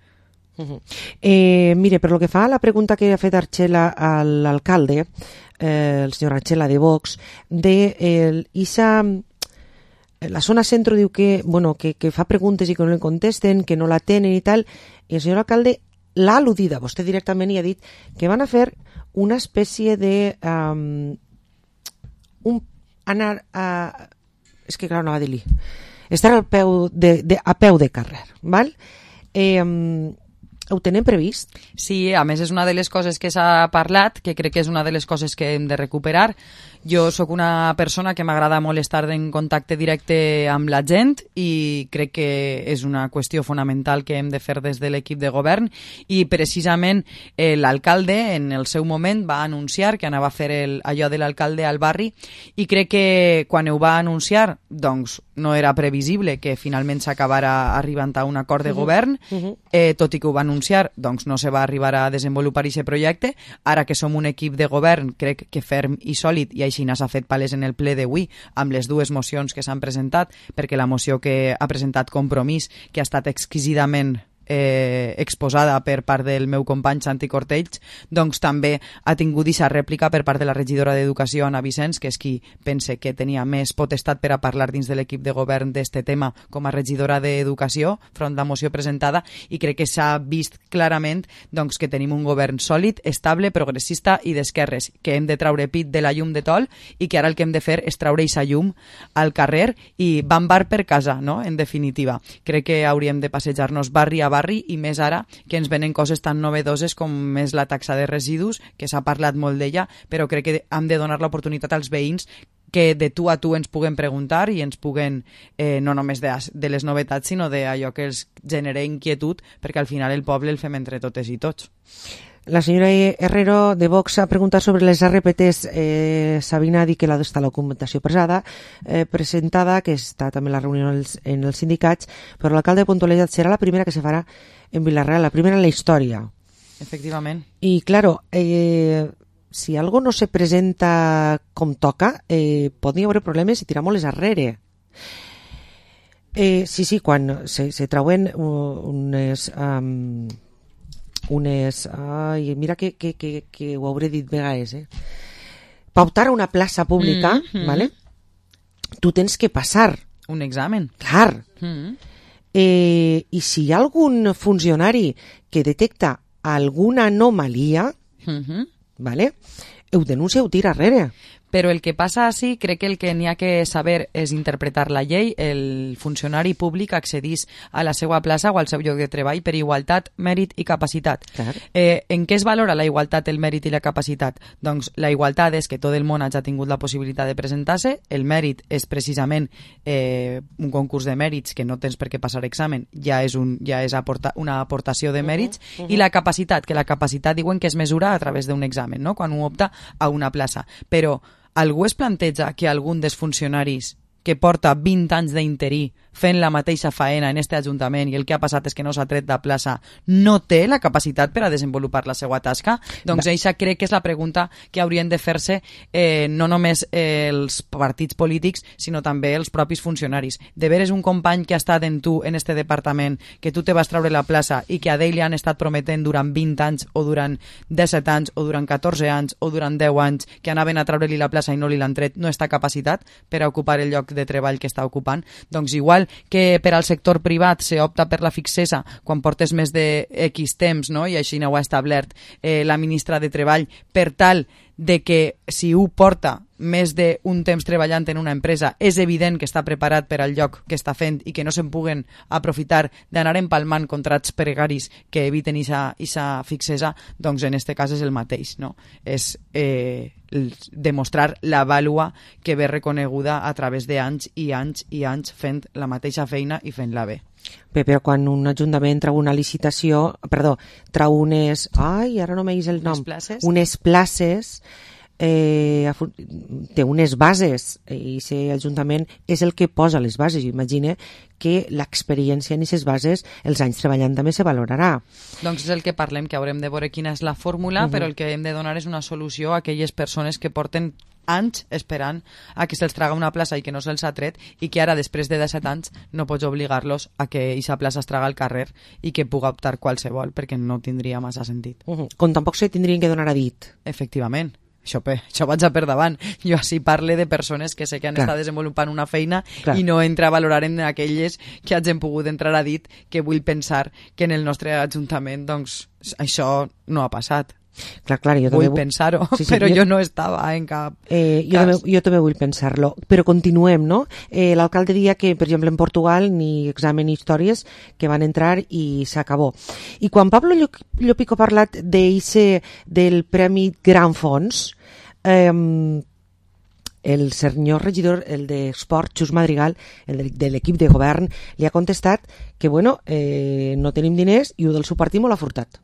Uh-huh. Eh, mire, per lo que fa a la pregunta que ha fet Archela a l'alcalde, eh, el senyor Archela de Vox, de eh, isa... La zona centro diu que, bueno, que, que fa preguntes i que no le contesten, que no la tenen i tal, i el senyor alcalde l'ha al·ludida, vostè directament, i ha dit que van a fer una espècie de... Um, un, anar a... És que clar, no va dir-li. Estar al peu de, de, a peu de carrer, val? Eh, um, Ho tenen previst? Sí, a més és una de les coses que s'ha parlat, que crec que és una de les coses que hem de recuperar. Jo sóc una persona que m'agrada molt estar en contacte directe amb la gent i crec que és una qüestió fonamental que hem de fer des de l'equip de govern i precisament eh, l'alcalde en el seu moment va anunciar que anava a fer el, allò de l'alcalde al barri i crec que quan ho va anunciar doncs no era previsible que finalment s'acabara arribant a un acord de govern, Uh-huh. eh, tot i que ho va anunciar, doncs no se va arribar a desenvolupar aquest projecte. Ara que som un equip de govern, crec que ferm i sòlid, i així s'ha fet palès en el ple d'avui, amb les dues mocions que s'han presentat, perquè la moció que ha presentat Compromís, que ha estat exquisidament eh, exposada per part del meu company Santi Cortells, doncs també ha tingut aquesta rèplica per part de la regidora d'Educació, Anna Vicenç, que és qui pense que tenia més potestat per a parlar dins de l'equip de govern d'este tema com a regidora d'Educació, front la moció presentada, i crec que s'ha vist clarament doncs, que tenim un govern sòlid, estable, progressista i d'esquerres, que hem de traure pit de la llum de tol i que ara el que hem de fer és traure aquesta llum al carrer i bambar per casa, no? En definitiva. Crec que hauríem de passejar-nos barri a barri i més ara que ens venen coses tan novedoses com és la taxa de residus, que s'ha parlat molt d'ella, però crec que hem de donar l'oportunitat als veïns que de tu a tu ens puguen preguntar i ens puguen, eh, no només de, de les novetats, sinó d'allò que els genera inquietud, perquè al final el poble el fem entre totes i tots. La senyora Herrero de Vox ha preguntat sobre les R P Ts. Eh, Sabina ha dit que la està la documentació presada, eh, presentada, que està també la reunió en els, en els sindicats, però l'alcalde de Pontolella serà la primera que se farà en Vilareal, la primera en la història. Efectivament. I, claro, eh, si algo no se presenta com toca, eh, poden haver problemes i tirar molt les arrere. Eh, sí, sí, quan se, se trauen unes... Um, unes... Ai, mira que, que, que, que ho hauré dit vegades, eh? Per optar a una plaça pública, Mm-hmm. ¿vale? Tu tens que passar. Un examen. Clar. Mm-hmm. Eh, I si hi ha algun funcionari que detecta alguna anomalia, Mm-hmm. ¿vale? Ho denuncia, ho tira arrere. Però el que passa així, crec que el que n'hi ha que saber és interpretar la llei. El funcionari públic accedís a la seva plaça o al seu lloc de treball per igualtat, mèrit i capacitat. Clar. Eh, en què es valora la igualtat, el mèrit i la capacitat? Doncs la igualtat és que tot el món hagi tingut la possibilitat de presentar-se, el mèrit és precisament eh, un concurs de mèrits que no tens per què passar examen, ja és, un, ja és aporta, una aportació de mèrits, uh -huh, uh -huh. I la capacitat, que la capacitat diuen que es mesura a través d'un examen, no? Quan un opta a una plaça. Però algú es planteja que algun dels funcionaris que porta vint anys d'interí fent la mateixa faena en este Ajuntament i el que ha passat és que no s'ha tret de plaça, no té la capacitat per a desenvolupar la seva tasca? Doncs eixa crec que és la pregunta que haurien de fer-se eh, no només eh, els partits polítics, sinó també els propis funcionaris. De veres un company que ha estat en tu, en este departament, que tu te vas treure la plaça i que a d'ell li han estat prometent durant vint anys o durant disset anys o durant catorze anys o durant deu anys que anaven a treure-li la plaça i no li l'han tret, no està capacitat per a ocupar el lloc de treball que està ocupant? Doncs igual que per al sector privat se opta per la fixesa quan portes més de X temps, no? I així no ho ha establert eh, la ministra de Treball, per tal de que si ho porta més d'un temps treballant en una empresa és evident que està preparat per al lloc que està fent i que no se'n puguen aprofitar d'anar empalmant contrats precaris que eviten aquesta fixesa, doncs en este cas és el mateix, no? És eh, demostrar la vàlua que ve reconeguda a través d'anys i anys i anys fent la mateixa feina i fent-la bé. Bé, però quan un ajuntament trau una licitació, perdó, trau unes... Ai, ara no m'he el nom. Unes places. Unes places, eh, té unes bases, i aquest ajuntament és el que posa les bases. Imagina que l'experiència en aquestes bases, els anys treballant també se valorarà. Doncs és el que parlem, que haurem de veure quina és la fórmula, uh -huh. però el que hem de donar és una solució a aquelles persones que porten anys esperant a que se'ls traga una plaça i que no se'ls ha tret, i que ara, després de disset anys, no pots obligar-los a que aquesta plaça es traga al carrer i que puga optar qualsevol, perquè no tindria massa sentit. Uh -huh. Com tampoc se tindrien que donar a dit. Efectivament. Això, això vaig a per davant. Jo així parle de persones que sé que han Clar. estat desenvolupant una feina Clar. i no entra a valorar en aquelles que hagin pogut entrar a dit, que vull pensar que en el nostre Ajuntament doncs, això no ha passat. Clar, clar, jo vull també... pensar-ho, sí, sí, però jo... jo no estava en cap eh, jo, cas. també, jo també vull pensar-lo. Però continuem, no? Eh, L'alcalde dia que, per exemple, en Portugal ni examen ni històries, que van entrar i s'acabó. I quan Pablo Llopico ha parlat d'eixe del Premi Gran Fons, eh, el senyor regidor, el d'Esport, Xus Madrigal, el de, de l'equip de govern, li ha contestat que, bueno, eh, no tenim diners i ho del seu partit m'ho l'ha furtat.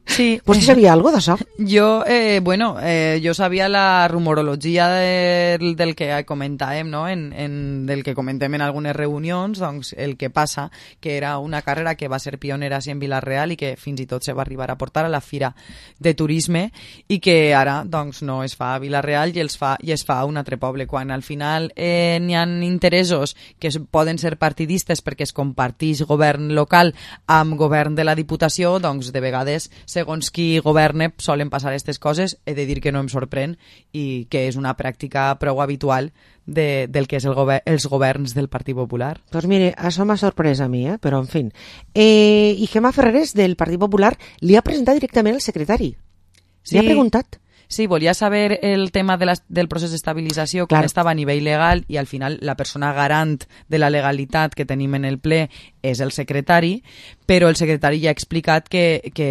Sí. Vostè sabia algo d'això? Jo, eh, bueno, eh, jo sabia la rumorologia del, del que comentàvem, no? En, en, del que comentem en algunes reunions, doncs el que passa, que era una carrera que va ser pionera en Vila-real i que fins i tot se va arribar a portar a la Fira de Turisme i que ara doncs, no es fa a Vila-real i, els fa, i es fa a un altre poble. Quan al final eh, n'hi ha interessos que poden ser partidistes perquè es comparteix govern local amb govern de la Diputació, doncs de vegades segons qui governe solen passar aquestes coses. He de dir que no em sorprèn i que és una pràctica prou habitual de, del que és el govern, els governs del Partit Popular. Doncs mire, això m'ha sorprès a mi, eh? Però en fi. Eh, I Gemma Ferreres del Partit Popular li ha presentat directament al secretari. Sí. Li ha preguntat. Sí, volia saber el tema de la, del procés d'estabilització, com estava a nivell legal, i al final la persona garant de la legalitat que tenim en el ple és el secretari, però el secretari ja ha explicat que, que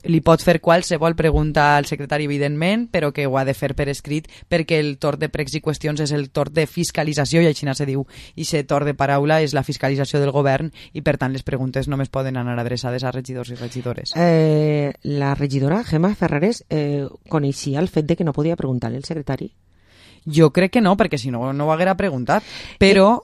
li pot fer qualsevol pregunta al secretari, evidentment, però que ho ha de fer per escrit perquè el torn de pregs i qüestions és el torn de fiscalització, i així se diu, i aquest torn de paraula és la fiscalització del govern, i per tant les preguntes només poden anar adreçades a regidors i regidores. Eh, la regidora Gemma Ferreres eh, coneixia el fet de que no podia preguntar al secretari? Jo crec que no, perquè si no, no ho haguera preguntat. Però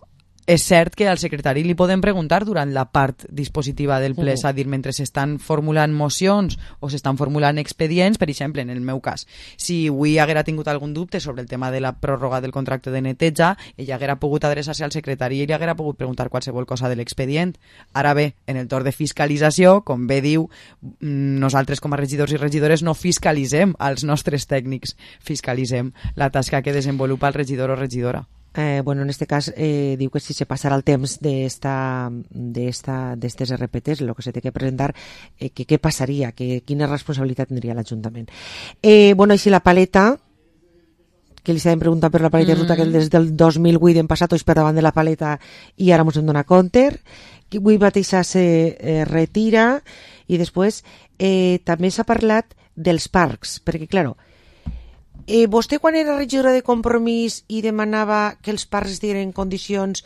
és cert que al secretari li poden preguntar durant la part dispositiva del ple, és a dir, mentre s'estan formulant mocions o s'estan formulant expedients, per exemple, en el meu cas, si avui haguera tingut algun dubte sobre el tema de la pròrroga del contracte de neteja, ella haguera pogut adreçar-se al secretari i li haguera pogut preguntar qualsevol cosa de l'expedient. Ara bé, en el torn de fiscalització, com bé diu, nosaltres com a regidors i regidores no fiscalitzem als nostres tècnics, fiscalitzem la tasca que desenvolupa el regidor o regidora. Eh, bueno, en este cas eh, diu que si se passarà el temps d'esta, d'esta, d'estes R P Ts, el que se té que presentar, eh, que què passaria, que, quina responsabilitat tindria l'Ajuntament. Eh, bueno, així la paleta, que li s'ha preguntat per la paleta de ruta, que des del dos mil vuit hem passat tots per davant de la paleta i ara ens en dona compte, que avui mateixa se eh, retira, i després eh, també s'ha parlat dels parcs, perquè, claro, Eh, vostè quan era regidora de Compromís i demanava que els parcs estiguin en condicions,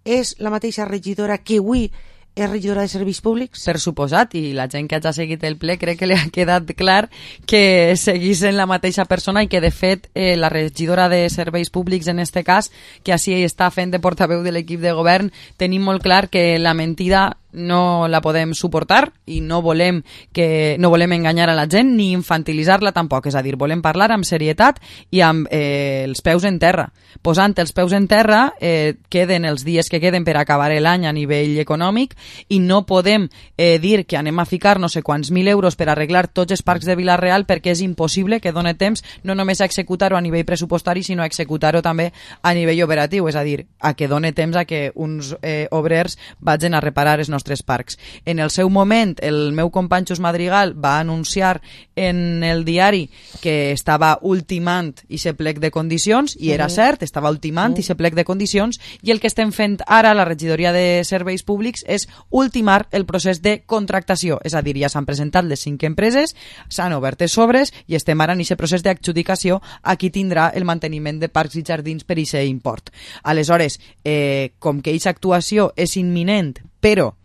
és la mateixa regidora que avui és regidora de Serveis Públics? Per suposat, i la gent que hagi seguit el ple crec que li ha quedat clar que seguís en la mateixa persona i que de fet eh, la regidora de Serveis Públics en este cas, que així està fent de portaveu de l'equip de govern, tenim molt clar que la mentida no la podem suportar i no volem que no volem enganyar a la gent ni infantilitzar-la tampoc, és a dir, volem parlar amb serietat i amb eh, els peus en terra. Posant els peus en terra eh, queden els dies que queden per acabar l'any a nivell econòmic i no podem eh, dir que anem a ficar no sé quants mil euros per arreglar tots els parcs de Vila-real perquè és impossible que done temps no només a executar-ho a nivell pressupostari sinó a executar-ho també a nivell operatiu, és a dir, a que done temps a que uns eh, obrers vagin a reparar els nostres parcs. En el seu moment, el meu company Xus Madrigal va anunciar en el diari que estava ultimant ese plec de condicions, i era cert, estava ultimant ese plec de condicions, i el que estem fent ara a la regidoria de Serveis Públics és ultimar el procés de contractació, és a dir, ja s'han presentat les cinc empreses, s'han obert els sobres i estem ara en aquest procés d'adjudicació a qui tindrà el manteniment de parcs i jardins per aquest import. Aleshores, eh, com que aquesta actuació és imminent, però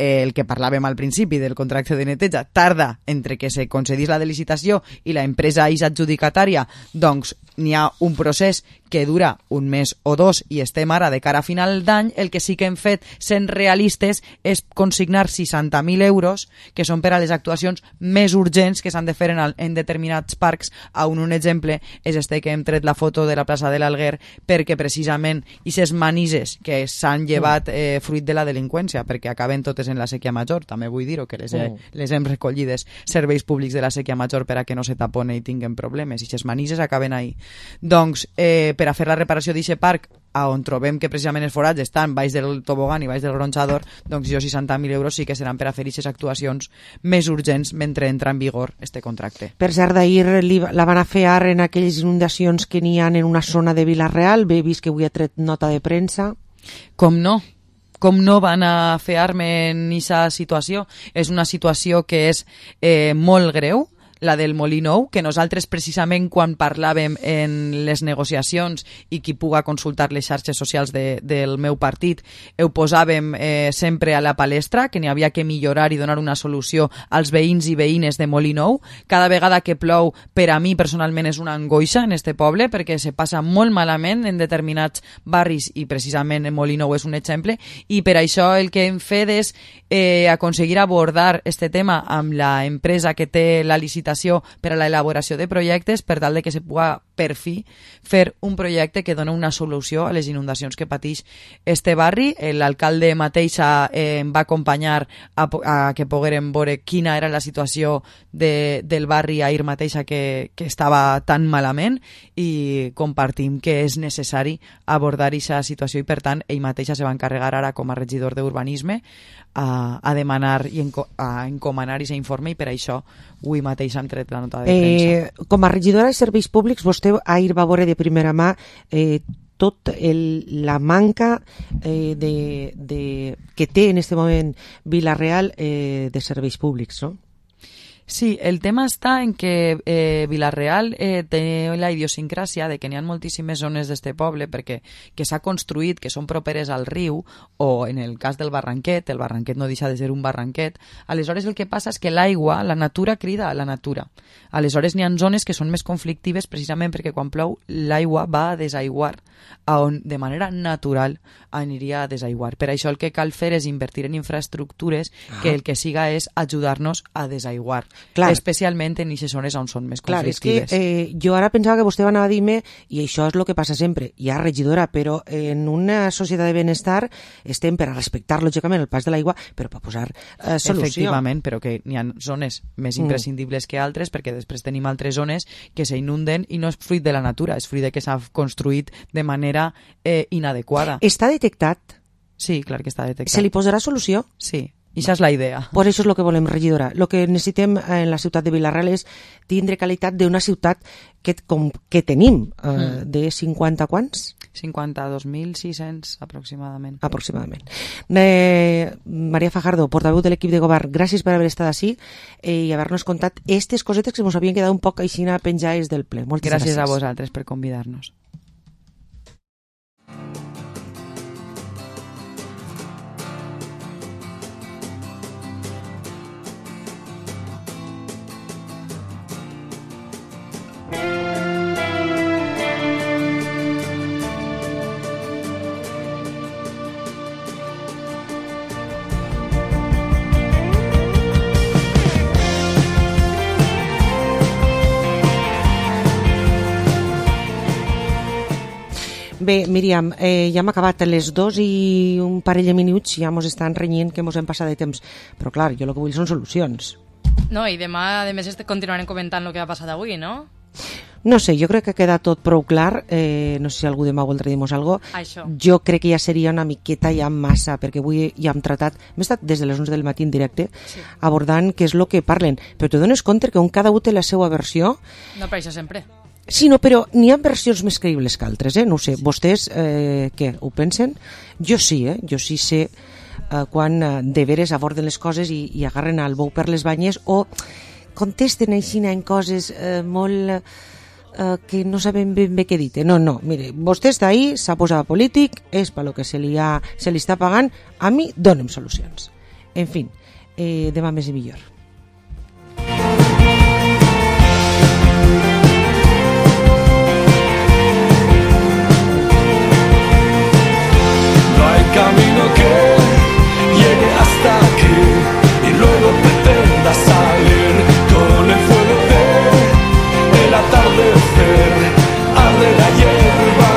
el que parlàvem al principi del contracte de neteja tarda entre que se concedís la de licitació i la empresa és adjudicatària, doncs n'hi ha un procés que dura un mes o dos i estem ara de cara a final d'any. El que sí que hem fet, sent realistes, és consignar seixanta mil euros que són per a les actuacions més urgents que s'han de fer en, el, en determinats parcs, on un exemple és este que hem tret la foto de la plaça de l'Alguer, perquè precisament aquestes manises que s'han llevat eh, fruit de la delinqüència, perquè acaben totes en la sèquia major, també vull dir-ho, que les, he, les hem recollides serveis públics de la sèquia major per a que no se tapone i tinguen problemes, i aquestes manises acaben ahí. Doncs, eh, per a fer la reparació d'aquest parc, a on trobem que precisament els forats estan baix del tobogan i baix del gronxador, doncs jo seixanta mil euros sí que seran per a fer aquestes actuacions més urgents mentre entra en vigor este contracte. Per cert, d'ahir li- la van a fer ara en aquelles inundacions que n'hi ha en una zona de Vila-real. Bé, he vist que avui ha tret nota de premsa. Com no? Com no van a fer arme en aquesta situació? És una situació que és eh, molt greu, la del Molí Nou, que nosaltres precisament quan parlàvem en les negociacions i qui puga consultar les xarxes socials de, del meu partit, ho posàvem eh, sempre a la palestra, que n'hi havia que millorar i donar una solució als veïns i veïnes de Molí Nou. Cada vegada que plou, per a mi personalment és una angoixa en este poble, perquè se passa molt malament en determinats barris i precisament en Molí Nou és un exemple, i per això el que hem fet és eh, aconseguir abordar este tema amb la empresa que té la licitació per a l'elaboració de projectes per tal de que se puga per fi fer un projecte que dona una solució a les inundacions que pateix este barri. L'alcalde mateix eh, em va acompanyar a, a que poguérem veure quina era la situació de, del barri ahir mateixa que, que estava tan malament, i compartim que és necessari abordar aquesta situació i per tant ell mateixa se va encarregar ara com a regidor d'urbanisme a, a demanar i enco, a encomanar aquest informe, i per això avui mateix hem tret la nota de premsa. Eh, com a regidora de serveis públics, vostè ahir va veure de primera mà eh, tot el, la manca eh, de, de, que té en este moment Vila-real eh, de serveis públics, no? Sí, el tema està en que eh, Vila-real eh, té la idiosincràsia de que n'hi ha moltíssimes zones d'este poble perquè que s'ha construït, que són properes al riu, o en el cas del barranquet, el barranquet no deixa de ser un barranquet. Aleshores el que passa és que l'aigua, la natura crida a la natura. Aleshores n'hi ha zones que són més conflictives precisament perquè quan plou l'aigua va a desaiguar, a on de manera natural aniria a desaiguar. Per això el que cal fer és invertir en infraestructures que el que siga és ajudar-nos a desaiguar. Clar. Especialment en aquestes zones on són més conflictives. Clar, és que eh, jo ara pensava que vostè anava a dir-me, i això és el que passa sempre, ja regidora, però en una societat de benestar estem per a respectar lògicament el pas de l'aigua, però per posar eh, solució. Efectivament, però que n'hi ha zones més imprescindibles mm. que altres, perquè després tenim altres zones que s'inunden i no és fruit de la natura, és fruit de que s'ha construït de manera eh, inadequada. Està detectat? Sí, clar que està detectat. Se li posarà solució? Sí. I això és la idea. Pues això és el que volem, regidora. El que necessitem en la ciutat de Vila-real és tindre qualitat d'una ciutat que, com, que tenim, eh, mm. de cinquanta quants? cinquanta-dos mil sis-cents aproximadament. Aproximadament. Eh, Maria Fajardo, portaveu de l'equip de govern, gràcies per haver estat així eh, i haver-nos contat aquestes cosetes que ens havien quedat un poc aixina penjades del ple. Moltes gràcies. Gràcies a vosaltres per convidar-nos. Bé, Míriam, eh, ja hem acabat a les dos i un parell de minuts, ja mos estan renyint que mos hem passat de temps. Però clar, jo el que vull són solucions. No, i demà, a més, continuarem comentant el que ha passat avui, no? No sé, jo crec que queda tot prou clar. Eh, no sé si algú demà voldrà dir-nos alguna cosa. Això. Jo crec que ja seria una miqueta ja massa, perquè avui ja hem tratat, hem estat des de les onze del matí en directe, sí, abordant què és el que parlen. Però te dones compte que un cada un té la seva versió. No, per això sempre. Sí, no, però n'hi ha versions més creïbles que altres, eh? No ho sé. Sí. Vostès, eh, què, ho pensen? Jo sí, eh? Jo sí sé eh, quan eh, de veres aborden les coses i, i agarren el bou per les banyes o contesten així en coses eh, molt... eh, que no sabem ben bé què dir. No, no, mire, vostè està ahí, s'ha posat polític, és per lo que se li, ha, se li està pagant, a mi dóna'm solucions. En fi, eh, demà més i millor. Camino que llegue hasta aquí y luego pretenda salir con el fuego de el atardecer, arde la hierba.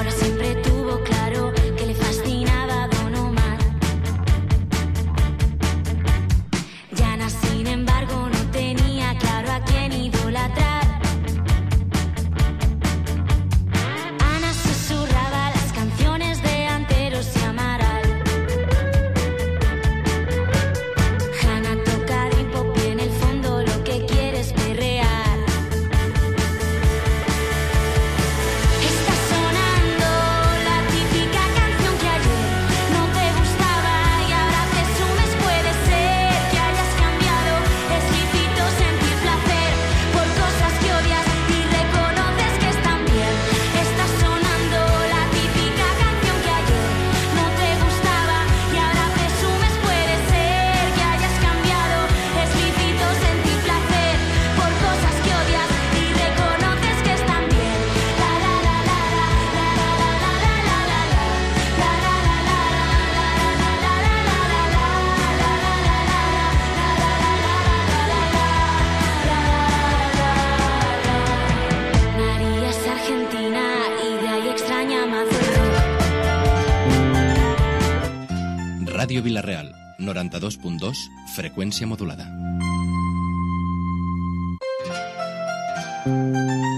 Ahora siempre tuvo claro que le fascinaba Don Omar. Yana, sin embargo, no tenía claro a quién idolatrar. Ana susurraba las canciones de Anteros y Amaral. Hanna toca dream pop y en el fondo lo que quiere es perrear. Está sonando la típica canción que ayer no te gustaba y ahora presumes. Puede ser que hayas cambiado, es lícito sentir placer por cosas que odias y reconoces que están bien. Está sonando la típica canción que ayer no te gustaba y ahora presumes. Puede ser que hayas cambiado, es lícito sentir placer por cosas que odias y reconoces que están bien. La la la la la la la la la la la la la María es argentina y de ahí extraña mazo el rock. Ràdio Vila-real, noranta-dos punt dos, freqüència modulada.